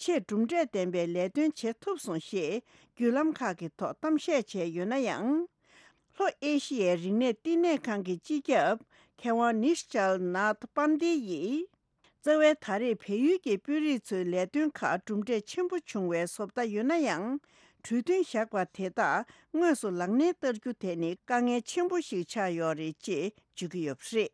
ཆེས་གྲུབ་འབྲས་ལྡན་པའི་ལས་དོན་བྱེད་ཐུབ་སོང་ཞེས་བརྒྱུད་ལམ་ཁག་གི་ཐོག་གཏམ་བཤད་བྱས་ཡོད་ན་ཡང་། ལྷོ་ཨེ་ཤི་ཡའི་རིག་གནས་བསྟི་གནས་ཁང་གི་སྤྱི་ཁྱབ་མཁས་དབང་ནིཤ་ཅལ་ནཱཐ་པན་དེ་ཡིས། རྩ་བའི་ད་རེས་བལ་ཡུལ་གྱི་དཔོན་རིགས་ཚོའི་ལས་དོན་ཁག་གྲུབ་འབྲས་ཆེན་པོ་བྱུང་བའི་བཟོ་ལྟ་ཡོད་ན་ཡང་། གྲོས་མཐུན་བཞག་པ་དེ་དག་དངོས་སུ་ལག་ལེན་བསྟར་རྒྱུ་དེ་ནི་དཀའ་ངལ་ཆེན་པོ་ཞིག་ཆགས་ཡོད་རེད་ཅེས་བརྗོད་ཀྱི་ཡོད་པ་རེད།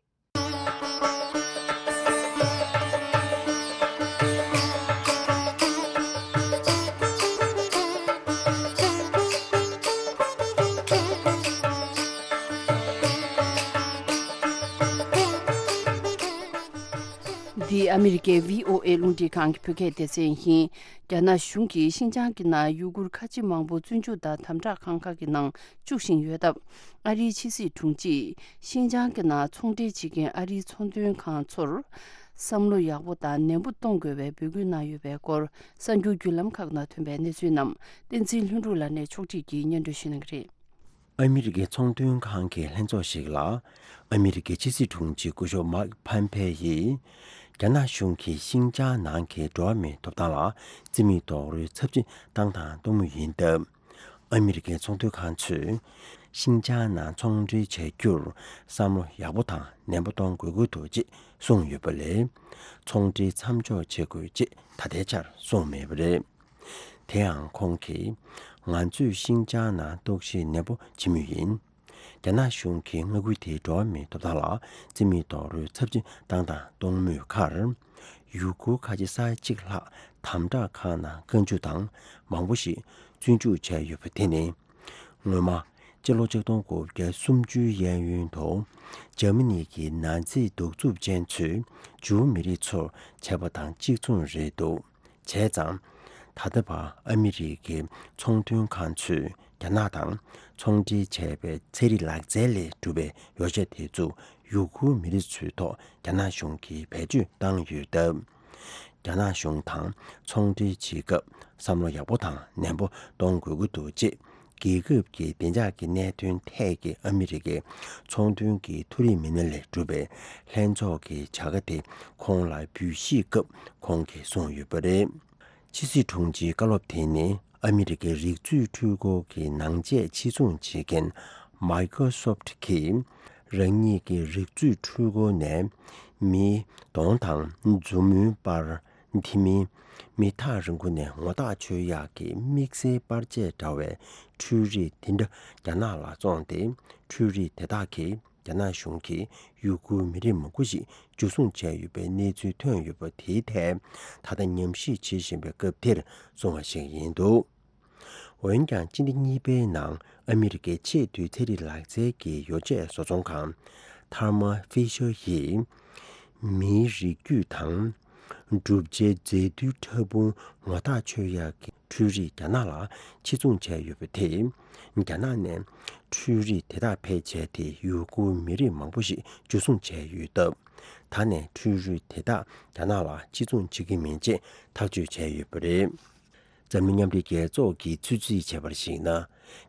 འདི་ཨ་མི་རི་ཀའི་བྷི་ཨོ་ཨེ་རླུང་འཕྲིན་ཁང་གི་བོད་སྐད་སྡེ་ཚན་ཡིན། རྒྱ་ནག་གཞུང་གིས་ཤིན་ཅང་གི་ནང་ཡུ་གུར་ཁ་ཆེ་མང་པོ་བཙོན་འཇུག་དང་དམ་དྲག་ཁང་ཁག་གི་ནང་བཅུག་བཞིན་ཡོད་སྟབས། ཨ་རིའི་ཕྱི་སྲིད་དྲུང་ཆེས་ཤིན་ཅང་གི་ནང་ཚོང་འབྲེལ་བྱེད་མཁན་ཨ་རིའི་ཚོང་དོན་ཁང་ཚོར་བསམ་བློ་ཡག་པོ་དང་ནན་པོ་གཏོང་དགོས་པའི་འབོད་སྐུལ་གནང་ཡོད་པའི་སྐོར། གསར་འགྱུར་བརྒྱུད་ལམ་ཁག་ནང་ཐོན་པའི་གནས་ཚུལ་རྣམས་བསྟན་འཛིན་ལྷུན་གྲུབ་ལགས་ནས་ཕྱོགས་སྒྲིག་གིས་སྙན་སྒྲོན་ཞུ་གནང་གི་རེད། ཨ་མི་རི་ཀའི་ཚོང་དོན་ཁང་གི་ལྷན་ཚོགས་ཤིག་ལ། ཨ་མི་རི་ཀའི་ཕྱི་སྲིད་དྲུང་ཆེ་སྐུ་ཞབས་མཱིག་ཕམ་ཕེ་ཡིས། རྒྱ་ནག་གཞུང་གིས་ཤིན་ཅང་ནང་གི་འགྲོ་བ་མིའི་ཐོབ་ཐང་ལ་རྩིས་མེད་རྡོག་རོལ་ཚབས་ཆེན་བཏང་དང་གཏོང་མུས་ཡིན་སྟབས། ཨ་མི་རི་ཀའི་ཚོང་དོན་ཁང་ཚོས། ཤིན་ཅང་ནང་ཚོང་འབྲེལ་བྱ་རྒྱུར་བསམ་བློ་ཡག་པོ་དང་ནན་པོ་གཏོང་དགོས་ཀྱི་འདུག་ཅེས་གསུངས་ཡོད་པ་ལས། ཚོང་འབྲེལ་མཚམས་འཇོག་བྱེད་དགོས་ཅེས་ད་ལྟའི་ཆར་གསུངས་མེད་པ་རེད། དེའང་ཁོང་གིས། ང་ཚོས་ཤིན་ཅང་ནང་རྟོག་ཞིབ་ནན་པོ་བྱེད་མུས་ཡིན། རྒྱ་ནག་གཞུང་གིས་མངའ་ཁུལ་དེའི་འགྲོ་བ་མིའི་ཐོབ་ཐང་ལ་རྩིས་མེད་རྡོག་རོལ་ཚབས་ཆེན་བཏང་དང་གཏོང་མུས་ཁར། ཡུ་གུར་ཁ་ཆེ་ས་ཡ་གཅིག་ལྷག་དམ་དྲག་ཁང་ནང་བཀའ་འཇུག་དང་མང་པོ་ཞིག་བཙོན་འཇུག་བྱས་ཡོད་པ་དེ་ནི། སྔོན་མ། སྤྱི་ལོ་ཆིག་སྟོང་དགུ་བརྒྱ་སུམ་ཅུའི་གཡས་གཡོན་དུ། འཇར་མ་ནི་གི་ནཱ་ཛི་གདུག་རྩུབ་ཅན་ཚོས་ཇུའུ་མི་རིགས་ཚོར་བྱས་པ་དང་གཅིག་མཚུངས་རེད་འདུག་བྱས་ཙང་། ད་ལྟ་བར་ཨ་མི་རི་ཀའི་ཚོང་དོན་ཁང་ཚོས་རྒྱ་ནག་དང་ཚོང་འབྲེལ་བྱས་པའི་ཚན་རིག་ལག་རྩལ་ལས་གྲུབ་པའི་ཡོ་བྱད་དེ་ཚོ་ཡུ་གུར་མི་རིགས་ཚོའི་ཐོག་རྒྱ་ནག་གཞུང་གིས་བེད་སྤྱོད་བཏང་ཡོད་སྟབས། རྒྱ་ནག་གཞུང་དང་ཚོང་འབྲེལ་བྱེད་སྐབས་བསམ་བློ་ཡག་པོ་དང་ནན་པོ་གཏོང་དགོས་ཀྱི་འདུག་ཅེས། རྒྱལ་ཁབ་ཀྱི་བདེ་འཇགས་ཀྱི་གནད་དོན་ཐད་ཀྱི་ཨ་མི་རི་ཀའི་ཚོང་དོན་གྱི་མཐོ་རིམ་མི་སྣ་ལས་གྲུབ་པའི་ལྷན་ཚོགས་ཀྱི་བྱ་དགའ་དེ་ཁོང་ལ་འབུལ་བཞེས་སྐབས་ཁོང་གིས་གསུངས་ཡོད་པ་རེད། ཕྱི་སྲིད་དྲུང་ཆེའི་བཀའ་སློབ་དེ་ནི་ཨ་མི་རི་ཀའི་རིག་མཛོད་འཕྲུལ་འཁོར་གྱི་ནང་ཆས་ཕྱིར་ཚོང་བྱེད་མཁན་Microsoft གིས་རང་ཉིད་ཀྱི་རིག་མཛོད་འཕྲུལ་འཁོར་ནས་མི་གདོང་དང་མཛུབ་མོའི་པར། དེ་མིན། མི་ཐག་རིང་པོ་ནས་ངོ་ཐག་ཆོད་ཡག་གི་དམིགས་བསལ་པར་ཆས་འདྲ་བའི་འཕྲུལ་རིགས་དེ་འདྲ་རྒྱ་ནག་ལ་བཙོངས་ཏེ། འཕྲུལ་རིགས་དེ་དག་གིས་རྒྱ་ནག་གཞུང་གིས་ཡུ་གུར་མི་རིགས་མང་པོ་ཞིག་འཇུ་བཟུང་བྱས་ཡོད་པའི་གནས་ཚུལ་ཐོན་ཡོད་པ་དེའི་ཐད། ད་ལྟ་ཉམས་ཞིབ་བྱེད་བཞིན་པའི་སྐབས་དེར་གསུངས་པ་ཞིག་ཡིན་འདུག་འོན་ཀྱང་སྤྱི་ཟླ་གཉིས་པའི་ནང་ཨ་མི་རི་ཀའི་ཆེས་མཐོའི་ཚན་རིག་ལག་རྩལ་གྱི་ཡོ་བྱད་བཟོ་ཚོང་ཁང་Thermo Fisher ཡིས། མིའི་རིགས་རྒྱུད་དང་གྲུབ་ཆའི་རྫས་རྡུལ་ཕྲ་ཕུང་ངོ་ཐག་ཆོད་ཡག་གི་འཕྲུལ་རིགས་རྒྱ་ནག་ལ་ཕྱིར་ཚོང་བྱས་ཡོད་པ་དེས། རྒྱ་ནག་ནས་འཕྲུལ་རིགས་དེ་དག་ཕལ་ཆེར་དེ་ཡུ་གུར་མི་རིགས་མང་པོ་ཞིག་འཇུ་བཟུང་བྱས་ཡོད་སྟབས། ད་ནས་འཕྲུལ་རིགས་དེ་དག་རྒྱ་ནག་ལ་ཕྱིར་ཚོང་བྱེད་ཀྱི་མིན་ཅེས་ཐག་གཅོད་བྱས་ཡོད་པ་རེད། འཛམ་གླིང་མཉམ་འབྲེལ་རྒྱལ་ཚོགས་ཀྱིས་ཚོད་རྩིས་བྱས་པར་གཞིགས་ན།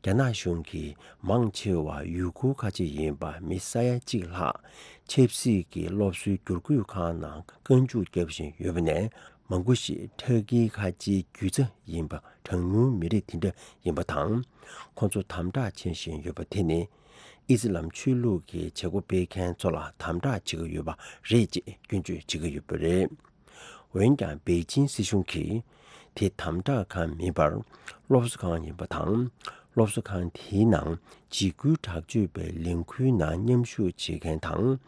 རྒྱ་ནག་གཞུང་གིས་མང་ཆེ་བ་ཡུ་གུར་ཁ་ཆེ་ཡིན་པ་མི་ས་ཡ་གཅིག་ལྷག་ཆབ་སྲིད་ཀྱི་སློབ་གསོའི་བསྒྱུར་བཀོད་ཁང་ནང་རྐང་འཇུག་བརྒྱབ་བཞིན་ཡོད་པ་ནས། མང་པོ་ཞིག་ཕྲ་གིའི་ཁ་ཆེའི་རྒྱུ་ཆ་ཡིན་པ། གྲངས་ཉུང་མི་རིགས་དེ་འདྲ་ཡིན་པ་དང་། ཁོང་ཚོ་དམ་དྲག་བྱེད་བཞིན་ཡོད་པ་དེ་ནི། ཨི་སི་ལམ་ཆོས་ལུགས་ཀྱི་བྱེད་སྒོ་སྤེལ་མཁན་ཚོ་ལ་དམ་དྲག་བྱེད་ཀྱི་ཡོད་པ་རེད་ཅེས་སྐྱོན་བརྗོད་བྱེད་ཀྱི་ཡོད་པ་རེད། འོན་ཀྱང་པེ་ཅིན་སྲིད་གཞུང་གིས་དེ་དམ་དྲག་ཁང་མིན་པར་སློབ་གསོ་ཁང་ཡིན་པ་དང་། སློབ་གསོ་ཁང་དེའི་ནང་འཇིགས་སྐུལ་དྲག་སྤྱོད་པའི་ལས་འགུལ་ནང་མཉམ་ཞུགས་བྱེད་མཁན་དང་།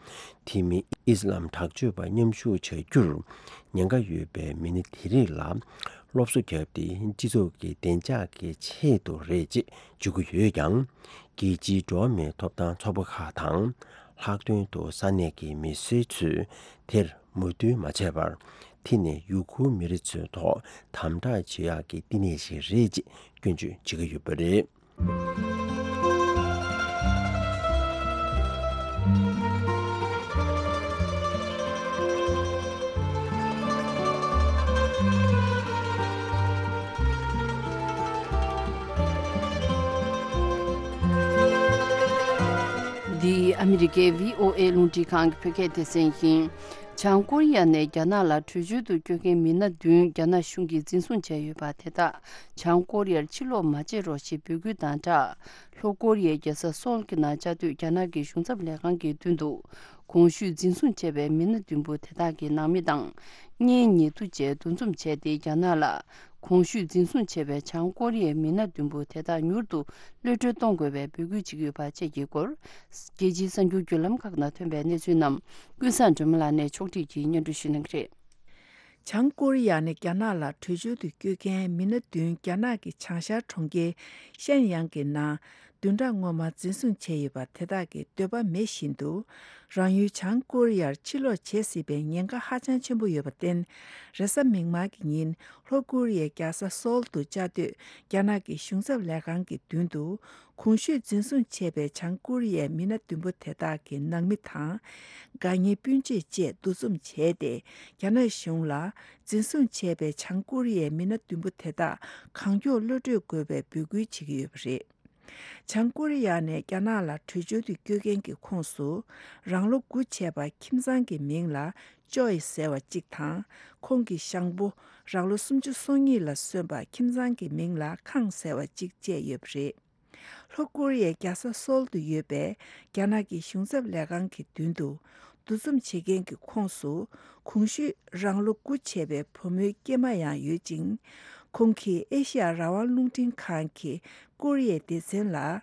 དེ་མིན་ཨི་སི་ལམ་དྲག་སྤྱོད་པ་མཉམ་ཞུགས་བྱ་རྒྱུར་ཉེན་ཁ་ཡོད་པའི་མི་སྣ་དེ་རིགས་ལ་སློབ་གསོ་བརྒྱབ་སྟེ། སྤྱི་ཚོགས་ཀྱི་བདེ་འཇགས་ཀྱི་ཆེད་དུ་རེད་ཅེས་བརྗོད་ཀྱི་ཡོད་ཀྱང་། རྒྱལ་སྤྱིའི་འགྲོ་བ་མིའི་ཐོབ་ཐང་ཚོགས་པ་ཁག་དང་། ལྷག་དོན་དུ་ས་གནས་ཀྱི་མི་སེར་ཚོས་དེར་མོས་མཐུན་མ་བྱས་པར། དེ་ནི་ཡུ་གུར་མི་རིགས་ཚོའི་ཐོག་དམ་དྲག་བྱེད་ཡག་གི་བསྟི་གནས་ཤིག་རེད་ཅེས་སྐྱོན་བརྗོད་བྱེད་ཀྱི་ཡོད་པ་རེད། འདི་ཨ་མི་རི་ཀའི་བྷི་ཨོ་ཨེ་རླུང་འཕྲིན་ཁང་གི་བོད་སྐད་སྡེ་ཚན་ཡིན། བྱང་ཀོ་རི་ཡ་ནས་རྒྱ་ནག་ལ་བྲོས་བྱོལ་དུ་བསྐྱོད་མཁན་མི་སྣ་བདུན་རྒྱ་ནག་གཞུང་གིས་འཛིན་བཟུང་བྱས་ཡོད་པ་དེ་དག་བྱང་ཀོ་རི་ཡར་ཕྱིར་ལོག་མ་བྱེད་རོགས་ཞེས་འབོད་སྐུལ་དང་སྦྲགས། ལྷོ་ཀོ་རི་ཡའི་རྒྱལ་ས་སོལ་གྱི་ནང་བཅའ་སྡོད་རྒྱ་ནག་གི་གཞུང་ཚབ་ལས་ཁང་གི་མདུན་དུ། གོང་ཞུས་འཛིན་བཟུང་བྱས་པའི་མི་སྣ་བདུན་པོ་དེ་དག་གི་ནང་མི་དང་། གཉེན་ཉེ་དུ་བཅས་འདུ་འཛོམས་བྱས་ཏེ། རྒྱ་ནག་ལ་གོང་ཞུས་འཛིན་བཟུང་བྱས་པའི་བྱང་ཀོ་རི་ཡའི་མི་སྣ་བདུན་པོ་དེ་དག་མྱུར་དུ་གློད་གྲོལ་གཏོང་དགོས་པའི་འབོད་སྐུལ་བྱེད་ཀྱི་ཡོད་པ་བཅས་ཀྱི་སྐོར། རྒྱལ་སྤྱིའི་གསར་འགྱུར་བརྒྱུད་ལམ་ཁག་ནང་ཐོན་པའི་གནས་ཚུལ་རྣམས་ཀུན་བཟང་སྒྲོལ་མ་ལགས་ནས་ཕྱོགས་སྒྲིག་གིས་སྙན་སྒྲོན་ཞུ་གནང་གི་རེད། བྱང་ཀོ་རི་ཡ་ནས་རྒྱ་ནག་ལ་བྲོས་བྱོལ་དུ་བསྐྱོད་མཁན་མི་སྣ་བདུན་རྒྱ་ནག་གི་བྱང་ཤར་གྲོང་ཁྱེར་ཤན་ཡང་གི་ནང་བདུན་ཕྲག་སྔོན་མ་འཛིན་བཟུང་བྱས་ཡོད་པ་དེ་དག་གི་འདོད་པ་མེད་བཞིན་དུ། རང་ཡུལ་བྱང་ཀོ་རི་ཡར་ཕྱིར་ལོག་བྱེད་སྲིད་པའི་ཉེན་ཁ་ཧ་ཅང་ཆེན་པོ་ཡོད་པར་བརྟེན། རེས་གཟའ་མིག་དམར་གྱི་ཉིན་ལྷོ་ཀོ་རི་ཡའི་རྒྱལ་ས་སོལ་དུ་བཅའ་སྡོད་རྒྱ་ནག་གི་གཞུང་ཚབ་ལས་ཁང་གི་མདུན་དུ། གོང་ཞུས་འཛིན་བཟུང་བྱས་པའི་བྱང་ཀོ་རི་ཡའི་མི་སྣ་བདུན་པོ་དེ་དག་གི་ནང་མི་དང་། དགའ་ཉེ་སྤུན་མཆེད་བཅས་འདུ་འཛོམས་བྱས་ཏེ། རྒྱ་ནག་གཞུང་ལ་འཛིན་བཟུང་བྱས་པའི་བྱང་ཀོ་རི་ཡའི་མི་སྣ་བདུན་པོ་དེ་དག་གང་མགྱོགས་གློད་གྲོལ་དགོས་པའི་འབོད་སྐུལ་བྱེད་ཀྱི་ཡོད་པ་རེད། བྱང་ཀོ་རི་ཡ་ནས་རྒྱ་ནག་ལ་བྲོས་བྱོལ་དུ་བསྐྱོད་མཁན་གྱི་ཁོངས་སུ། རང་ལོ་དགུ་བྱས་པ་ཁྱིམ་ཚང་གི་མིང་ལ་ཅོའི་ཟེར་བ་གཅིག་དང་། ཁོང་གི་ཞང་པོ་རང་ལོ་སུམ་ཅུ་སོ་གཉིས་ལ་སོན་པ་ཁྱིམ་ཚང་གི་མིང་ལ་ཁང་ཟེར་བ་གཅིག་བཅས་ཡོད་པ་རེད། ལྷོ་ཀོ་རི་ཡའི་རྒྱལ་ས་སོལ་དུ་ཡོད་པའི་རྒྱ་ནག་གི་གཞུང་ཚབ་ལས་ཁང་གི་མདུན་དུ་འདུ་འཛོམས་བྱེད་མཁན་གྱི་ཁོངས་སུ། གོང་ཞུས་རང་ལོ་དགུ་བྱས་པའི་བུ་མོའི་སྐྱེས་མ་ཡང་ཡོད་ཅིང་། ཁོང་གིས་ཨེ་ཤི་ཡ་རང་དབང་རླུང་འཕྲིན་ཁང་གི་ཀོ་རི་ཡའི་སྡེ་ཚན་ལ།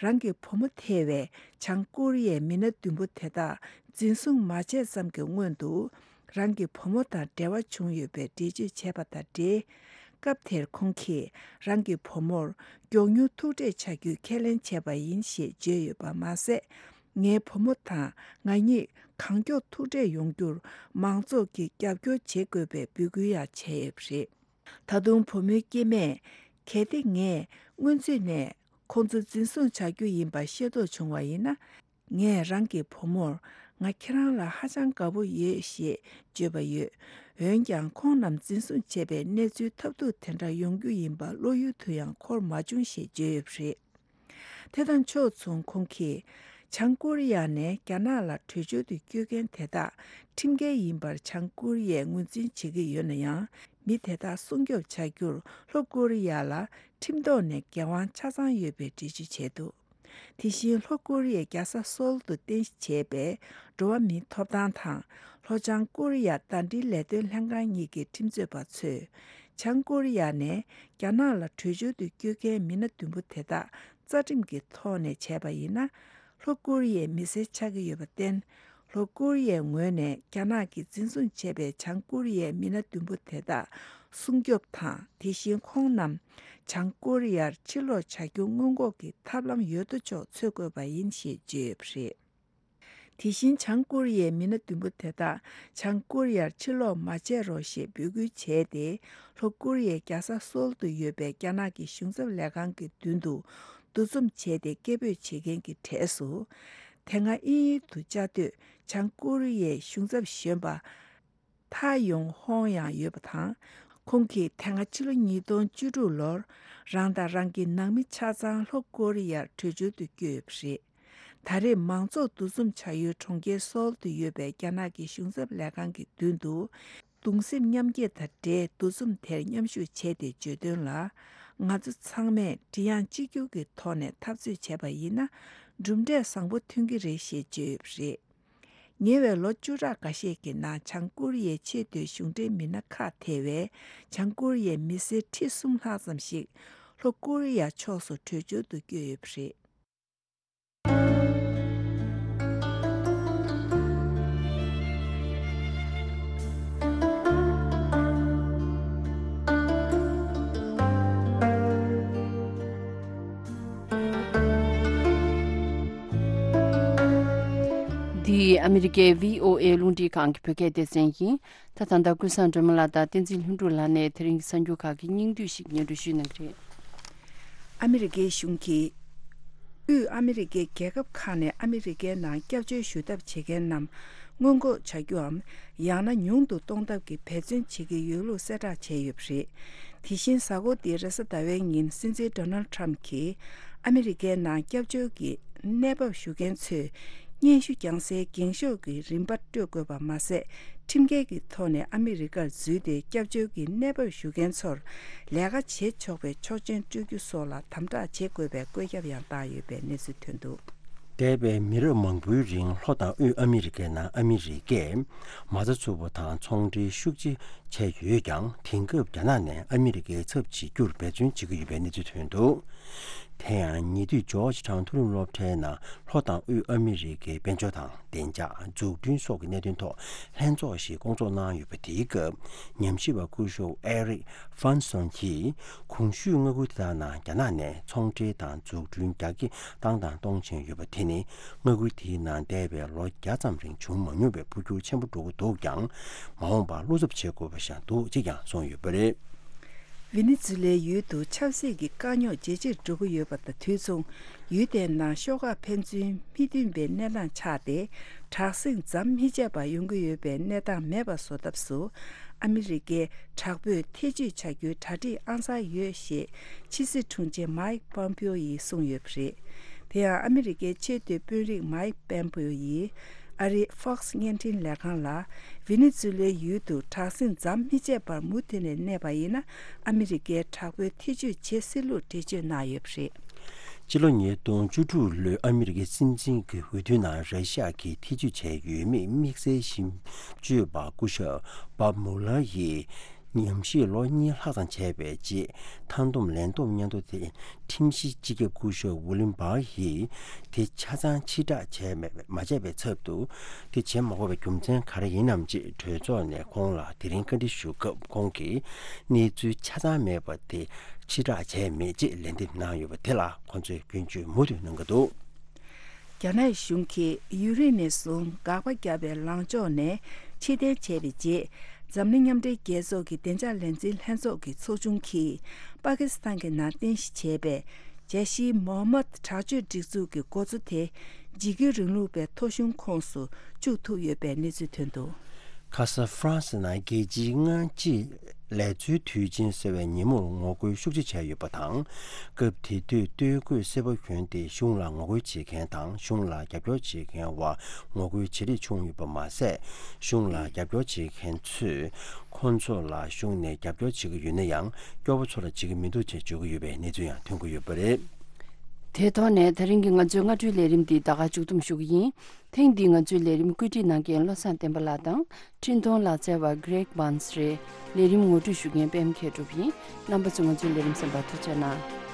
རང་གི་བུ་མོ་ཐེ་བའི་བྱང་ཀོ་རི་ཡའི་མི་སྣ་བདུན་པོ་དེ་དག་འཛིན་བཟུང་མ་བྱས་ཙམ་གྱི་སྔོན་དུ། རང་གི་བུ་མོ་དང་འབྲེལ་བ་བྱུང་ཡོད་པའི་འགྲེལ་བརྗོད་བྱས་པ་དང་འབྲེལ། སྐབས་དེར་ཁོང་གིས་རང་གི་བུ་མོར་མགྱོགས་མྱུར་ཐུག་འཕྲད་བྱ་རྒྱུའི་ཁས་ལེན་བྱས་པ་ཡིན་ཞེས་བརྗོད་ཡོད་པ་མ་ཟད། ངའི་བུ་མོ་དང་ང་གཉིས་གང་མགྱོགས་ཐུག་འཕྲད་ཡོང་རྒྱུར་མང་ཚོགས་ཀྱིས་རྒྱབ་སྐྱོར་བྱེད་དགོས་པའི་འབོད་སྐུལ་ཡང་བྱས་ཡོད་པ་རེད། ད་དུང་བུ་མོའི་སྐྱེས་མས། གལ་ཏེ་ངས་སྔོན་ཚུད་ནས་ཁོང་ཚོ་འཛིན་བཟུང་བྱ་རྒྱུ་ཡིན་པ་ཤེས་རྟོགས་བྱུང་བ་ཡིན་ན། ངས་རང་གི་བུ་མོར་ང་ཁྱེད་རང་ལ་ཧ་ཅང་དགའ་པོ་ཡོད་ཞེས་བརྗོད་པ་ཡོད། འོན་ཀྱང་ཁོང་རྣམས་འཛིན་བཟུང་བྱས་པའི་གནས་ཚུལ་ཐབས་སྡུག་དེ་འདྲ་ཡོང་རྒྱུ་ཡིན་པ་བློ་ཡུལ་དུ་ཡང་འཁོར་མ་བྱུང་ཞེས་བརྗོད་ཡོད་པ་རེད། དེ་དང་ཕྱོགས་མཚུངས་ཁོང་གིས་བྱང་ཀོ་རི་ཡ་ནས་རྒྱ་ནག་ལ་བྲོས་བྱོལ་དུ་བསྐྱོད་མཁན་དེ་དག་ཁྲིམས་འགལ་ཡིན་པར་བྱང་ཀོ་རི་ཡས་ངོས་འཛིན་བྱེད་ཀྱི་ཡོད་ན་ཡང་། མི་དེ་དག་སྲུང་སྐྱོབ་བྱ་རྒྱུར་ལྷོ་ཀོ་རི་ཡ་ལ་ཁྲིམས་ཐོག་ནས་འགན་དབང་ཆ་ཚང་ཡོད་པའི་འགྲེལ་བརྗོད་བྱས་འདུག་དེ་བཞིན་ལྷོ་ཀོ་རི་ཡའི་རྒྱལ་ས་སོལ་དུ་རྟེན་གཞི་བྱས་པའི་འགྲོ་བ་མིའི་ཐོབ་ཐང་དང་ལྷོ་བྱང་ཀོ་རི་ཡ་ཟླ་སྒྲིལ་ལས་དོན་ལྷན་ཁང་གཉིས་ཀྱི་ཁྲིམས་རྩོད་པ་ཚོས། བྱང་ཀོ་རི་ཡ་ནས་རྒྱ་ནག་ལ་བྲོས་བྱོལ་དུ་བསྐྱོད་མཁན་མི་སྣ་བདུན་པོ་དེ་དག་རྩ་ཁྲིམས་ཀྱི་ཐོག་ནས་བྱས་པ་ཡིན་ན། ལྷོ་ཀོ་རི་ཡའི་མི་སེར་ཆགས་ཀྱི་ཡོད་པར་བརྟེན། ལྷོ་ཀོ་རི་ཡའི་ངོས་ནས་རྒྱ་ནག་གིས་འཛིན་བཟུང་བྱས་པའི་བྱང་ཀོ་རི་ཡའི་མི་སྣ་བདུན་པོ་དེ་དག་སྲུང་སྐྱོབ་དང་། དེ་བཞིན་ཁོང་རྣམས་བྱང་ཀོ་རི་ཡར་ཕྱིར་ལོག་བྱ་རྒྱུ་སྔོན་འགོག་གི་ཐབས་ལམ་ཡོད་དོ་ཅོག་འཚོལ་དགོས་པ་ཡིན་ཞེས་བརྗོད་ཡོད་པ་རེད། དེ་བཞིན་བྱང་ཀོ་རི་ཡའི་མི་སྣ་བདུན་པོ་དེ་དག་བྱང་ཀོ་རི་ཡར་ཕྱིར་ལོག་མ་བྱེད་རོགས་ཞེས་འབོད་སྐུལ་བྱས་ཏེ། ལྷོ་ཀོ་རི་ཡའི་རྒྱལ་ས་སོལ་དུ་ཡོད་པའི་རྒྱ་ནག་གི་གཞུང་ཚབ་ལས་ཁང་གི་མདུན་དུ་འདུ་འཛོམས་བྱས་ཏེ་སྐད་འབོད་བྱེད་མཁན་གྱི་གྲས་སུ། དེ་སྔ་དབྱིན་ཡུལ་དུ་བཅའ་སྡོད་བྱང་ཀོ་རི་ཡའི་གཞུང་ཚབ་གཞོན་པ་ཐ་ཡོང་ཧོང་ཡང་ཡོད་པ་དང་། ཁོང་གིས་དེ་སྔ་ཕྱི་ལོ་ཉིས་སྟོང་བཅུ་དྲུག་ལོར་རང་དང་རང་གི་ནང་མི་ཆ་ཚང་ལྷོ་ཀོ་རི་ཡར་བྲོས་བྱོལ་དུ་བསྐྱོད་ཡོད་པ་རེད། ད་རེས་མང་ཚོགས་འདུ་འཛོམས་བྱ་ཡུལ་གྲོང་ཁྱེར་སོལ་དུ་ཡོད་པའི་རྒྱ་ནག་གི་གཞུང་ཚབ་ལས་ཁང་གི་མདུན་དུ། གདུང་སེམས་མཉམ་སྐྱེད་དང་འབྲེལ་འདུ་འཛོམས་དེར་མཉམ་ཞུགས་བྱས་ཏེ་བརྗོད་དོན་ལ། ང་ཚོ་ཚང་མས་མགྲིན་དབྱངས་གཅིག་གྱུར་གྱི་ཐོག་ནས་འཐབ་རྩོད་བྱས་པ་ཡིན་ན། གྲུབ་འབྲས་བཟང་པོ་ཐོན་གྱི་རེད་ཞེས་བརྗོད་ཡོད་པ་རེད། ཉེ་བའི་ལོ་བཅུ་ཕྲག་འགའ་ཤས་ཀྱི་ནང་། བྱང་ཀོ་རི་ཡའི་ཆེས་མཐོའི་གཞུང་འབྲེལ་མི་སྣ་ཁག་ཐེ་བའི་བྱང་ཀོ་རི་ཡའི་མི་སེར་ཁྲི་གསུམ་ལྷག་ཙམ་ཞིག་ལྷོ་ཀོ་རི་ཡ་ཕྱོགས་སུ་བྲོས་བྱོལ་དུ་བསྐྱོད་ཡོད་པ་རེད། འདི་ཨ་མི་རི་ཀའི་བྷི་ཨོ་ཨེ་རླུང་འཕྲིན་ཁང་གི་བོད་སྐད་སྡེ་ཚན་ཡིན། ད་ད་ལྟ་ཀུན་བཟང་སྒྲོལ་མ་ལགས་དང་བསྟན་འཛིན་ལྷུན་གྲུབ་ལགས་ནས་དེ་རིང་གི་གསར་འགྱུར་ཁག་གི་སྙིང་བསྡུས་ཤིག་སྙན་སྒྲོན་ཞུ་གནང་གི་རེད། ཨ་མི་རི་ཀའི་གཞུང་གིས། དབུས་ཨ་མི་རི་ཀའི་རྒྱལ་ཁབ་ཁག་ནས་ཨ་མི་རི་ཀའི་ནང་སྐྱབས་བཅོལ་ཞུ་ཐབས་བྱེད་མཁན་རྣམས་སྔོན་འགོག་བྱ་རྒྱུའམ། ཡང་ན་ཉུང་དུ་གཏོང་ཐབས་ཀྱི་འབད་བརྩོན་བྱེད་ཀྱི་ཡོད་ལུགས་གསལ་བསྒྲགས་བྱས་ཡོད་པ་རེད། དེ་བཞིན་གཟའ་འཁོར་འདིའི་རེས་གཟའ་ཟླ་བའི་ཉིན་སྲིད་འཛིན་ཌོ་ནལ་ཊམ་གྱིས་ཨ་མི་རི་ཀའི་ནང་སྐྱབས་བཅོལ་གྱི་གནས་བབ་ཞུ་མཁན་ཚོས་སྙན་ཞུ་རྒྱག་སའི་འགེངས་ཤོག་གི་རིན་པ་སྤྲོད་དགོས་པ་མ་ཟད། ཁྲིམས་འགལ་གྱི་ཐོག་ནས་ཨ་མི་རི་ཀར་འཛུལ་ཏེ་སྐྱབས་བཅོལ་གྱི་གནས་བབ་ཞུ་མཁན་ཚོར་ལས་ཀ་བྱེད་ཆོག་པའི་ཆོག་མཆན་སྤྲོད་རྒྱུ་སོགས་ལ་དམ་དྲག་བྱེད་དགོས་པའི་བཀོད་ཁྱབ་ཡང་བཏང་ཡོད་པའི་གནས་ཚུལ་ཐོན་འདུག། འདས་པའི་མི་རབས་མང་པོའི་རིང་ལྷོ་དང་དབུས་ཨ་མི་རི་ཀའི་ནང་ཨ་མི་རི་ཀས་མ་རྩ་འཛུགས་པ་དང་ཚོང་འབྲེལ་ཤུགས་ཆེ་བྱས་ཡོད་ཀྱང་། དེང་སྐབས་རྒྱ་ནག་ནས་ཨ་མི་རི་ཀའི་ཚབ་བྱེད་རྒྱུར་འབད་བརྩོན་བྱེད་ཀྱི་ཡོད་པའི་གནས་ཚུལ་ཐོན་འདུག། དེ་ཡང་ཉེ་དུས་ཇོརྗ་ཊའུན་མཐོ་རིམ་སློབ་གྲྭའི་ནང་ལྷོ་དང་དབུས་ཨ་མི་རི་ཀའི་དཔལ་འབྱོར་དང་བདེ་འཇགས་འཛུགས་སྐྲུན་སོགས་ཀྱི་གནད་དོན་ཐོག་ལྷན་ཚོགས་ཤིག་བསྐོང་ཚོགས་གནང་ཡོད་པ་དེའི་སྐབས། ཉམས་ཞིབ་པ་སྐུ་ཞབས་ཨེ་རིག་ཧྥན་སོན་གྱིས། གོང་ཞུས་མངའ་ཁུལ་དེ་དག་ནང་རྒྱ་ནག་ནས་ཚོང་འབྲེལ་དང་འཛུགས་སྐྲུན་རྒྱ་སྐྱེད་བཏང་དང་གཏོང་བཞིན་ཡོད་པ་དེ་ནི། མངའ་ཁུལ་དེའི་ནང་འདས་པའི་ལོ་བརྒྱ་ཙམ་རིང་བྱུང་མ་མྱོང་བའི་འཕོ་འགྱུར་ཆེན་པོ་འགྲོ་གི་འདུག་ཀྱང་། མ་འོངས་པར་བློ་འཚབ་བྱེད་དགོས་པ་ཞིག་འདུག་ཅེས་ཀྱང་གསུངས་ཡོད་པ་རེད། ཝེ་ནེ་ཛུ་ལའི་ཡུལ་དུ་ཆབ་སྲིད་ཀྱི་དཀའ་རྙོག་ཇེ་ཆེར་འགྲོ་གི་ཡོད་པ་དང་དུས་མཚུངས། ཡུལ་དེའི་ནང་ཤོག་ཁག་ཕན་ཚུན་མི་མཐུན་པའི་གནས་སྟངས་ཆགས་ཏེ། དྲག་ཟིང་ཟམ་མི་ཆད་པར་ཡོང་གི་ཡོད་པའི་གནས་སྟངས་མེད་པ་བཟོ་ཐབས་སུ། ཨ་མི་རི་ཀས་དྲག་པོས་ཐེ་བྱུས་བྱ་རྒྱུའི་གྲ་སྒྲིག་ཨང་གསར་ཡོད་ཞེས་ཕྱི་སྲིད་དྲུང་ཆེ་མཱིག་པོམ་པིའོ་ཡིས་གསུངས་ཡོད་པ་རེད། དེ་ཡང་ཨ་མི་རི་ཀའི་ཆེས་མཐོའི་དཔོན་རིགས་མཱིག་པོམ་པིའོ་ཡིས། ཨ་རིའི་Fox་བརྙན་འཕྲིན་ལས་ཁང་ལ། ཝེ་ནེ་ཛུ་ལའི་ཡུལ་དུ་དྲག་ཟིང་ཟམ་མི་ཆད་པར་མུ་མཐུད་ནས་གནས་པ་ཡིན་ན། ཨ་མི་རི་ཀས་དྲག་པོའི་ཐེ་བྱུས་བྱེད་སྲིད་ལུགས་འགྲེལ་བརྗོད་གནང་ཡོད་པ་རེད། ཕྱི་ལོ་ཉིས་སྟོང་བཅུ་དྲུག་ལོའི་ཨ་མི་རི་ཀའི་སྲིད་འཛིན་གྱི་འོས་བསྡུའི་ནང་ར་ཤི་ཡ་གིས་ཐེ་བྱུས་བྱས་ཡོད་མེད་དམིགས་བསལ་ཞིབ་དཔྱོད་པ་སྐུ་ཞབས་བཱབ་མུ་ལར་ཡིས། ཉམས་ཞིབ་ལོ་གཉིས་ལྷག་ཙམ་བྱས་པའི་རྗེས། མཐའ་བསྡོམས་ལན་བསྡོམས་སྙན་ཐོ་དེ་ཁྲིམས་ཞིབ་སྤྱི་ཁྱབ་སྐུ་ཞབས་ཝུ་ལིམ་བྷར་ཡིས་དེ་ཆ་ཚང་ཕྱིར་བསྒྲགས་བྱས་མེད་མ་བྱས་པའི་ཚབ་ཏུ། དེ་བྱེད་མ་དགོས་པའི་རྒྱུ་མཚན་ག་རེ་ཡིན་ནམ་ཅེས་གྲོས་ཚོགས་ནས་ཁོང་ལ་དེ་རིང་བཀའ་འདྲི་ཞུ་སྐབས། ཁོང་གིས་གནས་ཚུལ་ཆ་ཚང་མེད་པ་དེ་ཕྱིར་བསྒྲགས་བྱས་མེད་ཅེས་ལན་འདེབས་གནང་ཡོད་པ་དེ་ལ་ཁོང་ཚོས་སྐྱོན་བརྗོད་མུ་མཐུད་གནང་གི་འདུག། རྒྱ་ནག་གཞུང་གིས་ཡུན་རིང་ནས་བཟུང་དགག་པ་བརྒྱབ་པའི་ལངས་ཕྱོགས་ནས་ཕྱིར་འཐེན་བྱས་པའི་རྗེས། འཛམ་གླིང་མཉམ་འབྲེལ་རྒྱལ་ཚོགས་ཀྱི་བདེ་འཇགས་ལས་འཛིན་ལྷན་ཚོགས་ཀྱི་ཚོགས་ཆུང་གིས་པ་ཀི་སི་ཐན་གྱི་ནང་རྟེན་གཞི་བྱས་པའི་ཇེ་ཤི་མོ་ཧམ་མད་དྲག་སྤྱོད་སྒྲིག་འཛུགས་ཀྱི་འགོ་གཙོ་དེ། འཇིགས་སྐུལ་རིང་ལུགས་པའི་ཐོ་གཞུང་ཁོངས་སུ་བཅུག་ཐུབ་ཡོད་པའི་གནས་ཚུལ་ཐོན་འདུག། ཁ་ས་ཧྥ་རན་སི་ནང་རྒྱལ་སྤྱིའི་སྔ་ཕྱི་ལས་འཛོལ་དུས་ཆེན་ཟེར་བའི་ཉིན་མོར་ངོ་རྒོལ་ཤུགས་ཆེ་བྱས་ཡོད་པ་དང་། སྐབས་དེ་དུས་སྟོད་གོས་སེར་པོ་གྱོན་ཏེ་གཞུང་ལ་ངོ་རྒོལ་བྱེད་མཁན་དང་། གཞུང་ལ་རྒྱབ་སྐྱོར་བྱེད་མཁན་བར་ངོ་རྒོལ་ཇེ་ལེགས་བྱུང་ཡོད་པ་མ་ཟད། གཞུང་ལ་རྒྱབ་སྐྱོར་བྱེད་མཁན་ཚོས་ཁོང་ཚོ་ལ་གཞུང་ནས་རྒྱབ་སྐྱོར་བྱེད་ཀྱི་ཡོད་ན་ཡང་། སྐྱོ་པོ་ཚོ་ལ་བྱེད་ཀྱི་མི་འདུག་ཅེས་བརྗོད་ཀྱི་ཡོད་པའི་གནས་ཚུལ་ཡང་ཐོན་གྱི་ཡོད་པ་རེད། དེའི་ཐོག་ནས་ད་རིང་གི་ང་ཚོའི་སྔ་དྲོའི་ལས་རིམ་འདི་ད་ག་མཇུག་བསྡོམས་ཞུ་གི་ཡིན། ཐེངས་འདིའི་ང་ཚོའི་ལས་རིམ་བཀོད་སྒྲིག་གནང་མཁན་བློ་བཟང་བསྟན་པ་ལགས་དང་། འཕྲིན་གཏོང་ལག་རྩལ་བ་Greg Barnes་རེད། ལས་རིམ་ངོ་སྤྲོད་ཞུ་མཁན་པད་མ་མཁས་གྲུབ་ཡིན། རྣམ་པ་ཚོ་ང་ཚོའི་ལས་རིམ་གསན་པར་ཐུགས་རྗེ་གནང་།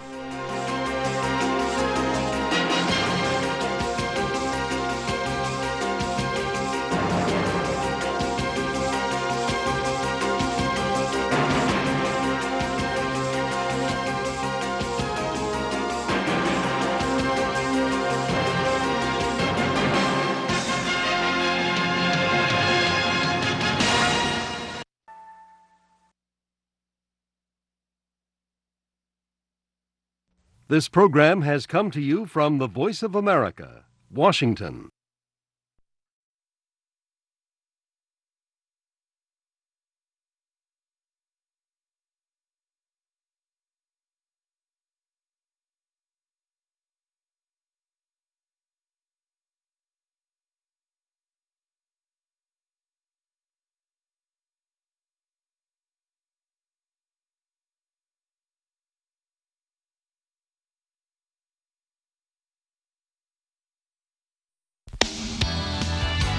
This program has come to you from the Voice of America, Washington.